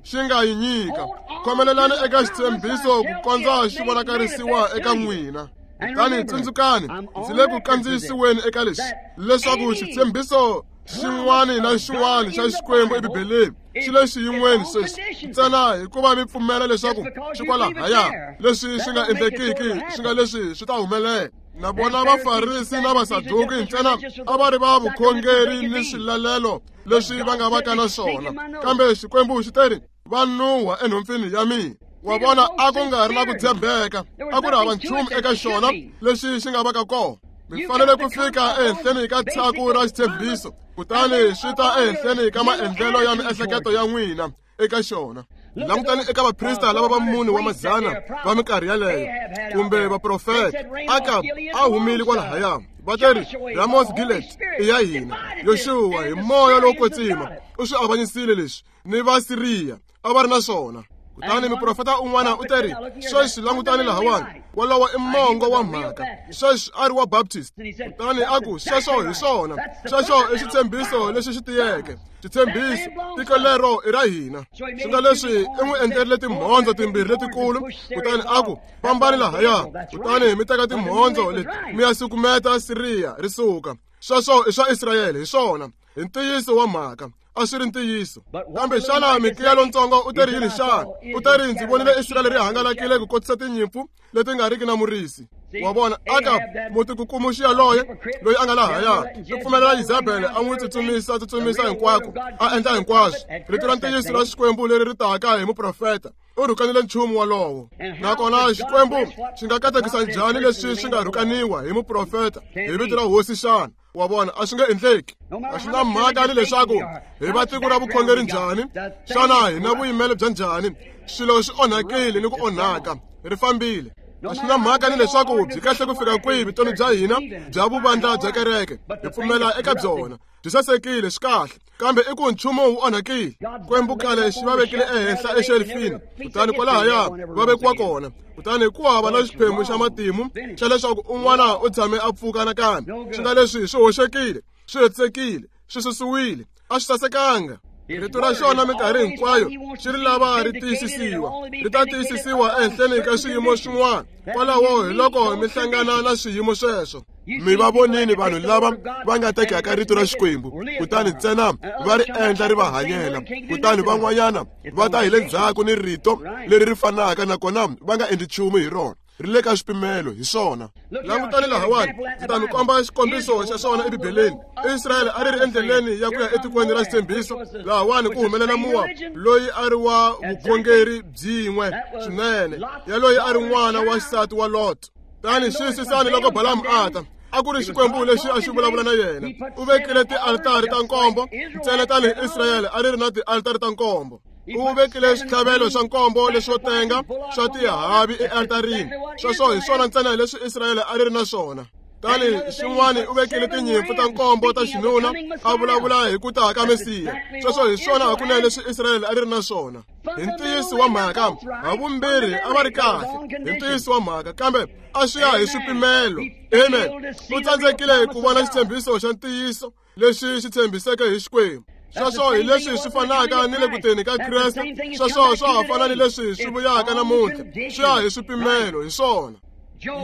xi nga yi nyika. Khomelelani eka xitshembiso ku kondza xi vonakarisiwa eka n'wina. Kutani tsundzukani, ndzi le ku kandziyisiweni eka leswi, leswaku xitshembiso xin'wana na xin'wana xa Xikwembu eBibeleni xi le xiyin'weni sweswi, ntsena hikuva mi pfumela leswaku xi kwalahaya. Leswi swi nga endlekiki swi nga leswi swi ta humelela. Na vona Vafarisi na Vasaduki ntsena a va ri va vukhongeri ni swilalelo leswi va nga vaka na swona, kambe Xikwembu xi teri va nuha enhompfini ya mina. Wa vona, a ku nga ri na ku tshembeka, a ku ri hava nchumu eka xona lexi xi nga vaka kona. Mi fanele ku fika ehenhleni ka tshaku ra xitshembiso, kutani swi ta ehenhleni ka maendlelo ya miehleketo ya n'wina eka xona. Langutani eka vaprista lava va mune wa madzana va minkarhi yaleyo kumbe vaprofeta. Akab a humile kwalahaya, va teri Ramos Gilead i ya hina. Yoxuwa hi moya lowo kwetsima u swi avanyisile leswi ni Vasiriya a va ri na swona. Kutani muprofeta un'wana u teri, sweswi langutani lahawani, wolowo i mongo wa mhaka. Sweswi a ri wa Baptist. Kutani a ku, sweswo hi swona, sweswo i xitshembiso lexi xi tiyeke, xitshembiso, tiko lero i ra hina. Swi nga leswi i n'wi endlerile timhondzo timbirhi letikulu, kutani a ku, fambani lahaya, kutani mi teka timhondzo leti mi ya sukumeta Siriya ri suka. Sweswo i swa Israyele, hi swona, hi ntiyiso wa mhaka. A swi ri ntiyiso. Kambe xana Mikiya lontsongo u teri yini xana? U teri, ndzi vonile Israyele ri hangalakile ku kotisa tinyimpfu leti nga riki na murisi. Wa vona, Akab mutikukumuxi yaloye loyi a nga lahaya, u pfumelela Yezebele a n'wi tsutsumisa hinkwako, a endla hinkwaswo. Rito ra ntiyiso ra Xikwembu leri ri taka hi muprofeta u rhukanile nchumu wolowo. Nakona Xikwembu xi nga katekisa njhani leswi swi nga rhukaniwa hi muprofeta hi vito ra Hosi xana? Wa vona, a swi nge endleki. A swi na mhaka ni leswaku hi va tiko ra vukhongeri njhani, xana hi na vuyimelo bya njhani, swilo swi onhakile ni ku onhaka, ri fambile. A swi na mhaka ni leswaku byi kahle ku fika kwihi vutomi bya hina bya vuvandla bya kereke, hi pfumela eka byona, byi sasekile, swi kahle, kambe i ku nchumu wu onhakile. Xikwembu khale xi va vekile ehenhla exelifini, kutani kwalahaya va vekiwa kona. Kutani ku hava na xiphemu xa matimu xa leswaku un'wana u tshame a pfuka nakambe. Swi nga leswi swi hoxekile, swi hetisekile, swi susiwile, a swi sasekanga. Rito ra xona minkarhi hinkwayo xi ri lava ri tiyisisiwa, ri ta tiyisisiwa ehenhleni ka swiyimo swin'wana. Kwalaho hi loko mi hlangana na swiyimo sweswo. Mi va vonini vanhu lava va nga tekaka rito ra Xikwembu, kutani ntsena va ri endla ri va hanyela, kutani van'wanyana va ta hi le ndzhaku ni rito leri ri fanaka, nakona va nga endli nchumu hi rona. Ri le ka swipimelo, hi swona. Langutani lahawani, ndzi ta mi komba xikombiso xa swona eBibeleni. Israyele a ri ri endleleni ya ku ya etikweni ra xitshembiso. Lahawani ku humelela Moab, loyi a ri wa vukhongeri byin'we swinene, yaloyi a ri n'wana wa xisati wa Lot. Tani xiyisisani loko Balamu a ta, a ku ri Xikwembu lexi a xi vulavula na yena. U vekile tialtari ta nkombo ntsena tanihi Israyele a ri ri na tialtari ta nkombo. U vekile switlhavelo swa nkombo leswo tenga swa tihavi ealtarini. Sweswo hi swona ntsena leswi Israyele a ri ri na swona. Tani xin'wana u vekile tinyimpfu ta nkombo ta xinuna, a vulavula hi ku ta ka Mesiya. Sweswo hi swona hakunene leswi Israyele a ri ri na swona. Hi ntiyiso wa mhaka, havumbirhi a va ri kahle hi ntiyiso wa mhaka, kambe a swi ya hi swipimelo. Amen. U tsandzekile ku vona xitshembiso xa ntiyiso lexi xi tshembiseke hi Xikwembu. Sweswo hi leswi swi fanaka ni le ku teni ka Kreste. Sweswo swa ha fana ni leswi swi vuyaka namuntlha, swi ya hi swipimelo, hi swona.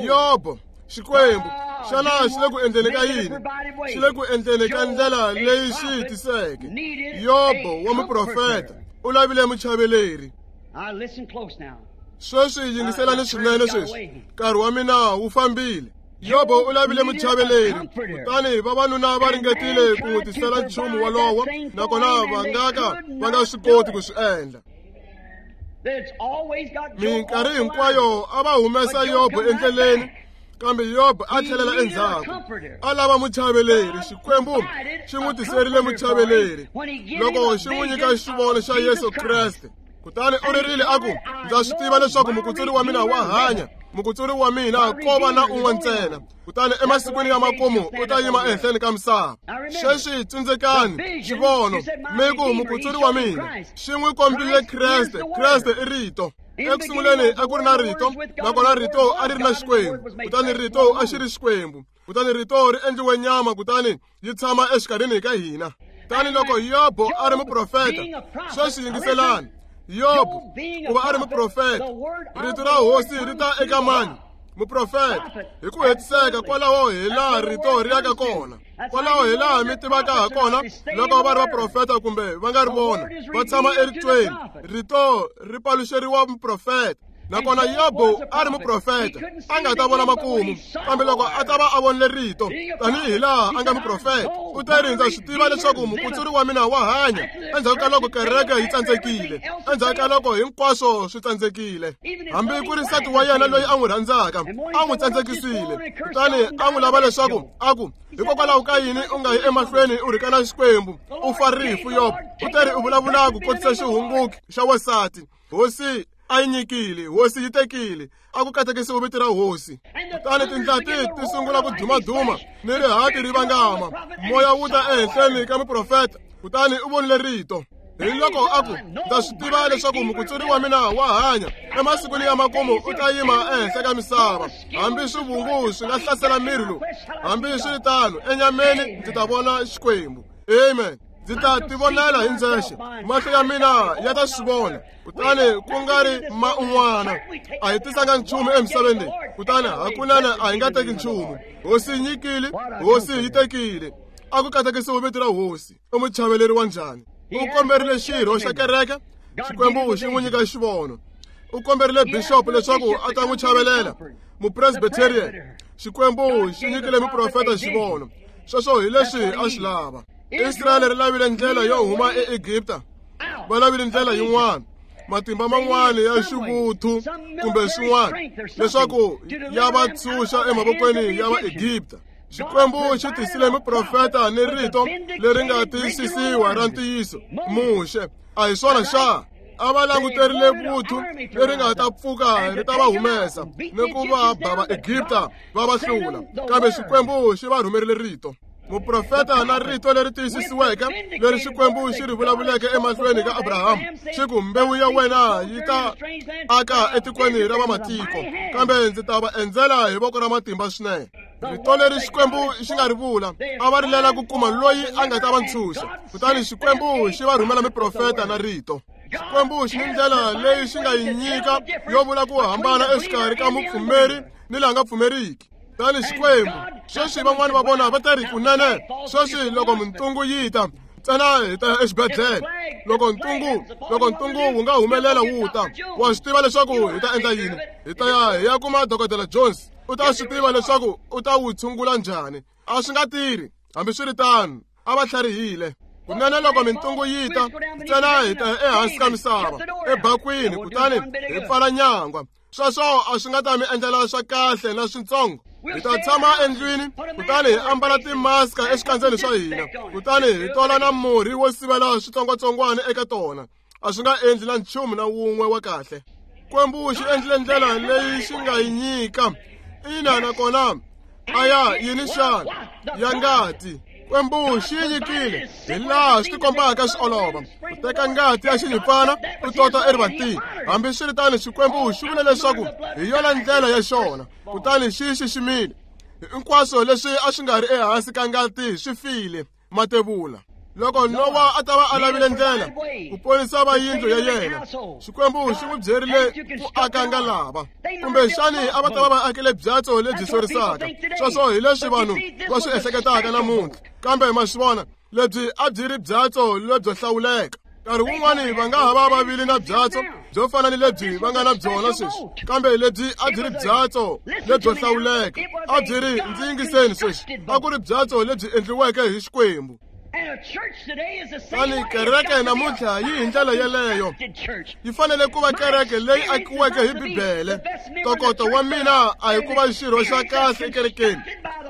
Yobo, Xikwembu xana xi le ku endleni ka yini? Xi le ku endleni ka ndlela leyi xi yi tiseke. Yobo wa muprofeta u lavile muchaveleri. Sweswi yingiselani swinene sweswi, nkarhi wa mina wu fambile. Yobo u lavile muchaveleri, kutani vavanuna va ringetile ku n'wi tisela nchumu wolowo, nakona va nga ka va nga swi koti ku swi endla. Minkarhi hinkwayo a va humesa Yobo endleleni, kambe Yobo a tlhelela endzhaku, a lava muchaveleri. Xikwembu xi n'wi tiserile muchaveleri loko xi n'wi nyika xivono xa Yesu Kreste. Kutani u ririle a ku, ndza swi tiva leswaku mukutsuri wa mina wa hanya, mukutsuri wa mina ko va na un'we ntsena, kutani emasikwini ya makumu u ta yima ehenhleni ka misava. Sweswi tsundzukani xivono, mi ku mukutsuri wa mina xi n'wi kombile Kreste. Kreste i Rito. Ekusunguleni a ku ri na Rito, nakona Rito a ri ri na Xikwembu, kutani Rito a xi ri Xikwembu. Kutani Rito ri endliwe nyama, kutani yi tshama exikarhini ka hina. Tani loko Yobo a ri muprofeta, sweswi yingiselani. Yobo ku va a ri muprofeta, rito ra Hosi ri ta eka mani? Muprofeta. Hi ku hetiseka kwalaho hi laha rito ri yaka kona, kwalaho hi laha mi tivaka ha kona loko va ri vaprofeta kumbe va nga ri vona, va tshama eritweni. Rito ri paluxeriwa muprofeta. Nakona Yobo a ri muprofeta, a nga ta vona makumu, kambe loko a ta va a vonile rito tanihi laha a nga muprofeta, u ta ri, ndza swi tiva leswaku mukutsuri wa mina wa hanya. Endzhaku ka loko kereke yi tsandzekile, endzhaku ka loko hinkwaswo swi tsandzekile, hambi ku ri nsati wa yena loyi a n'wi rhandzaka a n'wi tsandzekisile, kutani a n'wi lava leswaku a ku, hikokwalaho ka yini u nga yi emahlweni u rhukana Xikwembu, u fa rifu? Yobo u ta ri u vulavula ku kotisa xihunguki xa wansati. Hosi a yi nyikile, hosi yi tekile, a ku katekisiwe vito ra hosi. Kutani tindlati ti sungula ku dumaduma ni rihati ri vangama, moya wu ta ehenhleni ka muprofeta, kutani u vonile rito. Hi loko a ku, ndza swi tiva leswaku mukutsuri wa mina wa hanya, emasikwini ya makumu u ta yima ehenhla ka misava. Hambi swivungu swi nga hlasela miri lowu, hambi swi ri tano, enyameni ndzi ta vona Xikwembu. Amen. Ndzi ta tivonela hi ndzexe, mahlo ya mina ya ta swi vona, kutani ku nga ri ma un'wana. A hi tisanga nchumu emisaveni leyi, kutani hakunene a hi nga teki nchumu. Hosi yi nyikile, hosi yi tekile. A ku katekisiwe vito ra hosi. U muchaveleri wa njhani? U komberile xirho xa kereke, Xikwembu xi n'wi nyika xivono. U komberile bishop leswaku a ta n'wi chavelela, mupresbyterian. Xikwembu xi nyikile muprofeta xivono. Sweswo hi leswi a swi lava. Israyele ri lavile ndlela yo huma eEgipta, va lavile ndlela yin'wana, matimba man'wana ya xivuthu kumbe swin'wana, leswaku ya va tshunxa emavokweni ya Vaegipta. Xikwembu xi tisile muprofeta ni rito leri nga tiyisisiwa ra ntiyiso, Muxe. A hi swona xa? A va languterile vuthu leri nga ta pfuka ri ta va humesa ni ku va ba Vaegipta va va hlula, kambe Xikwembu xi va rhumerile rito. Muprofeta na rito leri tiyisisiweke leri Xikwembu xi ri vulavuleke emahlweni ka Abrahamu, xi ku, mbewu ya wena yi ta aka etikweni ra vamatiko, kambe ndzi ta va endzela hi voko ra matimba swinene. Rito leri Xikwembu xi nga ri vula, a va rilela ku kuma loyi a nga ta va ntshunxa, kutani Xikwembu xi va rhumela miprofeta na rito. Xikwembu xi ni ndlela leyi xi nga yi nyika yo vula ku hambana exikarhi ka mupfumeri ni la nga pfumeriki. Kutani Xikwembu, sweswi van'wani va vona va ta ri kunene, sweswi loko mintungu yi ta, ntsena hi ta ya exibedhlele. Loko ntungu wu nga humelela wu ta, wa swi tiva leswaku hi ta endla yini? Hi ta ya hi ya kuma Dokodela Jones. U ta swi tiva leswaku u ta wu tshungula njhani. A swi nga tirhi, hambiswiritano, a va tlharihile. Kunene loko mintungu yi ta, ntsena hi ta ya ehansi ka misava, ebakwini, kutani hi pfala nyangwa. Sweswo a swi nga ta mi endlela swa kahle na switsongo. Hi ta tshama endlwini, kutani hi ambala timaska exikandzeni swa hina, kutani hi tola na murhi wo sivela switsongwatsongwana eka tona. A swi nga endli na nchumu na wun'we wa kahle. Xikwembu xi endlile ndlela leyi xi nga yi nyika. Ina, nakona a ya yini xana? Ya ngati. Xikwembu xi yi nyikile hi laha swi tikombaka swi olova. U teka ngati ya xinyimpfana u tota erivatini. Hambiswiritano, Xikwembu xi vule leswaku hi yona ndlela ya xona, kutani xi xiximile. Hinkwaswo leswi a swi nga ri ehansi ka ngati swi file. Matevula. Loko Nowa a ta va a lavile ndlela ku ponisa va yindlu ya yena, Xikwembu xi n'wi byerile ku aka ngalava. Kumbexani a va ta va va akile byatso lebyi sorisaka. Sweswo hi leswi vanhu va swi ehleketaka namuntlha. Kambe ma swi vona, lebyi a byi ri byatso lebyo hlawuleka. Nkarhi wun'wani va nga ha va va vile na byatso byo fana ni lebyi va nga na byona sweswi, kambe lebyi a byi ri byatso lebyo hlawuleka. A byi ri, ndzi yingiseni sweswi, a ku ri byatso lebyi endliweke hi Xikwembu. Kutani kereke namuntlha yi hi ndlela yeleyo. Yi fanele ku va kereke leyi akiweke hi Bibele. Ntokoto wa mina a hi ku va xirho xa kahle ekerekeni,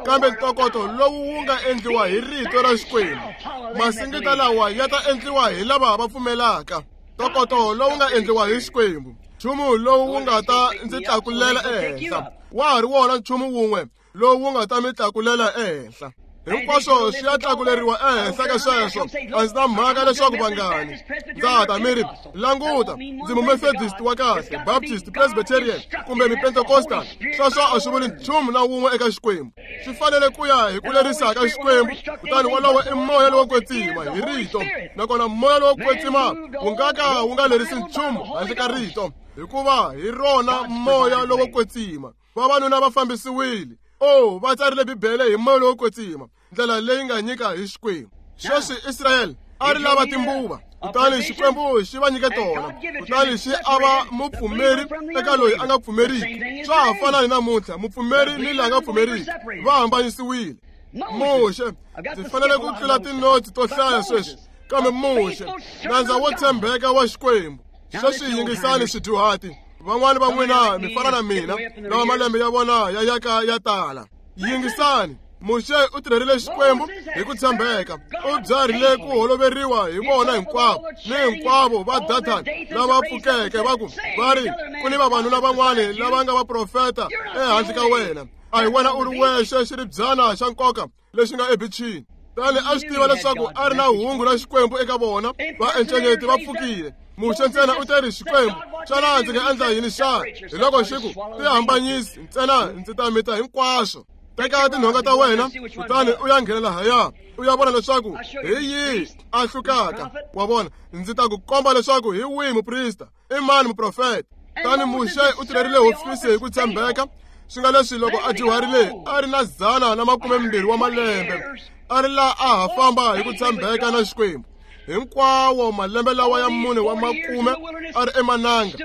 kambe ntokoto lowu wu nga endliwa hi rito ra Xikwembu. Masingita lawa ya ta endliwa hi lava va pfumelaka. Ntokoto lowu nga endliwa hi Xikwembu, nchumu lowu wu nga ta ndzi tlakulela ehenhla, wa ha ri wona nchumu wun'we lowu wu nga ta mi tlakulela ehenhla. Hinkwaswo swi ya tlakuleriwa ehenhla ka sweswo. A ndzi na mhaka leswaku vangani. Ndza ta mi ri, languta, ndzi mumethodist wa kahle, Baptist, Presbyterian kumbe Mupentecostal. Sweswo a swi vuli nchumu na wun'we eka Xikwembu. Swi fanele ku ya hi ku lerisa ka Xikwembu, kutani wolowo i moya lowo kwetsima hi rito. Nakona moya lowo kwetsima wu nga ka wu nga lerisi nchumu handle ka rito, hikuva hi rona moya lowo kwetsima. Vavanuna va fambisiwile. Oh, va tsarile Bibele hi moya lowo kwetsima, ndlela leyi nga nyika hi Xikwembu. Sweswi Israyele a ri lava timbuva, kutani Xikwembu xi va nyike tona, kutani xi ava mupfumeri eka loyi a nga pfumeriki. Swa ha fana ni namuntlha, mupfumeri ni la nga pfumeriki va hambanyisiwile. Muxe, ndzi fanele ku tlula tinotsi to hlaya sweswi, kambe Muxe, nandza wo tshembeka wa Xikwembu. Sweswi yingisani swidyuhati. Van'wani va n'wina mi fana na mina, lava malembe ya vona ya yaka ya tala. Yingisani. Muxe u tirherile Xikwembu hi ku tshembeka. U byarile ku holoveriwa hi vona hinkwavo ni hinkwavo va Dathani lava pfukeke va ku va ri ku ni vavanuna van'wani lava nga vaprofeta ehandle ka wena. A hi wena u ri wexe xiribyana xa nkoka lexi nga ebichini. Tani a swi tiva leswaku a ri na hungu ra Xikwembu eka vona, vaencenyeti va pfukile. Muxe ntsena u teri Xikwembu, xana ndzi nga endla yini xana? Hi loko xi ku, tihambanyisi ntsena ndzi ta mita hinkwaswo. Teka tinhonga ta wena kutani u ya nghena lahaya u ya vona leswaku hi yihi a hlukaka. Wa vona, ndzi ta ku komba leswaku hi wihi muprista, i mani muprofeta. Tani Muxe u tirherile hofisi hi ku tshembeka, swi nga leswi loko a dyuharile a ri na 120 wa malembe, a ri laha a ha famba hi ku tshembeka na Xikwembu. Hinkwawo malembe lawa ya 4 wa makume a ri emananga,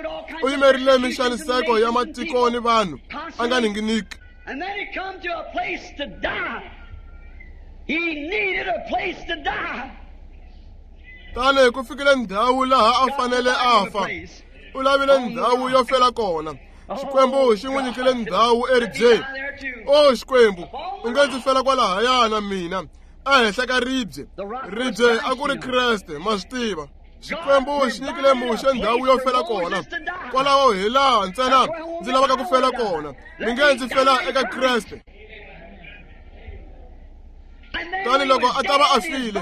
u yimerile minxaniseko ya matiko ni vanhu, a nga ninginiki. And then he come to a place to die. He needed a place to die. Tani ku fikile ndhawu laha a fanele a fa. U lavile ndhawu yo fela kona. Xikwembu xi n'wi nyikile ndhawu eribyeni. O Xikwembu, u nge ndzi fela kwalahaya na mina ehenhla ka ribye. Ribye a ku ri Kreste, ma swi tiva. Xikwembu xi nyikile Muxe ndhawu yo fela kona. Kwalaho hi laha ntsena ndzi lavaka ku fela kona. Mi nge ndzi fela eka Kreste. Tani loko a ta va a file,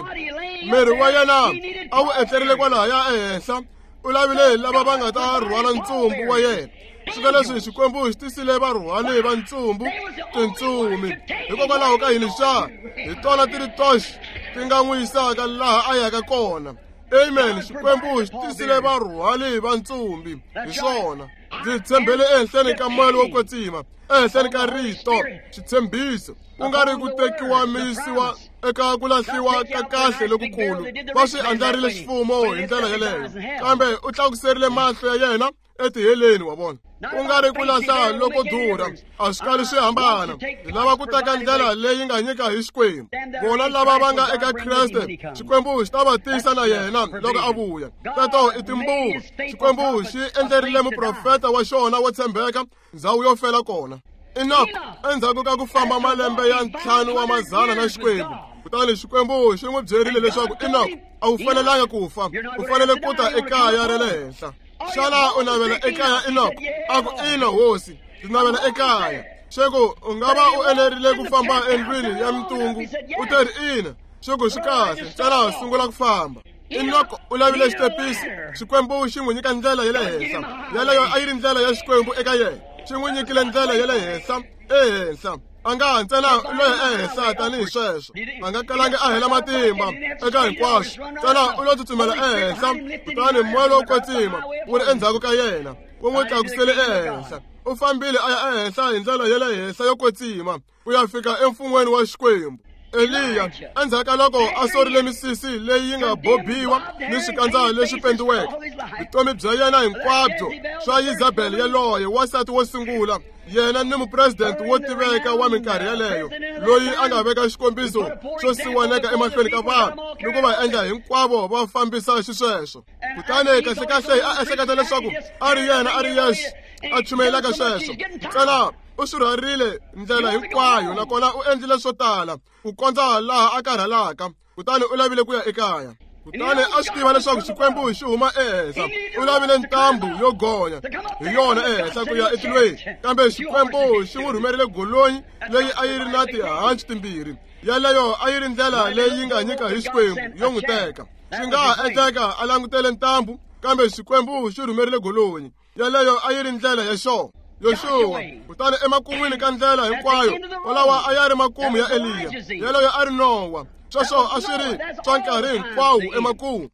miri wa yena a wu etlerile kwalahaya ehenhla. U lavile lava va nga ta rhwala ntsumbu wa yena. Swi nga leswi Xikwembu xi tisile varhwali va ntsumbu tintsumi. Hikokwalaho ka yini xa? Hi tona ti ri toxe ti nga n'wi yisaka laha a yaka kona. Amen. Xikwembu xi tisile varhwali va ntsumbi. Hi swona. Ndzi tshembele ehenhleni ka moya lowo kwetsima, ehenhleni ka rito, xitshembiso, ku nga ri ku tekiwa mi yisiwa eka ku lahliwa ka kahle lokukulu. Va swi andlarile xifumo hi ndlela yeleyo, kambe u tlakuserile mahlo ya yena etiheleni, wa vona. Ku nga ri ku lahla loko durha, a swi kali swi hambana. Hi lava ku teka ndlela leyi nga nyika hi Xikwembu. Vona lava va nga eka Kreste, Xikwembu xi ta va tisa na yena loko a vuya. Teto i timbuva. Xikwembu xi endlerile muprofeta wa xona wo tshembeka ndhawu yo fela kona. Enoch, endzhaku ka ku famba malembe ya 5 wa mazana na Xikwembu, kutani Xikwembu xi n'wi byerile leswaku Enoch a wu fanelanga ku fa, u fanele ku ta ekaya ra le henhla. Xana u navela ekaya Enoch? A ku ina hosi, ndzi navela ekaya. Xeku u nga va u enerile ku famba endlwini ya mintungu? U teri ina. Xeku swi kahle, ntsena sungula ku famba. Enoch u lavile xitepisi, Xikwembu xi n'wi nyika ndlela ya le henhla. Yaleyo a yi ri ndlela ya Xikwembu eka yena. Xi n'wi nyikile ndlela ya le henhla, ehenhla. A nga ntsena u lo ya ehenhla tanihi sweswo. A nga kalangi a hela matimba eka hinkwaswo. Ntsena u lo tsutsumela ehenhla, kutani moya lowo kwetsima wu ri endzhaku ka yena, wu n'wi tlakusele ehenhla. U fambile a ya ehenhla hi ndlela ya le henhla yo kwetsima, ku ya fika emfun'weni wa Xikwembu. Eliya, endzhaku ka loko a sorile misisi leyi yi nga bobiwa ni swikandza leswi pendiweke, vutomi bya yena hinkwabyo swa Yezabele yaloye wansati wo sungula, yena ni mupresidente wo tiveka wa minkarhi yaleyo, loyi a nga veka xikombiso xo siwaneka emahlweni ka vanhu ni ku va endla hinkwavo va fambisa xisweswo. Kutani kahlekahle a ehleketa leswaku a ri yena a ri yexe a chumayelaka sweswo. Ntsena u swi rhwarile ndlela hinkwayo, nakona u endlile swo tala ku kondza laha a karhalaka, kutani u lavile ku ya ekaya. Kutani a swi tiva leswaku Xikwembu xi huma ehenhla. U lavile ntambu yo gonya hi yona ehenhla ku ya etilweni, kambe Xikwembu xi n'wi rhumerile golonyi leyi a yi ri na tihanci timbirhi. Yaleyo a yi ri ndlela leyi yi nga nyika hi Xikwembu yo n'wi teka. Swi nga ha endleka a langutele ntambu, kambe Xikwembu xi rhumerile golonyi. Yaleyo a yi ri ndlela ya xona. Yoxuwa, kutani emakun'wini ka ndlela hinkwayo, walawa a ya ri makumu ya Eliya. Yaleyo a ri Nowa. Sweswo a swi ri swa nkarhi hinkwawo emakumu.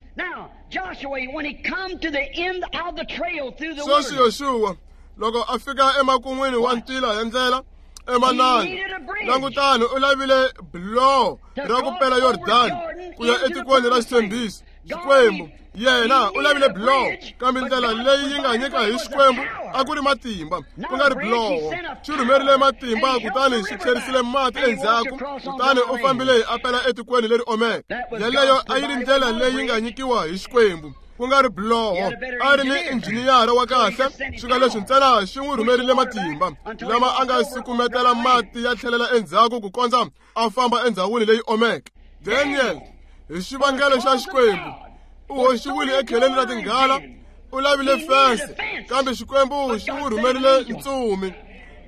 Sweswi Yoxuwa, loko a fika emakun'wini wa ntila ya ndlela emananga, langutani u lavile biloho ra ku pela Yordani ku ya etikweni ra xitshembiso. Xikwembu yena u lavile biloho, kambe ndlela leyi yi nga nyika hi Xikwembu a ku ri matimba, ku nga ri biloho. Xi rhumerile matimba, kutani xi tlherisile mati endzhaku, kutani u fambile a pela etikweni leri omeke. Yaleyo a yi ri ndlela leyi nga nyikiwa hi Xikwembu. ku nga ri biloho. A ri ni injhiniyara wa kahle, swi nga leswi ntsena xi n'wi rhumerile matimba lama a nga sukumetela mati ya tlhelela endzhaku ku kondza a famba endhawini leyi omeke. Daniel, hi xivangelo xa Xikwembu, u hoxiwile ekheleni ra tinghala, u lavile fense, kambe Xikwembu xi n'wi rhumerile ntsumi.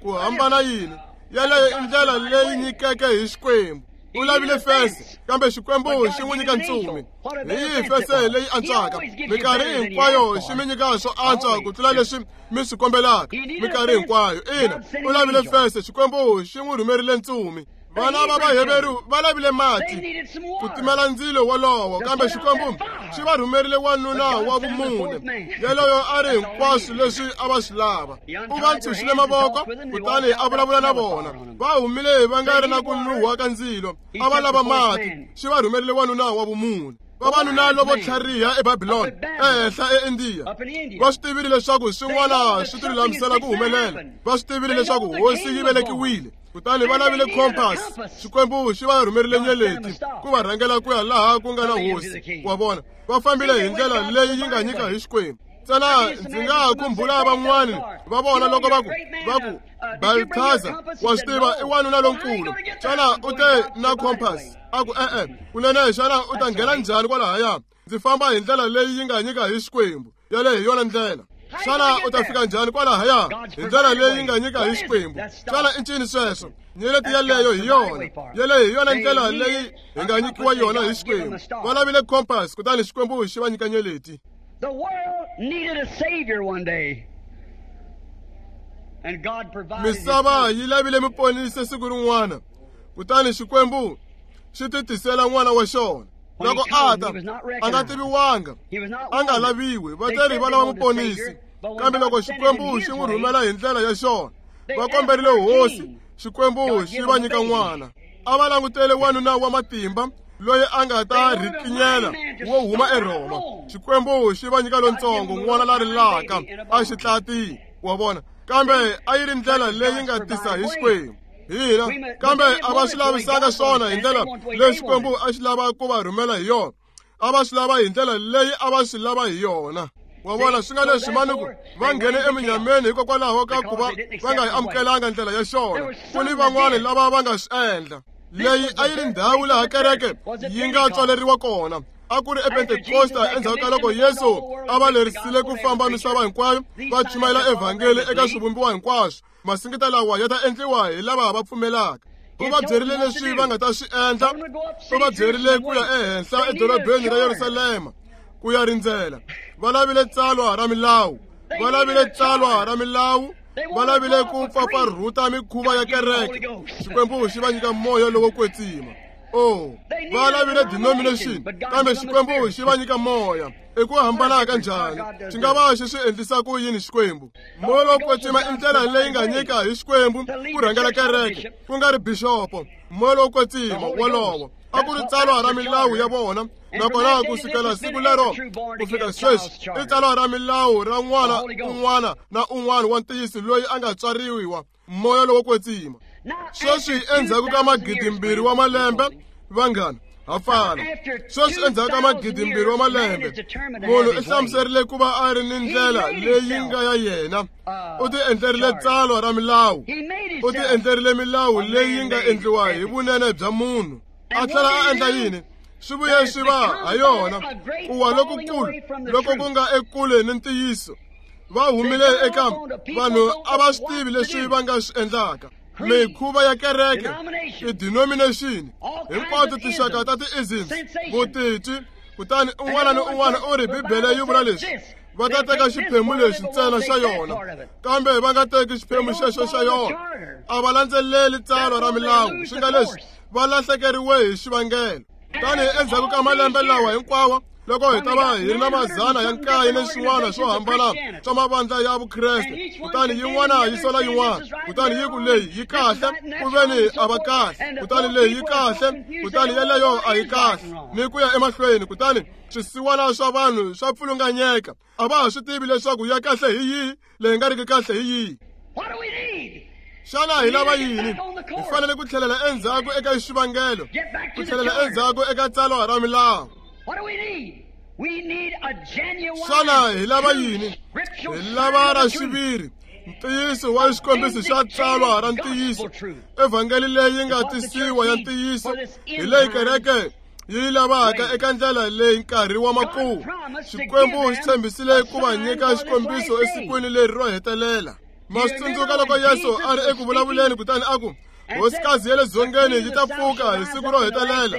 Ku hambana yini? Yaleyo i ndlela leyi nyikeke hi Xikwembu. U lavile fense, kambe Xikwembu xi n'wi nyika ntsumi. Hi yihi fense leyi antswaka? Minkarhi hinkwayo xi mi nyika swo antswa ku tlula leswi mi swi kombelaka. Minkarhi hinkwayo. Ina, u lavile fense, Xikwembu xi n'wi rhumerile ntsumi. Vana va Vaheveru va lavile mati ku timela ndzilo wolowo, kambe Xikwembu xi va rhumerile wanuna wa vumune, yaloyo a ri hinkwaswo leswi a va swi lava. U va ntshunxile mavoko, kutani a vulavula na vona. Va humile va nga ri na ku nuhwa ka ndzilo, a va lava mati, xi va rhumerile wanuna wa vumune. Vavanuna lovo tlhariha eBabilona, ehenhla eIndiya, va swi tivile leswaku swin'wana swi tilulamisela ku humelela. Va swi tivile leswaku hosi yi velekiwile, kutani va lavile compass. Xikwembu xi va rhumerile nyeleti ku va rhangela ku ya laha ku nga na hosi. Wa vona, va fambile hi ndlela leyi yi nga nyika hi Xikwembu. Ntsena ndzi nga khumbula van'wani va vona loko va ku Balthazar, wa swi tiva, i wanuna lonkulu. Xana u te na compass? A ku e-e. Kunene, xana u ta nghena njhani kwalahaya? Ndzi famba hi ndlela leyi yi nga nyika hi Xikwembu. Yaleyo hi yona ndlela. Xana u ta fika njhani kwalahaya? Hi ndlela leyi yi nga nyika hi Xikwembu. Xana i ncini sweswo? Nyeleti yaleyo hi yona. Yaleyo hi yona ndlela leyi hi nga nyikiwa yona hi Xikwembu. Va lavile compass, kutani Xikwembu xi va nyika nyeleti. The world needed a savior one day. And God provided. Misava yi lavile muponisi siku rin'wana, kutani Xikwembu xi titisela n'wana wa xona. Loko a ta, a nga tiviwanga, a nga laviwi, vateri va lava muponisi. Kambe loko Xikwembu xi n'wi rhumela hi ndlela ya xona, va komberile hosi, Xikwembu xi va nyika n'wana. A va langutele wanuna wa matimba loyi a nga ta rhikinyela wo huma eRhoma. Xikwembu xi va nyika lontsongo, n'wana la rilaka a xi tlati. Wa vona, kambe a yi ri ndlela leyi nga tisa hi Xikwembu. Hina, kambe a va swi lavisanga swona hi ndlela leyi Xikwembu a xi lava ku va rhumela hi yona. A va swi lava hi ndlela leyi a va swi lava hi yona. Wa vona, swi nga leswi manuku va nghene eminyameni hikokwalaho ka ku va va nga yi amukelanga ndlela ya xona. Ku ni van'wani lava va nga swi endla. Leyi a yi ri ndhawu laha kereke yi nga tswaleriwa kona. A ku ri ePentekosta endzhaku ka loko Yesu a va lerisile ku famba misava hinkwayo va chumayela evhangeli eka swivumbiwa hinkwaswo. Masingita lawa ya ta endliwa hi lava va pfumelaka. U va byerile leswi va nga ta swi endla. U va byerile ku ya ehenhla edorobeni ra Yerusalema ku ya rindzela. Va lavile tsalwa ra milawu. Va lavile tsalwa ra milawu. Va lavile ku pfapfarhuta mikhuva ya kereke. Xikwembu xi va nyika moya lowo kwetsima. Oh, va lavile denomination, kambe Xikwembu xi va nyika moya. I ku hambana ka njhani? Xi nga va xi swi endlisa ku yini Xikwembu? Moya lowo kwetsima i ndlela leyi nga nyika hi Xikwembu ku rhangela kereke, ku nga ri bixopo. Moya lowo kwetsima wolowo a ku ri tsalwa ra milawu ya vona, nakona ku sukela siku lero ku fika sweswi i tsalwa ra milawu ra n'wana un'wana na un'wana wa ntiyiso loyi a nga tswariwa moya lowo kwetsima. Sweswi endzhaku ka 2000 wa malembe, vanghana, ha fana. Sweswi endzhaku ka 2000 wa malembe, munhu i hlamuserile ku va a ri ni ndlela leyi nga ya yena. U ti endlerile tsalwa ra milawu. U ti endlerile milawu leyi nga endliwa hi vunene bya munhu. A tlhela a endla yini? Swi vuye swi va ha yona ku wa lokukulu loko ku nga ekule ni ntiyiso. Va humile eka vanhu a va swi tivi leswi va nga swi endlaka. Mikhuva ya kereke, ti-denomination, hinkwato tinxaka ta ti-isms, vutitwi, kutani un'wana ni un'wana u ri Bibele yi vula leswi. Va ta teka xiphemu lexi ntsena xa yona, kambe va nga teki xiphemu xexo xa yona. A va landzeleli tsalwa ra milawu, swi nga leswi va lahlekeriwe hi xivangelo. Tanihi endzhaku ka malembe lawa hinkwawo, loko hi ta va hi ri na mazana ya nkaye ni swin'wana swo hambana swa mavandla ya Vukreste, kutani yin'wana yi sola yin'wana, kutani yi ku leyi yi kahle, ku veni a va kahle, kutani leyi yi kahle, kutani yeleyo a yi kahle, ni ku ya emahlweni, kutani swisiwana swa vanhu swa pfulunganyeka. A va ha swi tivi leswaku ya kahle hi yihi, leyi nga riki kahle hi yihi. Xana hi lava yini? Hi fanele ku tlhelela endzhaku eka xivangelo, ku tlhelela endzhaku eka tsalwa ra milawu. Xana hi lava yini? Hi lava ra xiviri, ntiyiso wa xikombiso xa tsalwa ra ntiyiso, evhangeli leyi nga tisiwa ya ntiyiso, hi leyi kereke yi lavaka eka ndlela leyi nkarhi wa makumu. Xikwembu xi tshembisile ku va nyika xikombiso esikwini leri ro hetelela. Ma swi tsundzuka loko Yesu a ri eku vulavuleni kutani a ku, hosikazi ya le dzongeni yi ta pfuka hi siku ro hetelela,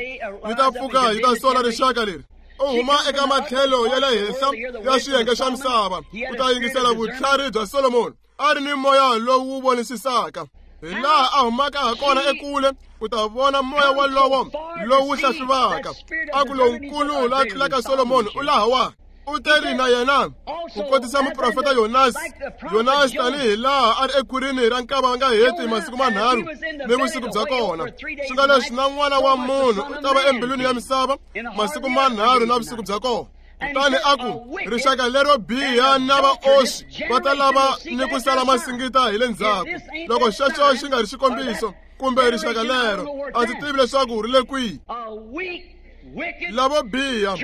yi ta pfuka yi ta sola rixaka leri. U huma eka matlhelo ya le henhla ya xiyenge xa misava ku ta yingisela vutlhari bya Solomoni, a ri ni moya lowu wu vonisisaka. Hi laha a humaka ha kona ekule ku ta vona moya walowo lowu hlahluvaka. A ku lonkulu la tlulaka Solomoni u lahawa. U teri na yena ku kotisa muprofeta Yonasi. Yonasi tanihi laha a ri ekhwirini ra nkava nga heti masiku manharhu ni vusiku bya kona, swi nga leswi na n'wana wa munhu u ta va embilwini ya misava masiku manharhu na vusiku bya kona. Kutani a ku, rixaka lero biha na vaoswi va ta lava ni ku sala masingita hi le ndzhaku. Loko xexo xi nga ri xikombiso kumbe rixaka lero, a ndzi tivi leswaku ri le kwihi. Lavo biha,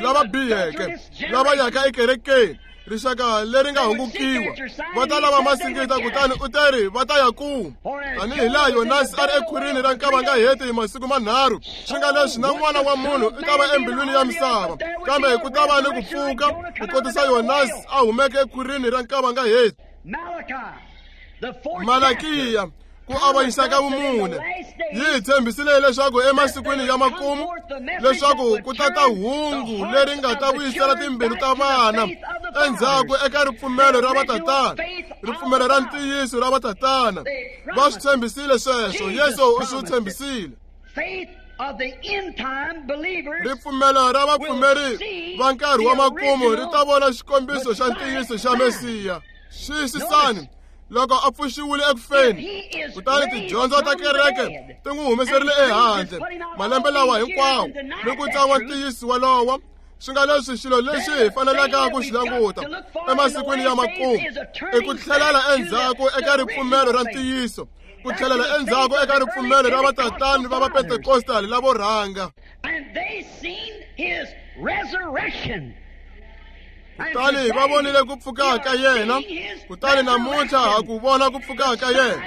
lava biheke, lava yaka ekerekeni, rixaka leri nga hungukiwa, va ta lava masingita. Kutani u teri va ta ya ku tanihi laha Yonasi a ri ekhwirini ra nkava nga heti masiku manharhu, swi nga leswi na n'wana wa munhu u ta va embilwini ya misava, kambe ku ta va ni ku pfuka ku kotisa Yonasi a humeke ekhwirini ra nkava nga heti. Malakiya, ku avanyisa ka vumune, yi hi tshembisile leswaku emasikwini ya makumu leswaku ku ta ta hungu leri nga ta vuyisela timbilu ta vana endzhaku eka ripfumelo ra vatatana, ripfumelo ra ntiyiso ra vatatana. Va swi tshembisile sweswo, Yesu u swi tshembisile. Ripfumelo ra vapfumeri va nkarhi wa makumu ri ta vona xikombiso xa ntiyiso xa Mesiya. Xiyisisani, loko a pfuxiwile ekufeni, kutani tidyondzo ta kereke ti n'wi humeserile ehandle malembe lawa hinkwawo ni ku tsan'wa ntiyiso walowo, swi nga leswi xilo lexi hi faneleke ku xi languta emasikwini ya makumu i ku tlhelela endzhaku eka ripfumelo ra ntiyiso, ku tlhelela endzhaku eka ripfumelo ra vatatani va vapentekostali lavo rhanga. Kutani va vonile ku pfuka ka yena, kutani namuntlha ha ku vona ku pfuka ka yena,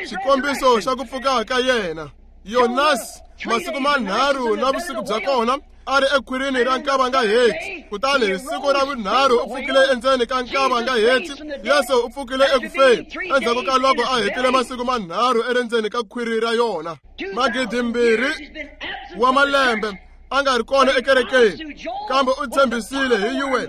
xikombiso xa ku pfuka ka yena. Yonasi masiku manharhu na vusiku bya kona a ri ekhwirini ra nkava nga heti, kutani hi siku ra vunharhu u pfukile endzeni ka nkava nga heti. Yesu u pfukile ekufeni endzhaku ka loko a hetile masiku manharhu erendzeni ka khwiri ra yona. 2000 wa malembe a nga ri kona ekerekeni, kambe u tshembisile hi Yuwele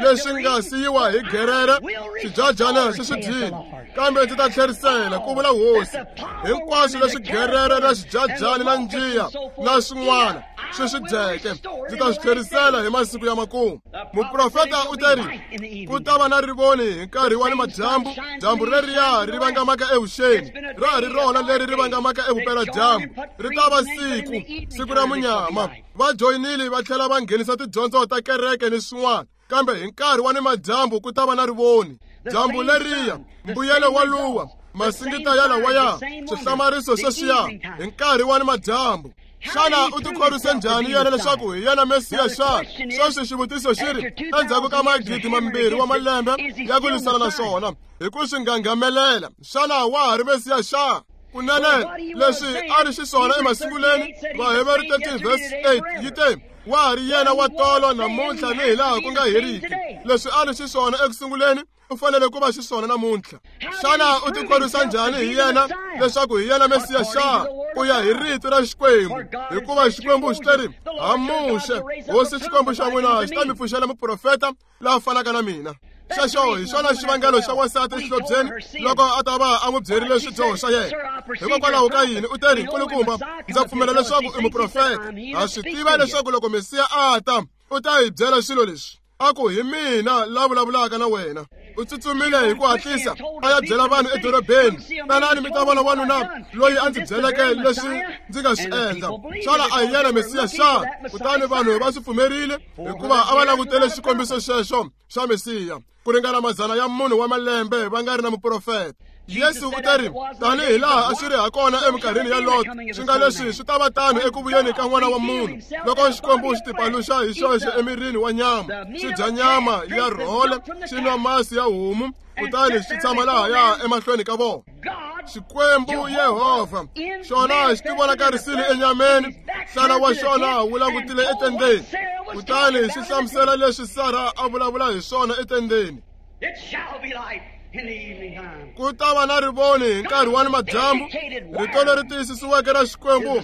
leswi nga siyiwa hi gerere swidyajana swi swi dyile, kambe ndzi ta tlherisela, ku vula Hosi, hinkwaswo leswi gerere na swidyajani na njiya na swin'wana swi swi dyeke, ndzi ta swi tlherisela hi masiku ya makumu. Muprofeta u teri ku ta va na rivoni hi nkarhi wa ni madyambu, dyambu reriya ri vangamaka evuxeni, ra ha ri rona leri ri vangamaka evupeladyambu, ri ta va siku, siku ra munyama. Va joyinile va tlhela va nghenisa tidyondzo ta kereke ni swin'wana, kambe hi nkarhi wa ni madyambu ku ta va na rivoni. Dyambu leriya, mbuyelo wa luwa, masingita ya lawaya, swihlamariso sweswiya hi nkarhi wa ni madyambu. Xana u tikhorwise njhani yena leswaku hi yena Mesiya xana? Sweswi xivutiso xi ri, endzhaku ka 2000 wa malembe ya ku lwisana na swona hi ku swi nghanghamelela, xana wa ha ri Mesiya xana? Kunene leswi a ri xiswona emasunguleni, Vaheveru 13 verse 8 yi te, wa ha ri yena wa tolo namuntlha ni hilaha ku nga heriki. Leswi a ri xiswona ekusunguleni, u fanele ku va xiswona namuntlha. Xana u tikhorwisa njhani hi yena leswaku hi yena Mesiya xana? Ku ya hi rito ra Xikwembu, hikuva Xikwembu xi teri ha Muxe, Hosi Xikwembu xa n'wina xi ta mi pfuxela muprofeta la fanaka na mina. Xexo hi xona xivangelo xa wansati exihlobyeni loko a ta va a n'wi byerile swidyoho swa yena. Hikokwalaho ka yini u teri, nkulukumba, ndza pfumela leswaku i muprofeta. Ha swi tiva leswaku loko Mesiya a ta, u ta hi byela swilo leswi. A ku, hi mina la vulavulaka na wena. U tsutsumile hi ku hatlisa a ya byela vanhu edorobeni, tanani mi ta vona wanuna loyi a ndzi byeleke leswi ndzi nga swi endla. Xana a hi yena Mesiya xana? Kutani vanhu va swi pfumerile, hikuva a va langutele xikombiso xexo xa Mesiya ku ringana 400 wa malembe va nga ri na muprofeta. Yesu u ta ri tanihi laha a swi ri hakona eminkarhini ya Lot, swi nga leswi swi ta va tano eku vuyeni ka N'wana wa Munhu. Loko Xikwembu xi tipaluxa hi xoxe emirini wa nyama, xi dya nyama ya rhole, xi nwa masi ya homu, kutani xi tshama lahaya emahlweni ka vona. Xikwembu Yehovha xona xi tivonakarisile enyameni, nhlana wa xona wu langutile etendeni, kutani xi hlamusela leswi Sara a vulavula hi swona etendeni. Ku ta va na rivoni hi nkarhi wa nimadyambu. Rito leri tiyisisiweke ra Xikwembu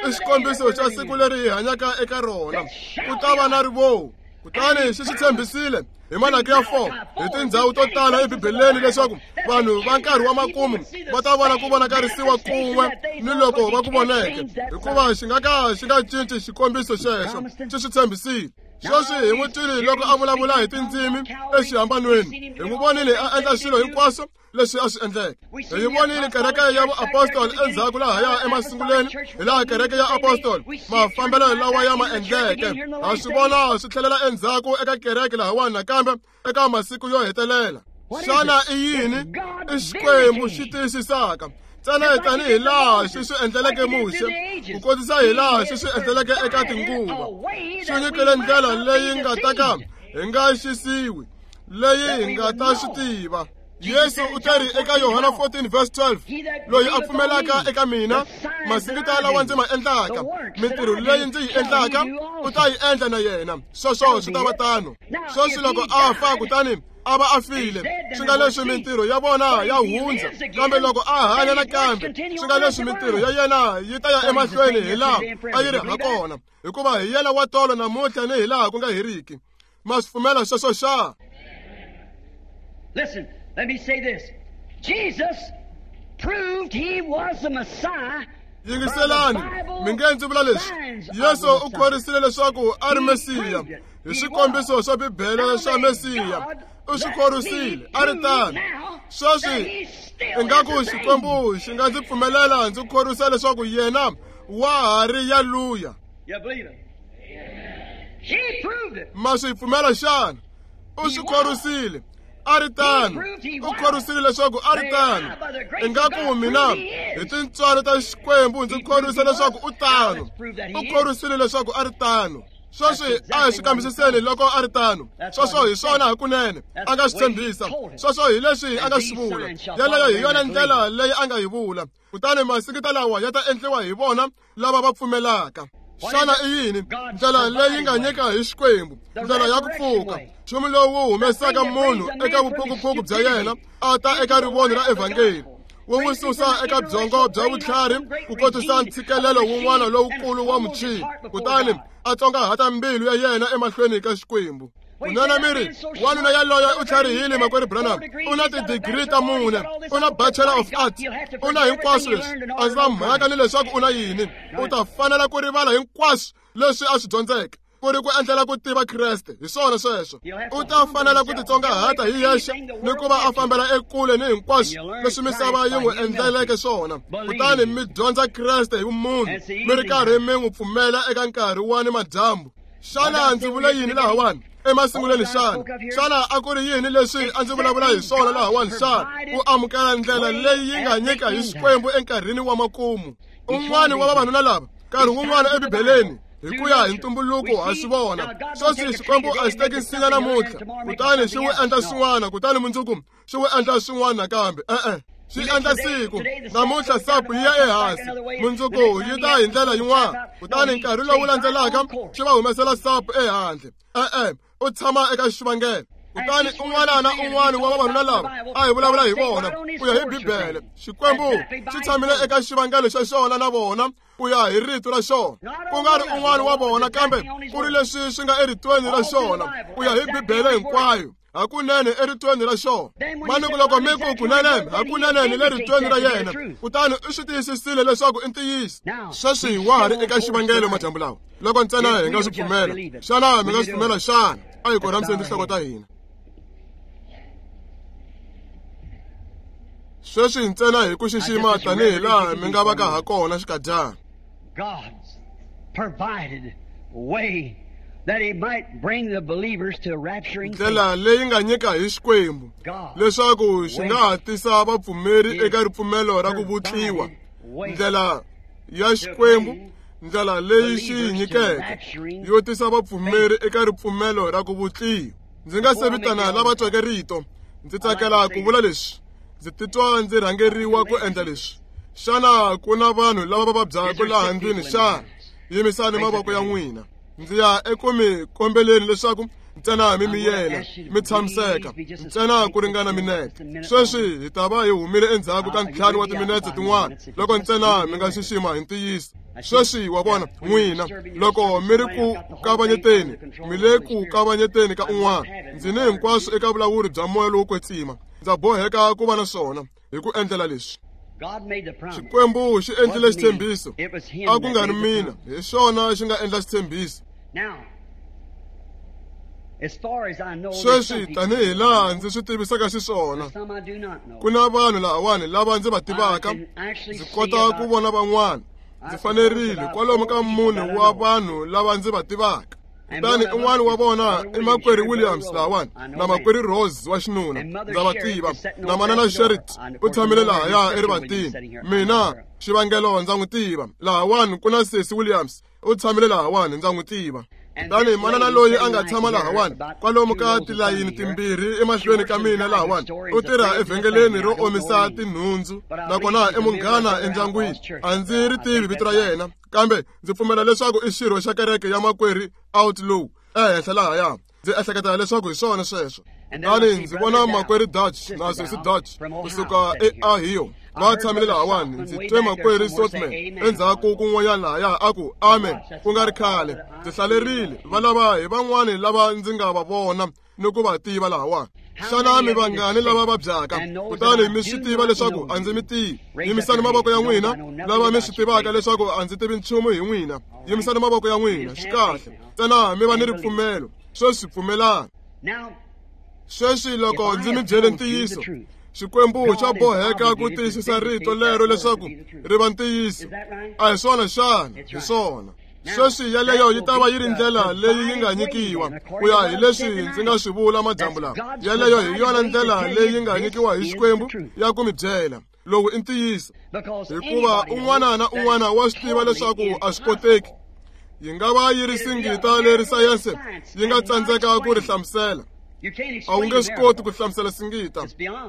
i xikombiso xa siku leri hi hanyaka eka rona. Ku ta va na rivoni. Kutani xi swi tshembisile hi Malaki ya 4 hi tindhawu to tala eBibeleni leswaku vanhu va nkarhi wa makumu va ta vona ku vonakarisiwa kun'we ni loko va ku voneke, hikuva xi nga ka xi nga cinci xikombiso xexo xi swi tshembisile. Sweswi hi n'wi twile loko a vulavula hi tindzimi exihambanweni, hi n'wi vonile a endla swilo hinkwaswo leswi a swi endleke. Hi yi vonile kereke ya vuapostoli endzhaku lahaya emasunguleni, hi laha kereke ya apostoli mafambelo lawa ya ma endleke. Ha swi vona swi tlhelela endzhaku eka kereke lahawani nakambe eka masiku yo hetelela. Xana i yini? I Xikwembu xi tiyisisaka ntsena tanihi laha xi swi endleleke Muxe, ku kotisa hi laha xi swi endleleke eka tinguva. Xi nyikile ndlela leyi nga ta ka hi nga xisiwi, leyi hi nga ta swi tiva. Yesu u ta ri eka Yohana 14 verse 12, loyi a pfumelaka eka mina, masingita lawa ndzi ma endlaka, mintirho leyi ndzi yi endlaka, u ta yi endla na yena. Sweswo swi ta va tano. Sweswi loko a fa kutani a va a file, swi nga leswi mintirho ya vona ya hundza, kambe loko a hanya nakambe, swi nga leswi mintirho ya yena yi ta ya emahlweni hi laha a yi ri hakona, hikuva hi yena wa tolo namuntlha ni hi laha ku nga heriki. Ma swi pfumela sweswo xa? Listen, let me say this. Jesus proved he was the Messiah. Yingiselani, mi nge ndzi vula leswi. Yesu u khorisile leswaku a ri Mesiya hi swikombiso swa Bibele swa Mesiya. U swi khorisile a ri tano. Sweswi ingaku Xikwembu xi nga ndzi pfumelela ndzi khorwisa leswaku yena wa ha ri yaluya. Ma swi pfumela xana? U swi khorwisile a ri tano. U khorwisile leswaku a ri tano. Ingaku mina hi tintswalo ta Xikwembu ndzi khorwisa leswaku u tano. U khorwisile leswaku a ri tano. Sweswi a hi swi kambisiseni loko a ri tano. Sweswo hi swona hakunene a nga swi tshembisa. Sweswo hi leswi a nga swi vula. Yeleyo hi yona ndlela leyi a nga yi vula. Kutani masingita lawa ya ta endliwa hi vona lava va pfumelaka. Xana i yini ndlela leyi nga nyika hi Xikwembu, ndlela ya ku pfuka, nchumu lowu humesaka munhu eka vuphukuphuku bya yena a ta eka rivoni ra evhangeli, wu n'wi susa eka byongo bya vutlhari ku kotisa ntshikelelo wun'wana lowukulu wa muchini, kutani a tsongahata mbilu ya yena emahlweni ka Xikwembu. Kunene mi ri, wanuna yaloye u tlharihile, makwerhu Branham, u na tidigiri ta 4, u na Bachelor of Arts, u na hinkwaswo leswi. A ndzi na mhaka ni leswaku u na yini, u ta fanela ku rivala hinkwaswo leswi a swi dyondzeke ku ri ku endlela ku tiva Kreste. Hi swona sweswo. U ta fanela ku titsongahata hi yexe ni ku va a fambela ekule ni hinkwaswo leswi misava yi n'wi endleleke swona. Kutani mi dyondza Kreste hi vumunhu, mi ri karhi mi n'wi pfumela eka nkarhi wa ni madyambu. Xana ndzi vule yini lahawani emasungulweni xana? Xana a ku ri yini leswi a ndzi vulavula hi swona lahawani xana? Ku amukela ndlela leyi yi nga nyika hi Xikwembu enkarhini wa makumu. Un'wana wa vavanuna lava nkarhi wun'wana eBibeleni hi ku ya hi ntumbuluko ha swi vona. Sweswi Xikwembu a xi teki nsinya namuntlha kutani xi wu endla swin'wana, kutani mundzuku xi wu endla swin'wana nakambe. E-e, xi endla siku namuntlha sapu yi ya ehansi, mundzuku yi ta hi ndlela yin'wana, kutani nkarhi lowu landzelaka xi va humesela sapu ehandle. E-e, u tshama eka xivangelo. Kutani un'wana na un'wana wa vavanuna lava a hi vulavula hi vona ku ya hi Bibele, Xikwembu xi tshamile eka xivangelo xa xona na vona ku ya hi rito ra xona, ku nga ri un'wana wa vona, kambe ku ri leswi swi nga eritweni ra xona ku ya hi Bibele hinkwayo. Hakunene eritweni ra xona. Manuku loko mi ku kunene, hakunene ni le ritweni ra yena, kutani u swi tiyisisile leswaku i ntiyiso. Sweswi wa ha ri eka xivangelo madyambu lawa, loko ntsena hi nga swi pfumela. Xana mi nga swi pfumela xana? A hi korhamiseni tinhloko ta hina. Sweswi ntsena hi ku xixima tanihi laha mi nga va ka ha kona xikadyana. God's provided way Ndlela leyi nga nyika hi Xikwembu leswaku xi nga ha tisa vapfumeri eka ripfumelo ra ku vutliwa. Ndlela ya Xikwembu, ndlela leyi xi yi nyikeke yo tisa vapfumeri eka ripfumelo ra ku vutliwa. Ndzi nga se vitana lava tweke rito, ndzi tsakela ku vula leswi. Ndzi titwa ndzi rhangeriwa ku endla leswi. Xana ku na vanhu lava va vabyaka laha ndlwini xana? Yimisani mavoko ya n'wina. Ndzi ya eku mi kombeleni leswaku ntsena mi miyela, mi tshamiseka ntsena ku ringana minete. Sweswi hi ta va hi humile endzhaku ka 5 wa timinetse tin'wana loko ntsena mi nga xixima hi ntiyiso. Sweswi wa vona n'wina loko mi ri ku kavanyeteni, mi le ku kavanyeteni ka un'wana. Ndzi ni hinkwaswo eka vulawuri bya moya lowo kwetsima. Ndza boheka ku va na swona hi ku endlela leswi. Xikwembu xi endlile xitshembiso, a ku nga ri mina, hi xona xi nga endla xitshembiso. Sweswi tanihi laha ndzi swi tivisaka xiswona, ku na vanhu lahawani lava ndzi va tivaka, ndzi kota ku vona van'wana. Ndzi fanerile kwalomu ka 4 wa vanhu lava ndzi va tivaka. Kutani un'wana wa vona i makwerhu Williams lahawani na makwerhu Rose wa xinuna, ndza va tiva. Na manana Sherit u tshamile lahaya erivatini. Mina xivangelo ndza n'wi tiva. Lahawani ku na sesi Williams u tshamile lahawani, ndza n'wi tiva. Kutani manana loyi a nga tshama lahawani kwalomu ka tilayini timbirhi emahlweni ka mina lahawani, u tirha evhengeleni ro omisa tinhundzu, nakona i munghana endyangwini. A ndzi ri tivi vito ra yena, kambe ndzi pfumela leswaku i xirho xa kereke ya makwerhu Outlaw ehenhla lahaya. Ndzi ehleketa leswaku hi swona sweswo. Kutani ndzi vona makwerhu Dutch na sesi Dutch kusuka eOhio va tshamile lahawani. Ndzi twe makwerhu Sotman endzhaku kun'wanyana lahaya a ku amen ku nga ri khale. Ndzi hlalerile va lava hi van'wani lava ndzi nga va vona ni ku va tiva lahawani. Xana mi vangani lava vabyaka? Kutani mi swi tiva leswaku a ndzi mi tivi. Yimisani mavoko ya n'wina lava mi swi tivaka leswaku a ndzi tivi nchumu hi n'wina. Yimisani mavoko ya n'wina. Swi kahle. Ntsena mi va ni ripfumelo. Sweswi pfumelani. Sweswi loko ndzi mi byele ntiyiso, Xikwembu xa boheka ku tiyisisa rito lero leswaku ri va ntiyiso. A hi swona xana? Hi swona. Sweswi yaleyo yi ta va yi ri ndlela leyi yi nga nyikiwa ku ya hi leswi ndzi nga swi vula madyambu lawa. Yaleyo hi yona ndlela leyi yi nga nyikiwa hi Xikwembu ya ku mi byela lowu i ntiyiso, hikuva un'wana na un'wana wa swi tiva leswaku a swi koteki. Yi nga va yi ri singita leri sayense yi nga tsandzeka ku ri hlamusela. A wu nge swi koti ku hlamusela singita,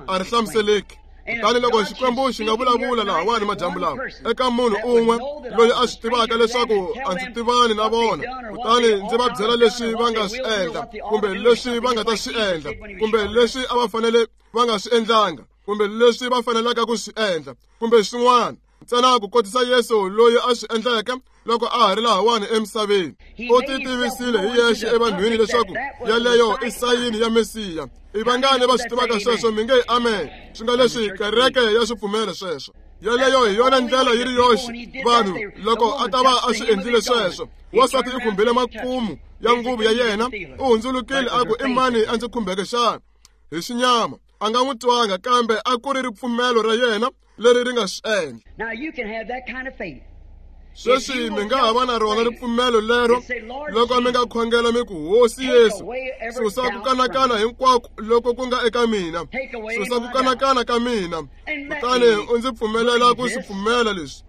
a ri hlamuseleki. Kutani loko Xikwembu xi nga vulavula lahawani madyambu lawa eka munhu un'we loyi a swi tivaka leswaku a ndzi tivani na vona, kutani ndzi va byela leswi va nga swi endla kumbe leswi va nga ta swi endla kumbe leswi a va fanele va nga swi endlanga kumbe leswi va fanelaka ku swi endla kumbe swin'wana, ntsena ku kotisa Yesu loyi a swi endleke loko a ha ri lahawani emisaveni. U ti tivisile hi yexe evanhwini leswaku yaleyo i sayini ya Mesiya. I vangani va swi tivaka sweswo? Mi nge amen. Swi nga leswi kereke ya swi pfumela sweswo. Yaleyo hi yona ndlela yi ri yoxe vanhu loko a ta va a swi endlile sweswo. Wansati i khumbile makumu ya nguvu ya yena, u hundzulukile a ku i mani a ndzi khumbeke xana? Hi xinyama a nga n'wi twanga, kambe a ku ri ripfumelo ra yena leri ri nga swi endla. Sweswi mi nga ha va na rona ripfumelo lero loko mi nga khongela mi ku, Hosi Yesu, susa ku kanakana hinkwako loko ku nga eka mina, susa ku kanakana ka mina, kutani u ndzi pfumelela ku swi pfumela leswi.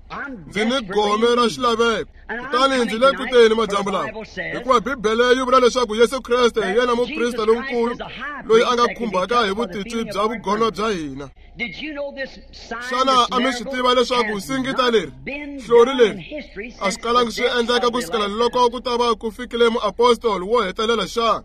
Ndzi ni gome ra xilaveko, kutani ndzi le ku teni madyambu lawa, hikuva Bibele yi vula leswaku Yesu Kreste hi yena muprista lonkulu loyi a nga khumbaka hi vutitwi bya vugono bya hina. Xana a mi swi tiva leswaku singita leri, hlori leri, a swi kalangi swi endleka ku sukela loko ku ta va ku fikile muapostoli wo hetelela xana?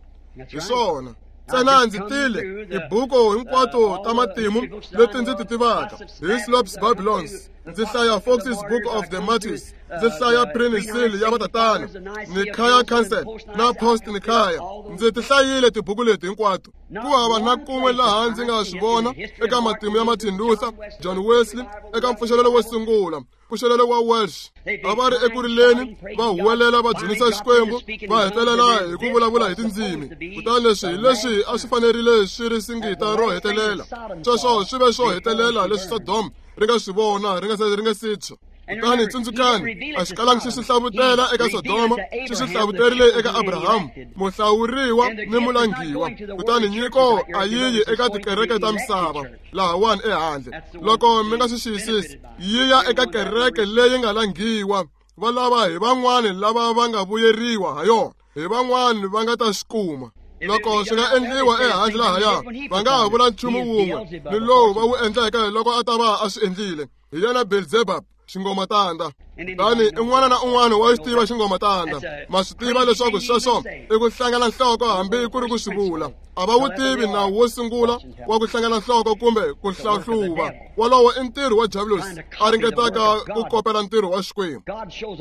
Hi swona. Ntsena ndzi tile tibuku hinkwato ta matimu leti ndzi ti tivaka, Hislop's Babylons, ndzi hlaya Fox's Book of the Martyrs, ndzi hlaya Pre-Nicene ya vatatana, Nicaea Council na Post-Nicaea. Ndzi ti hlayile tibuku leti hinkwato. Ku hava na kun'we laha ndzi nga swi vona eka matimu ya Martin Luther, John Wesley, eka mpfuxelelo wo sungula, mpfuxelelo wa Welsh. A va ri eku rileni, va huwelela va dzunisa Xikwembu, va hetelela hi ku vulavula hi tindzimi. Kutani leswi hi leswi a swi fanerile swi ri singita ro hetelela. Sweswo swi ve swo hetelela leswi Sodom ri nga swi vona ri nga si tshwa. Kutani tsundzukani, a xi kalangi xi swi hlavutela eka Sodoma, xi swi hlavuterile eka Abrahamu, muhlawuriwa ni mulangiwa. Kutani nyiko a yi yi eka tikereke ta misava lahawani ehandle. Loko mi nga swi xiyisisi, yi ya eka kereke leyi nga langiwa. Va lava hi van'wani lava va nga vuyeriwa ha yona, hi van'wani va nga ta swi kuma. Loko swi nga endliwa ehandle lahaya, va nga ha vula nchumu wun'we ni lowu va wu endleke loko a ta va a swi endlile. Hi yena Beelzebub, xingomatanda. Kutani un'wana na un'wana wa xi tiva xingomatanda. Ma swi tiva leswaku sweswo i ku hlangana nhloko hambi ku ri ku swi vula. A va wu tivi nawu wo sungula wa ku hlangana nhloko kumbe ku hlahluva. Wolowo i ntirho wa Diabulosi a ringetaka ku kopela ntirho wa Xikwembu.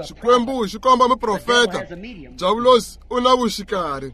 Xikwembu xi komba muprofeta, Diabulosi u na vuxikarhi.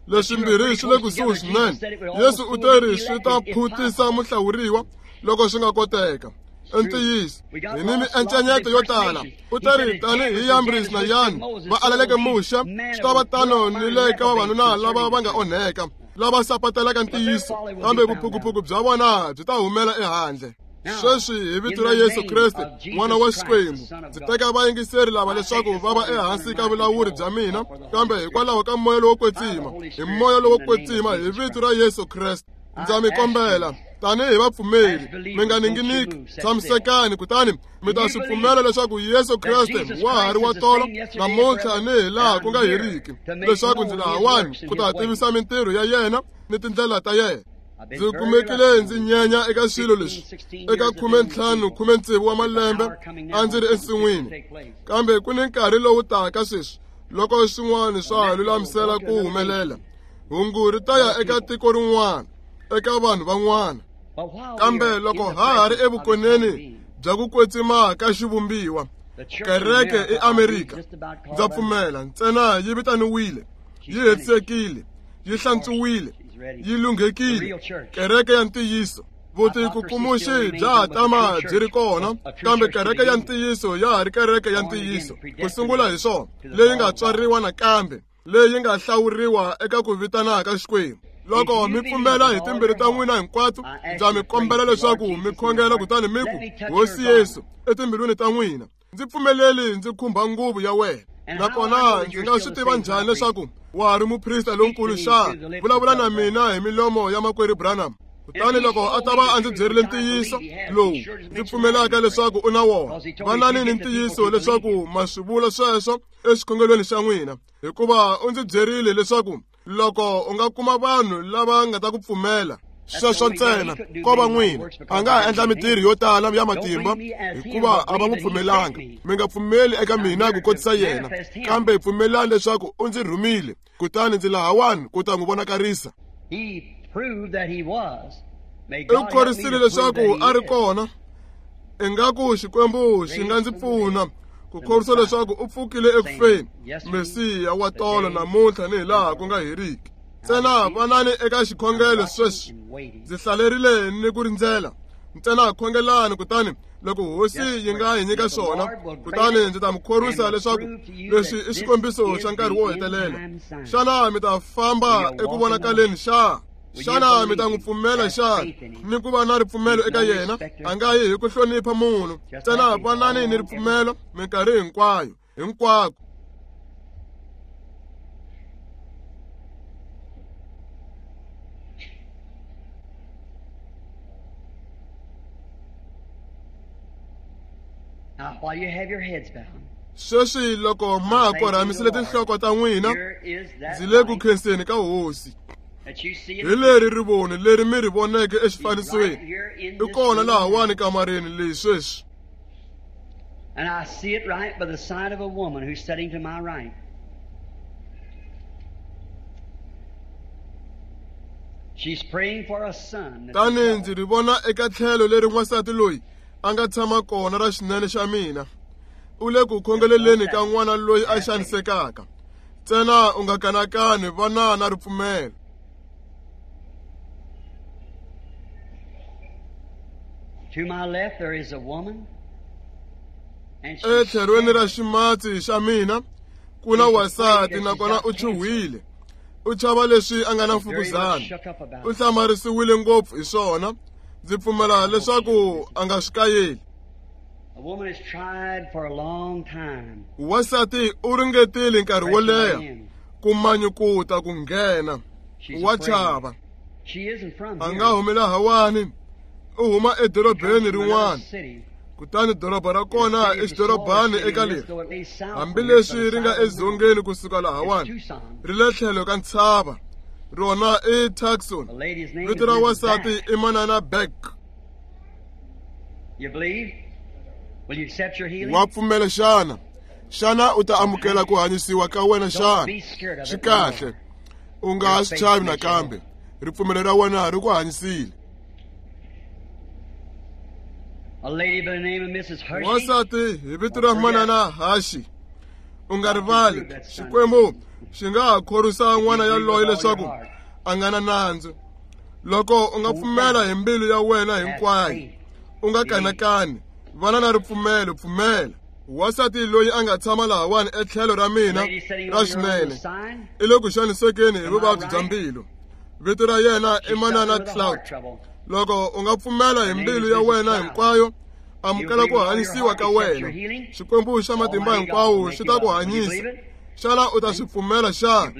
Leswimbirhi swi le kusuhi swinene. Yesu u teri swi ta phutisa muhlawuriwa loko swi nga koteka. I ntiyiso, hi ni miencenyeto yo tala. U teri tanihi Yambris na Yani va alaleke Muxe, swi ta va tano ni le ka vavanuna lava va nga onheka, lava sapatelaka ntiyiso, kambe vuphukuphuku bya vona byi ta humela ehandle. Sweswi hi vito ra Yesu Kreste, N'wana wa Xikwembu, ndzi teka vayingiseri lava leswaku va va ehansi ka vulawuri bya mina, kambe hikwalaho ka moya lowo kwetsima, hi moya lowo kwetsima, hi vito ra Yesu Kreste, ndza mi kombela tanihi vapfumeri, mi nga ninginiki, tshamisekani, kutani mi ta swi pfumela leswaku Yesu Kreste wa ha ri wa tolo namuntlha ni hi laha ku nga heriki, leswaku ndzi lahawani ku ta tivisa mintirho ya yena ni tindlela ta yena. Ndzi kumekile ndzi nyenya eka swilo leswi eka 15 16 wa malembe a ndzi ri ensin'wini, kambe ku ni nkarhi lowu taka sweswi loko swin'wana swa ha lulamisela ku humelela. Hungu ri ta ya eka tiko rin'wana, eka vanhu van'wana. Kambe loko ha ha ri evukoneni bya ku kwetsima ka xivumbiwa, kereke eAmerika, ndza pfumela ntsena yi vitaniwile, yi hetisekile, yi hlantswiwile, yi lunghekile, kereke ya ntiyiso. Vutikukumuxi bya ha tama byi ri kona, kambe kereke ya ntiyiso ya ha ri kereke ya ntiyiso. Ku sungula hi swona, leyi nga tswariwa nakambe, leyi nga hlawuriwa eka ku vitana ka Xikwembu. Loko mi pfumela hi timbilu ta n'wina hinkwato, ndza mi kombela leswaku mi khongela kutani mi ku, Hosi Yesu, etimbilwini ta n'wina, ndzi pfumeleli ndzi khumba nguvu ya wena. Nakona ndzi nga swi tiva njhani leswaku wa ha ri muprista lonkulu xana? Vulavula na mina hi milomo ya makwerhu Branham. Kutani loko a ta va a ndzi byerile ntiyiso lowu ndzi pfumelaka leswaku u na wona, vanani ni ntiyiso leswaku ma swi vula sweswo exikhongelweni xa n'wina, hikuva u ndzi byerile leswaku loko u nga kuma vanhu lava nga ta ku pfumela, sweswo ntsena ko va n'wina. A nga ha endla mintirho yo tala ya matimba hikuva a va n'wi pfumelanga. Mi nga pfumeli eka mina ku kotisa yena, kambe pfumelani leswaku u ndzi rhumile, kutani ndzi lahawani ku ta n'wi vonakarisa. U khorisile leswaku a ri kona. Ingaku Xikwembu xi nga ndzi pfuna ku khorwisa leswaku u pfukile ekufeni, Mesiya wa tolo namuntlha ni hi laha ku nga heriki. Ntsena vanani eka xikhongelo sweswi. Ndzi hlalerile ni ku rindzela. Ntsena khongelani, kutani loko Hosi yi nga hi nyika swona, kutani ndzi ta mi khorwisa leswaku leswi i xikombiso xa nkarhi wo hetelela. Xana mi ta famba eku vonakaleni xa? Xana mi ta n'wi pfumela xana ni ku va na ripfumelo eka yena? A nga yi hi ku hlonipha munhu. Ntsena vanani ni ripfumelo minkarhi hinkwayo, hinkwako. Sweswi loko ma ha korhamisile tinhloko ta n'wina, ndzi le ku khenseni ka Hosi. Hi leri rivoni leri mi ri voneke exifanisweni, i kona lahawani kamareni leyi sweswi. And I see it right by the side of a woman who's sitting to my right. She's praying for a son. Tani ndzi ri vona eka tlhelo leri n'wansati loyi a nga tshama kona ra xinene xa mina. U le ku khongeleleni ka n'wana loyi a xanisekaka. Ntsena u nga kanakani, vana na ripfumelo. To my left there is a woman. Etlhelweni ra ximatsi xa mina ku na wansati, nakona u chuhwile. U chava leswi a nga na mfukuzana. U hlamarisiwile ngopfu hi swona. Ndzi pfumela leswaku a nga swi kayeli. Wansati u ringetile nkarhi wo leha ku manyukuta ku nghena. Wa chava. A nga humi lahawani, u huma edorobeni rin'wana. Kutani doroba ra kona i xidorobani eka leri, hambileswi ri nga edzongeni kusuka lahawani, ri le tlhelo ka ntshava. Rona i Tucson. Vito ra wansati i Manana Beck. Wa pfumela xana? Xana u ta amukela ku hanyisiwa ka wena xana? Swi kahle. U nga ha swi chavi nakambe. Ripfumelo ra wena ri ku hanyisile. Wansati hi vito ra Manana Hashi. U nga rivali, Xikwembu xi nga ha khorwisa n'wana yaloye leswaku a nga na nandzu. Loko u nga pfumela hi mbilu ya wena hinkwayo, u nga kanakani, vana na ripfumelo, pfumela. Wansati loyi a nga tshama lahawani etlhelo ra mina ra xinene i le ku xanisekeni hi vuvabyi bya mbilu. Vito ra yena i Manana Cloud. Loko u nga pfumela hi mbilu ya wena hinkwayo, amukela ku hanyisiwa ka wena. Xikwembu xa matimba hinkwawo xi ta ku hanyisa. Xana u ta swi pfumela xana?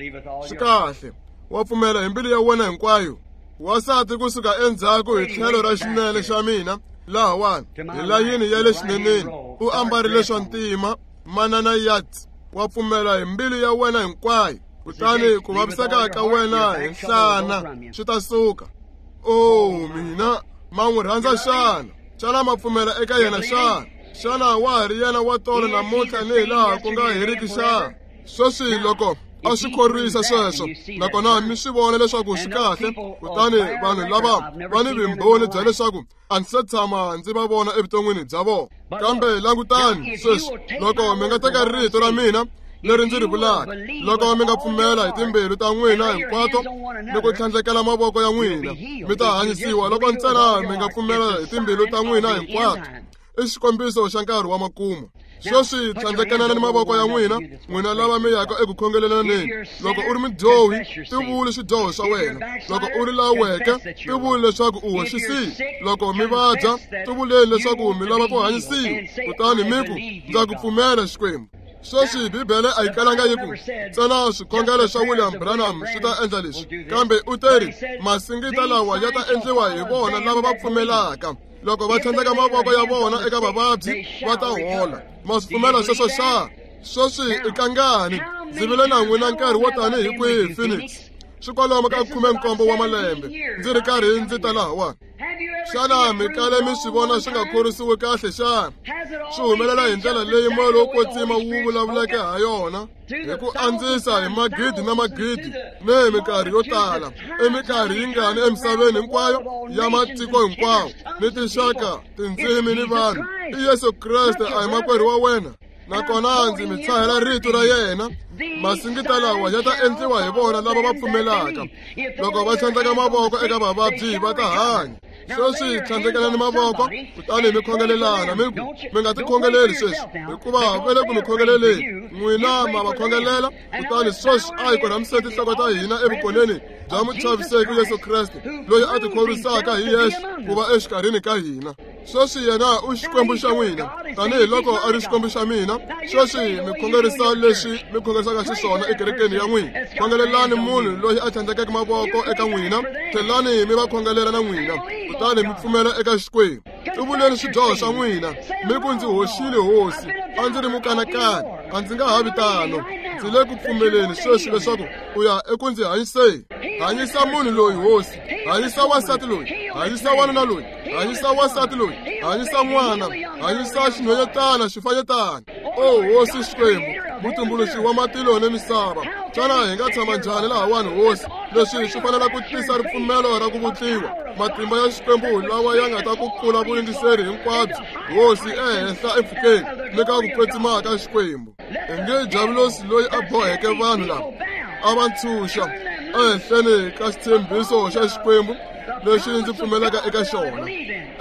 Swi kahle. Wa pfumela hi mbilu ya wena hinkwayo. Wansati kusuka endzhaku hi tlhelo ra xinene xa mina lahawani hi layini ya le xineneni u ambarile swa ntima. Manana Yat, wa pfumela hi mbilu ya wena hinkwayo, kutani ku vaviseka ka wena hi nhlana swi ta suka. O mina, ma n'wi rhandza xana? Xana ma pfumela eka yena xana? Xana wa ha ri yena wa tolo namuntlha ni hi laha ku nga heriki xana? Sweswi loko a swi khorwisa sweswo, nakona mi swi vona leswaku swi kahle, kutani vanhu lava va ni vumbhoni bya leswaku a ndzi se tshama ndzi va vona evuton'wini bya vona. Kambe langutani sweswi, loko mi nga teka rito ra mina leri ndzi ri vulaka, loko mi nga pfumela hi timbilu ta n'wina hinkwato ni ku tlhandlekela mavoko ya n'wina, mi ta hanyisiwa. Loko ntsena mi nga pfumela hi timbilu ta n'wina hinkwato, i xikombiso xa nkarhi wa makumu. Sweswi tlhandlekanani mavoko ya n'wina, n'wina lava mi yaka eku khongelelaneni. Loko u ri mudyohi, tivuli swidyoho swa wena. Loko u ri la weke, tivuli leswaku u hoxisile. Loko mi vabya, tivuleni leswaku mi lava ku hanyisiwa, kutani mi ku, ndza ku pfumela Xikwembu. Sweswi Bibele a yi kalanga yi ku ntsena swikhongelo swa William Branham swi ta endla leswi, kambe u teri masingita lawa ya ta endliwa hi vona lava va pfumelaka. Loko va tlhandleka mavoko ya vona eka vavabyi, va ta hola. Ma swi pfumela sweswo xa? Sweswi i kangani ndzi vile na n'wina nkarhi wo tani hi kwihi Phoenix? Swi kwalomu ka 17 wa malembe ndzi ri karhi ndzi ta lahawani. Xana mi kale mi swi vona swi nga khorwisiwi kahle xana? Swi humelela hi ndlela leyi moya lowo kwetsima wu vulavuleke ha yona, hi ku andzisa hi magidi na magidi ni hi minkarhi yo tala, eminkarhi yingani emisaveni hinkwayo ya matiko hinkwawo ni tinxaka, tindzimi ni vanhu. I Yesu Kreste, a hi makwerhu wa wena. Nakona ndzi mi tshahela rito ra yena. Masingita lawa ya ta endliwa hi vona lava va pfumelaka. Loko va tlhandleka mavoko eka vavabyi, va ta hanya. Sweswi tlhandlekelani mavoko, kutani mi khongelelana, mi ku, mi nga tikhongeleli sweswi, hikuva va le ku mi khongeleleni. N'wina ma va khongelela, kutani sweswi a hi korhamiseni tinhloko ta hina evukoneni bya muchaviseki Yesu Kreste, loyi a tikhorwisaka hi yexe ku va exikarhini ka hina. Sweswi yena u Xikwembu xa n'wina, tanihiloko a ri Xikwembu xa mina. Sweswi mi khongerisa leswi mi khongerisaka xiswona ekerekeni ya n'wina. Khongelelani munhu loyi a tlhandlekeke mavoko eka n'wina, tlhelani mi va khongelela na n'wina, kutani mi pfumela eka Xikwembu. Tivuleni swidyoho swa n'wina, mi ku, ndzi hoxile Hosi, a ndzi ri mukanakani, a ndzi nga ha vi tano. Ndzi le ku pfumeleni sweswi leswaku u ya eku ndzi hanyiseni. Hanyisa munhu loyi, Hosi. Hanyisa wansati loyi, hanyisa wanuna loyi, hanyisa wansati loyi, hanyisa n'wana, hanyisa xinhwanyetana, xifanyetana. O Hosi Xikwembu, mutumbuluxi wa matilo ni misava, xana hi nga tshama njhani lahawani, Hosi? Leswi swi fanele ku tisa ripfumelo ra ku vutliwa, matimba ya Xikwembu lawa ya nga ta ku kula vuyingiseri hinkwabyo, Hosi, ehenhla empfhukeni ni ka ku kwetsima ka Xikwembu. Inge Diabulosi loyi a boheke vanhu lava a va ntshunxa ehenhleni ka xitshembiso xa Xikwembu lexi ndzi pfumelaka eka xona,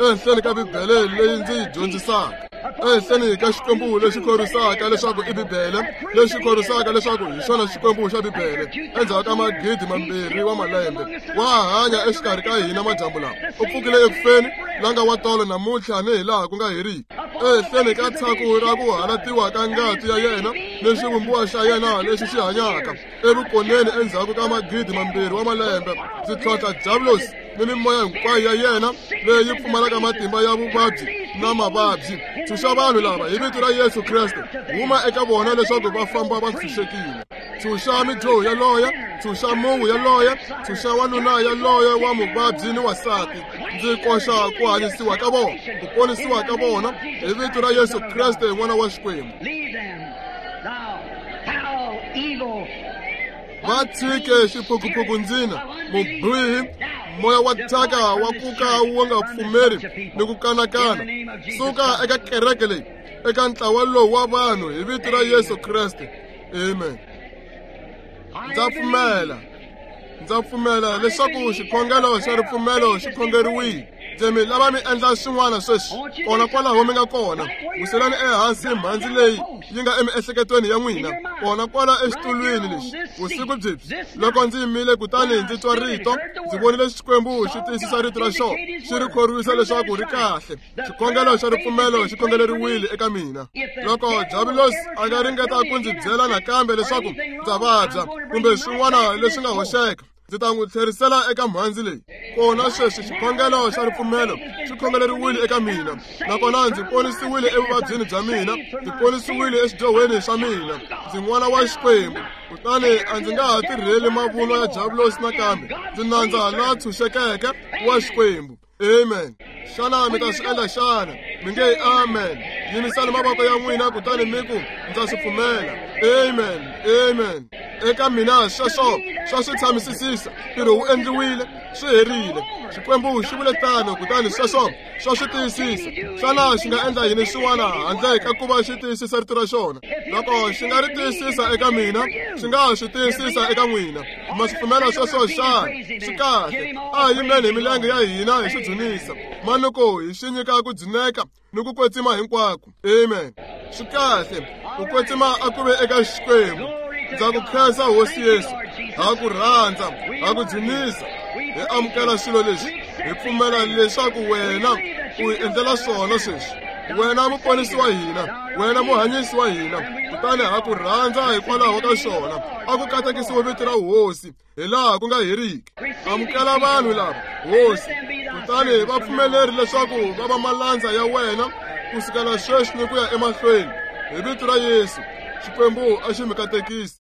ehenhleni ka Bibele leyi ndzi yi dyondzisaka. Ehenhleni ka Xikwembu lexi khorwisaka leswaku i Bibele, lexi khorwisaka leswaku hi xona Xikwembu xa Bibele, endzhaku ka magidi mambirhi wa malembe, wa hanya exikarhi ka hina madyambu lawa. U pfukile eku feni, la nga wa tolo namuntlha ni hilaha ku nga heriki. Ehenhleni ka tshaku ra ku halatiwa ka ngati ya yena ni xivumbiwa xa yena lexi xi hanyaka evukoneni endzhaku ka magidi mambirhi wa malembe, ndzi tlhontlha Diabulosi ni mimoya hinkwayo ya yena leyi pfumalaka matimba ya vuvabyi na mavabyi. Tshunxa vanhu lava hi vito ra Yesu Kreste, huma eka vona leswaku va famba va ntshunxekile. Tshunxa midyoho yaloye, tshunxa mungu yaloye, tshunxa wanuna yaloye wa muvabyi ni wansati. Ndzi koxa ku hanyisiwa ka vona, ku ponisiwa ka vona hi vito ra Yesu Kreste N'wana wa Xikwembu. Va tshike xiphukuphuku ndzina, mubihi, moya wa thyaka wa ku ka wu nga pfumeri ni ku kanakana. Suka eka kereke leyi, eka ntlawa lowu wa vanhu hi vito ra Yesu Kreste. Amen. Ndza pfumela. Ndza pfumela leswaku xikhongelo xa ripfumelo xi khongeriwile. Ndzi mi lava mi endla swin'wana sweswi, kona kwalaho mi nga kona. Wiselani ehansi mhandzi leyi yi nga emiehleketweni ya n'wina, kona kwala exitulwini lexi. Vusiku byebyi, loko ndzi yimile kutani ndzi twa rito, ndzi vonile Xikwembu xi tiyisisa rito ra xona, xi ri khorwisa leswaku ri kahle. Xikhongelo xa ripfumelo xi khongeleriwile eka mina. Loko Diabulosi a nga ringeta ku ndzi byela nakambe leswaku ndza vabya kumbe swin'wana leswi nga hoxeka, ndzi ta n'wi tlherisela eka mhandzi leyi. Kona sweswi xikhongelo xa ripfumelo xi khongeleriwile eka mina, nakona ndzi ponisiwile evuvabyini bya mina, ndzi ponisiwile eswidyohweni swa mina. Ndzi n'wana wa Xikwembu, kutani a ndzi nga ha tirheli mavunwa ya Diabulosi nakambe. Ndzi nandza la tshunxekeke wa Xikwembu. Amen. Xana mi ta swi endla xana? Mi nge amen. Yimisani mavoko ya n'wina kutani mi ku, ndza swi pfumela. Amen. Amen. Eka mina sweswo swa swi tshamisisisa. Ntirho wu endliwile, swi herile. Xikwembu xi vule tano, kutani sweswo swa swi tiyisisa. Xana xi nga endla yini xin'wana handle ka ku va xi tiyisisa rito ra xona? Loko xi nga ri tiyisisa eka mina, xi nga swi tiyisisa eka n'wina. Ma swi pfumela sweswo xana? Swi kahle. A hi yimeni hi milenge ya hina hi xi dzunisa. Manuku hi xi nyika ku dzuneka ni ku kwetsima hinkwako. Amen. Swi kahle. Ku kwetsima a ku ve eka Xikwembu. Ndza ku khensa Hosi Yesu. Ha ku rhandza, ha ku dzunisa. Hi amukela swilo leswi. Hi pfumela leswaku wena u hi endlela swona sweswi. Wena muponisi wa hina, wena muhanyisi wa hina, kutani ha ku rhandza hikwalaho ka swona. A ku katekisiwe vito ra Hosi hilaha ku nga heriki. Amukela vanhu lava, Hosi, kutani va pfumeleri leswaku va va malandza ya wena ku sukela sweswi ni ku ya emahlweni. Hi vito ra Yesu, Xikwembu a xi mi katekisi.